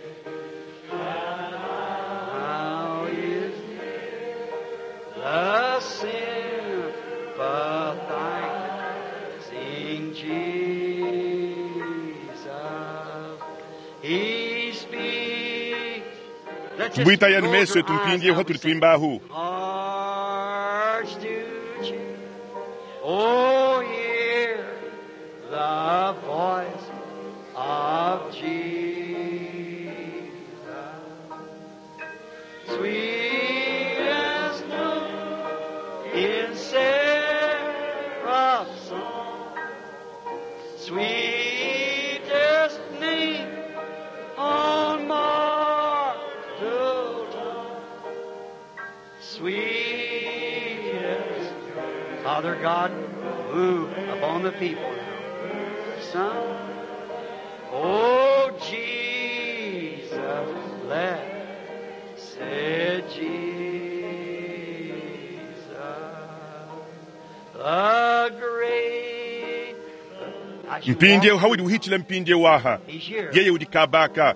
now is near, the sympathizing Jesus. He speaks. Let's just Bwitayani close meso our etu eyes mpindyewu now. hatuli twimbahu. Hearts to cheer. Oh, hear the voice of Jesus. Sweet as snow in seraph's song, sweetest name on mortal tongue. Sweetest Father God, move upon the people now. Son, oh Jesus, blessed Jesus, the great. I should Mpindyewu walk hawudi uhicila mpindyewu aha. He's here. Yeye udi kabaka.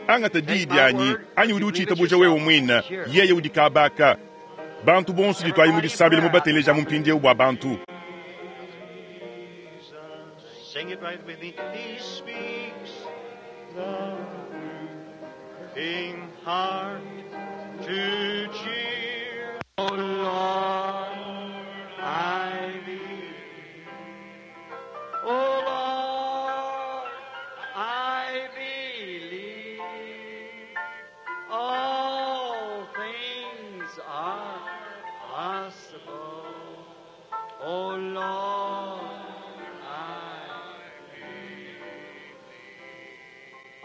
Angata diyi dyanyi, anyi udi ucitabuja wewe mwina, yeye udi kabaka. Bantu bonso ditwayi mu disambila mu bateleja mu mpindyewu bwa bantu. Sing it right with me. He speaks the moving heart to cheer. Oh Lord, I believe. Oh Lord, I believe. All things are possible. Oh Lord, I believe.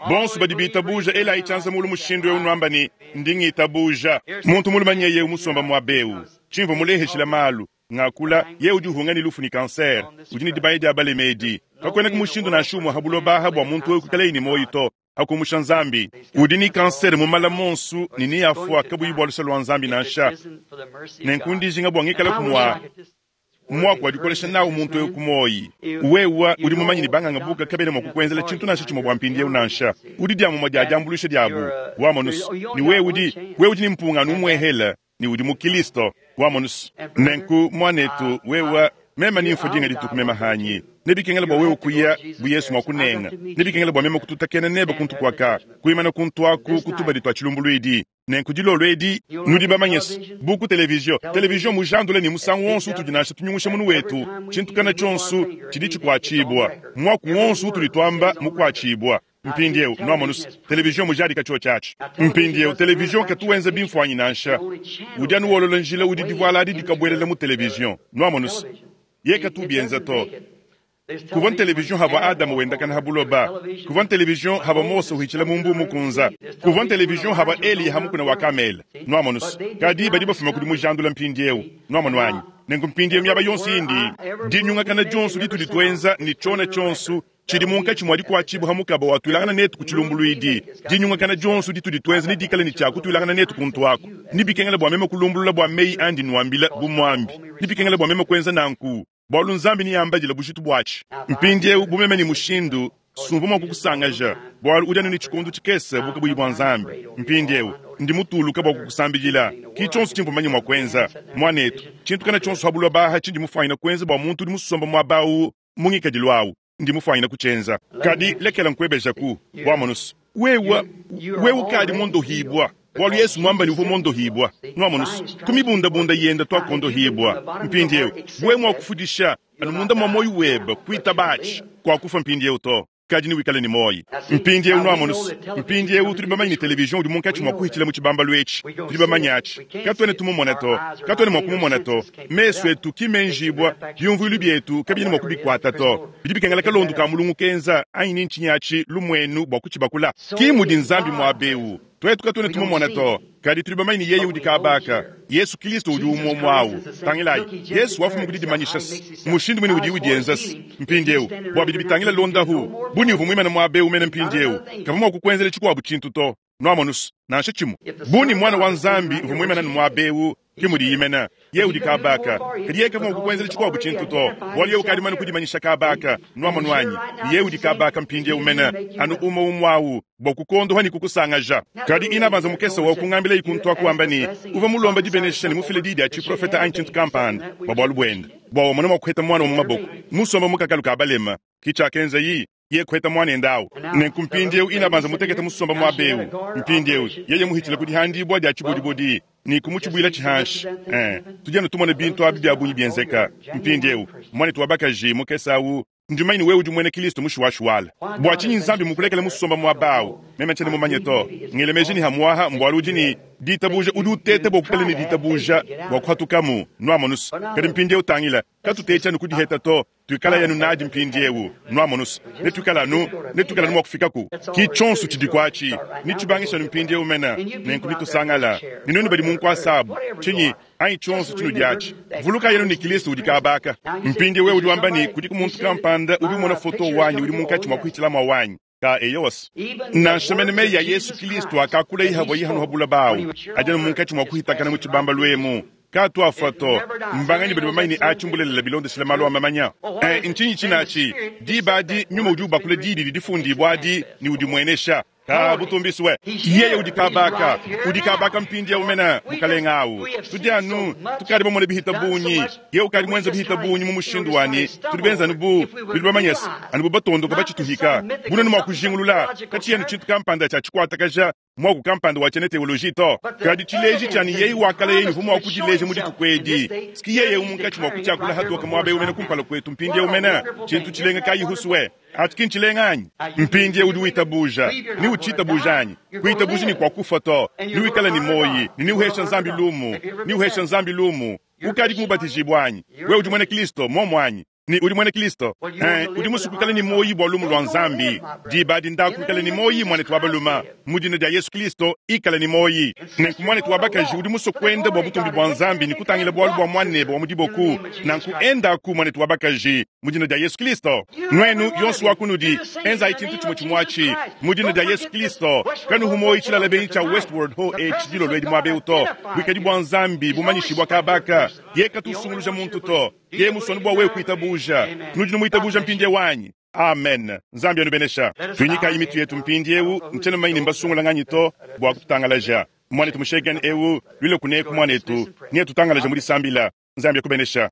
Bonso badi bitabuja elayi cyanza mulu mushindu eu nwamba ne ndi ngitabuja. Muntu mulumanye yeu musomba mwabewu. Cimvo muleheshila malu. Ngakula ye udi uhunga ni lufu ni kanser. Udi ni dibaya dia balemedi. Kakwena ku mushindu nansha umwe habuloba bwa muntu we kuikala ni moyo to. Akumusha Nzambi. Udi ni kanser mu mala monsu ni ni afwa kabuyi bwa lusa lwa Nzambi nansha. Nenku ndijinga bwa ngikala kumwa mwaku wadikolesha nawu muntu eu kumoyi. Wewa udi mumanyi ni banganga buka kabele mwa kukwenzela tshintu nansha tshimwe bwa mpindyewu nansha. Udi diamumwa dia diambulusha diabu. Wamonus. Ni wewe udi, wewe udi ni mpungano umwehela. Ni udi mu Kristo. Wamonus. Nenku mwanetu wewa mema ni mfo dinga dituku mema hanyi. Nebikengela bwa wewe kuya bu Yesu mwa kunenga. Nebikengela bwa mema kututakena neba kuntu kwaka. Kuimana kuntu aku kutuba ditwa chilumbulwidi. Nenku dilolo edi nudi bamanyesi buku televizio televizio mujandule ni musangu wonso utudi nansha tunyungusha munu wetu tshintu tshonso tshidi tshikuatshibwa mwaku wonso utudi twamba mukuatshibwa mpindyewu nwamonusa televizio mujadika tshio tshatshi mpindyewu televizio katuwenza bimfwanyi nansha udi anu wolola njila udi divuala adi dikabwelela mu televizio nwamonusa ye katubienza to kuva television hava Adamu wendakana habuloba kuva television hava Mose uhicila mumbu mukunza kuva television hava Eliya hamukuna wa Kamela nwamonus kadi badi bafuma kudi mujandula mpindyewu nwamonu wanyi nenku mpindyewu myaba yonso indi dinyungakana dionso ditudi twenza ni tshona tshonso tshidi munkatshi mwa dikuatshibwa hamukaba watwilangana netu ku tshilumbulwidi dinyungakana dionso ditudi twenza ni dikala ni tshiakutwilangana netu kuntu aku nibikengela bua meme kulumbulula bua meyi andi nwambila bu mwambi nibikengela bua meme kuenza nanku bwalu Nzambi niyambadila bujitu bwatshi mpindyewu bumeme ni mushindu sumva mwa kukusangaja bwalu udi anu ni tshikundu tshikese bukabuyi bwa Nzambi mpindyewu ndi mutuluka bwa kukusambidila ki tshonso tshimvumanye mwa kuenza mwanetu tshintu kana tshonso habulwa baha tshindi mufwanyina kuenza bwa muntu udi musomba mwabawu mungikadilu awu ndi mufwanyina kutshenza kadi lekela nkwebejaku bwamonusu wewa wewe ukadi mondohibwa bwalu Yesu mwamba ni uvo mondohibwa nwamonusu kumibundabunda yenda twakondohibwa mpindyewu bwe mwakufudisha anu munda mwa moyo weba kuita batshi kwakufa mpindyewu to. Kadi newikale ne muoyi. Mpindiewu nwamonu's, mpindiewu tudi bamanye ne television udi munkatshi mwa kuhitshila mu tshibambalu etshi. Tudi bamanye atshi. Katwena tumumona to. Katwena mwa kumumona to. Mesu etu ki menjibwa, byumvwilu byetu kabyena mwa kubikwata to. Bidi bikengela kalondu ka mulungu kenza, anyi ni ntshinyi atshi, lumwenu bwa kutshibakula. Ki mudi Nzambi mwaba ewu. Tuetu katuena tumumona to, kadi tudi bamanye ne Yeye udi kaaba aka. Yesu Kilisto udi umue-umue awu. Tangilayi, Yesu wafuma ku didimanyisha's mushindu muine udiye udienza's mpindiewu. Bua bidi bitangila londahu, bu ni uvua muimane muaba ewu mene mpindiewu, kavua mua kukuenzela tshikuabu tshintu to, nwamonu's, nansha tshimue. Bu ni Muana wa Nzambi uvua muimane anu muaba ewu, ke mudiyi mene. Yeye udi kaaba aka, kadi yeye kavua mua kukuenzela tshikuabu tshintu to, bualu yeye ukadi mumane kudimanyisha kaaba aka. Nwamonu anyi? Ne yeye udi kaaba aka mpindiewu mene, anu umue umue awu, bua kukuondoha ne kukusangaja. Kadi inabanza mukese wa kungambilayi kuntu aku wamba ne, uvua mulomba dibenesha ne mufile diyi dia tshiprofeta anyi tshintu kampanda bua bualu buende, bua wamona mua kuheta muana wa mu maboko, musomba mu kakalu ka balema. Ki tshiakenzayi. Yeye kuheta muanende awu. Nenku mpindiewu inabanza mutekete musomba muaba ewu. Mpindiewu yeye muhitshile ku dihandibua dia tshibodibodi ne kumutshibuilatshi hanshi. Ee, tudi anu tumona bintu abi bia bungi bienzeka. Mpindiewu, muanetu wa bakaji mukese awu, ndi mumanye ne wewe udi muena Kilisto mushuwashuwala. Bua tshinyi Nzambi mmukulekele musomba muaba awu? Meme tshiena mumanye to. Ngela meji ne hamuaha mbualu udi ne ditabuja, udi uteta bua kuikala ne ditabuja bua kuhatukamu. Nuamonu's? Kadi mpindiewu tangila, katutetshi anu ku diheta to. Tuikalayi anu nadi mpindiewu, nwamonu's, netuikale anu, netuikale anu mwa kufikaku. Ki cyonso cidiku aci. Necibangishe anu mpindiewu mene, nenku nitusangala. Ne nwenu badi mu nkwasa abu, cinyi, anyi cyonso cinudi aci, vulukaayi anu ne Kilisto udi kaaba aka. Mpindiewu wewe udi wamba ne, Kudiku muntu kampanda udi umona foto wanyi udi munkaci mwa kuhicila mwa wanyi. Ka eyo's. Nansha mene meyi a Yesu Kilisto akakulaye havuaye hanu ha bulaba awu, adi anu munkatshi mua kuhitakana mu tshibambalu emu. Kaatu afua to. Mbanganyi badi bamanye ne atshi mbulelela bilondeshile malu a mamanya? Eh, ntshinyi tshinatshi? Diba adi Nyuma udi ubakula Diyi didi difundibua adi ne udimuenesha. Ka butumbi we. Yeye udi kaaba aka. Udi kaaba aka mpindiewu mene, Mukalenge awu. Tudi anu, tukadi bamone bihita bungi. Yeye ukadi muenze bihita bungi mu mushindu wa ne tudi benze anu bu, nudi bamanye's, anu bu batondoka batshituhika. Bu nuenu mua kujingulula, katshiyi anu tshintu kampanda tshia tshikuatakaja, muaku kampanda wa tshiena teoloji to, kadi tshileji tshia ne yeye wakala yeye uvua mua kudileja mu dituku edi. Ski yeye eu munkatshi mua kutshiakula hatoke muaba eu mene kumpala kuetu mpindieu mene. Tshintu tshilenga kayihu swe. Atshi ki ntshilenga anyi? Mpindieu udi witabuja, ne utshitabuja anyi? Kuitabuji ne kuakufua to, newikale ne muoyi, ne neuheshe Nzambi lumu, neuheshe Nzambi lumu. Ukadiku mubatijibue anyi? Wewe udi muena Kristo, muomu anyi? Ne udi muena Kristo. Ee, udi musue kuikala ne muoyi bua lumu lua Nzambi. Diba adi ndaku wikale ne muoyi, muanetu wa balume. Mu dina dia Yesu Kristo, ikala ne muoyi. Nenku muanetu wa bakaji udi musue kuenda bua butumbi bua Nzambi ne kutangila bualu bua muanebe wa mu diboku, nanku endaku, muanetu wa bakaji, mu dina dia Yesu Kristo. Nuenu, yonso wa kunudi, enzayi tshintu tshimue tshimue atshi, mu dina dia Yesu Kristo. Kanuhu muoyi tshilala benyi tshia Westward Ho etshi dilolo edi muaba eu to. Buikadi bua Nzambi bumanyishibua kaba aka. Yeye katu usunguluja muntu to. Yeye musue anu bua wewe kuitabuja. Nudi numuitabuja mpindieu anyi? Amen. Nzambi anubenesha. Tuinyikayi mitu yetu mpindieu. Ntshiena mumanye ne mbasungula nganyi to bua kututangalaja. Muanetu Mushegan eu, luile kuneku muanetu, ne tutangalaje mu disambila. Nzambi akubenesha.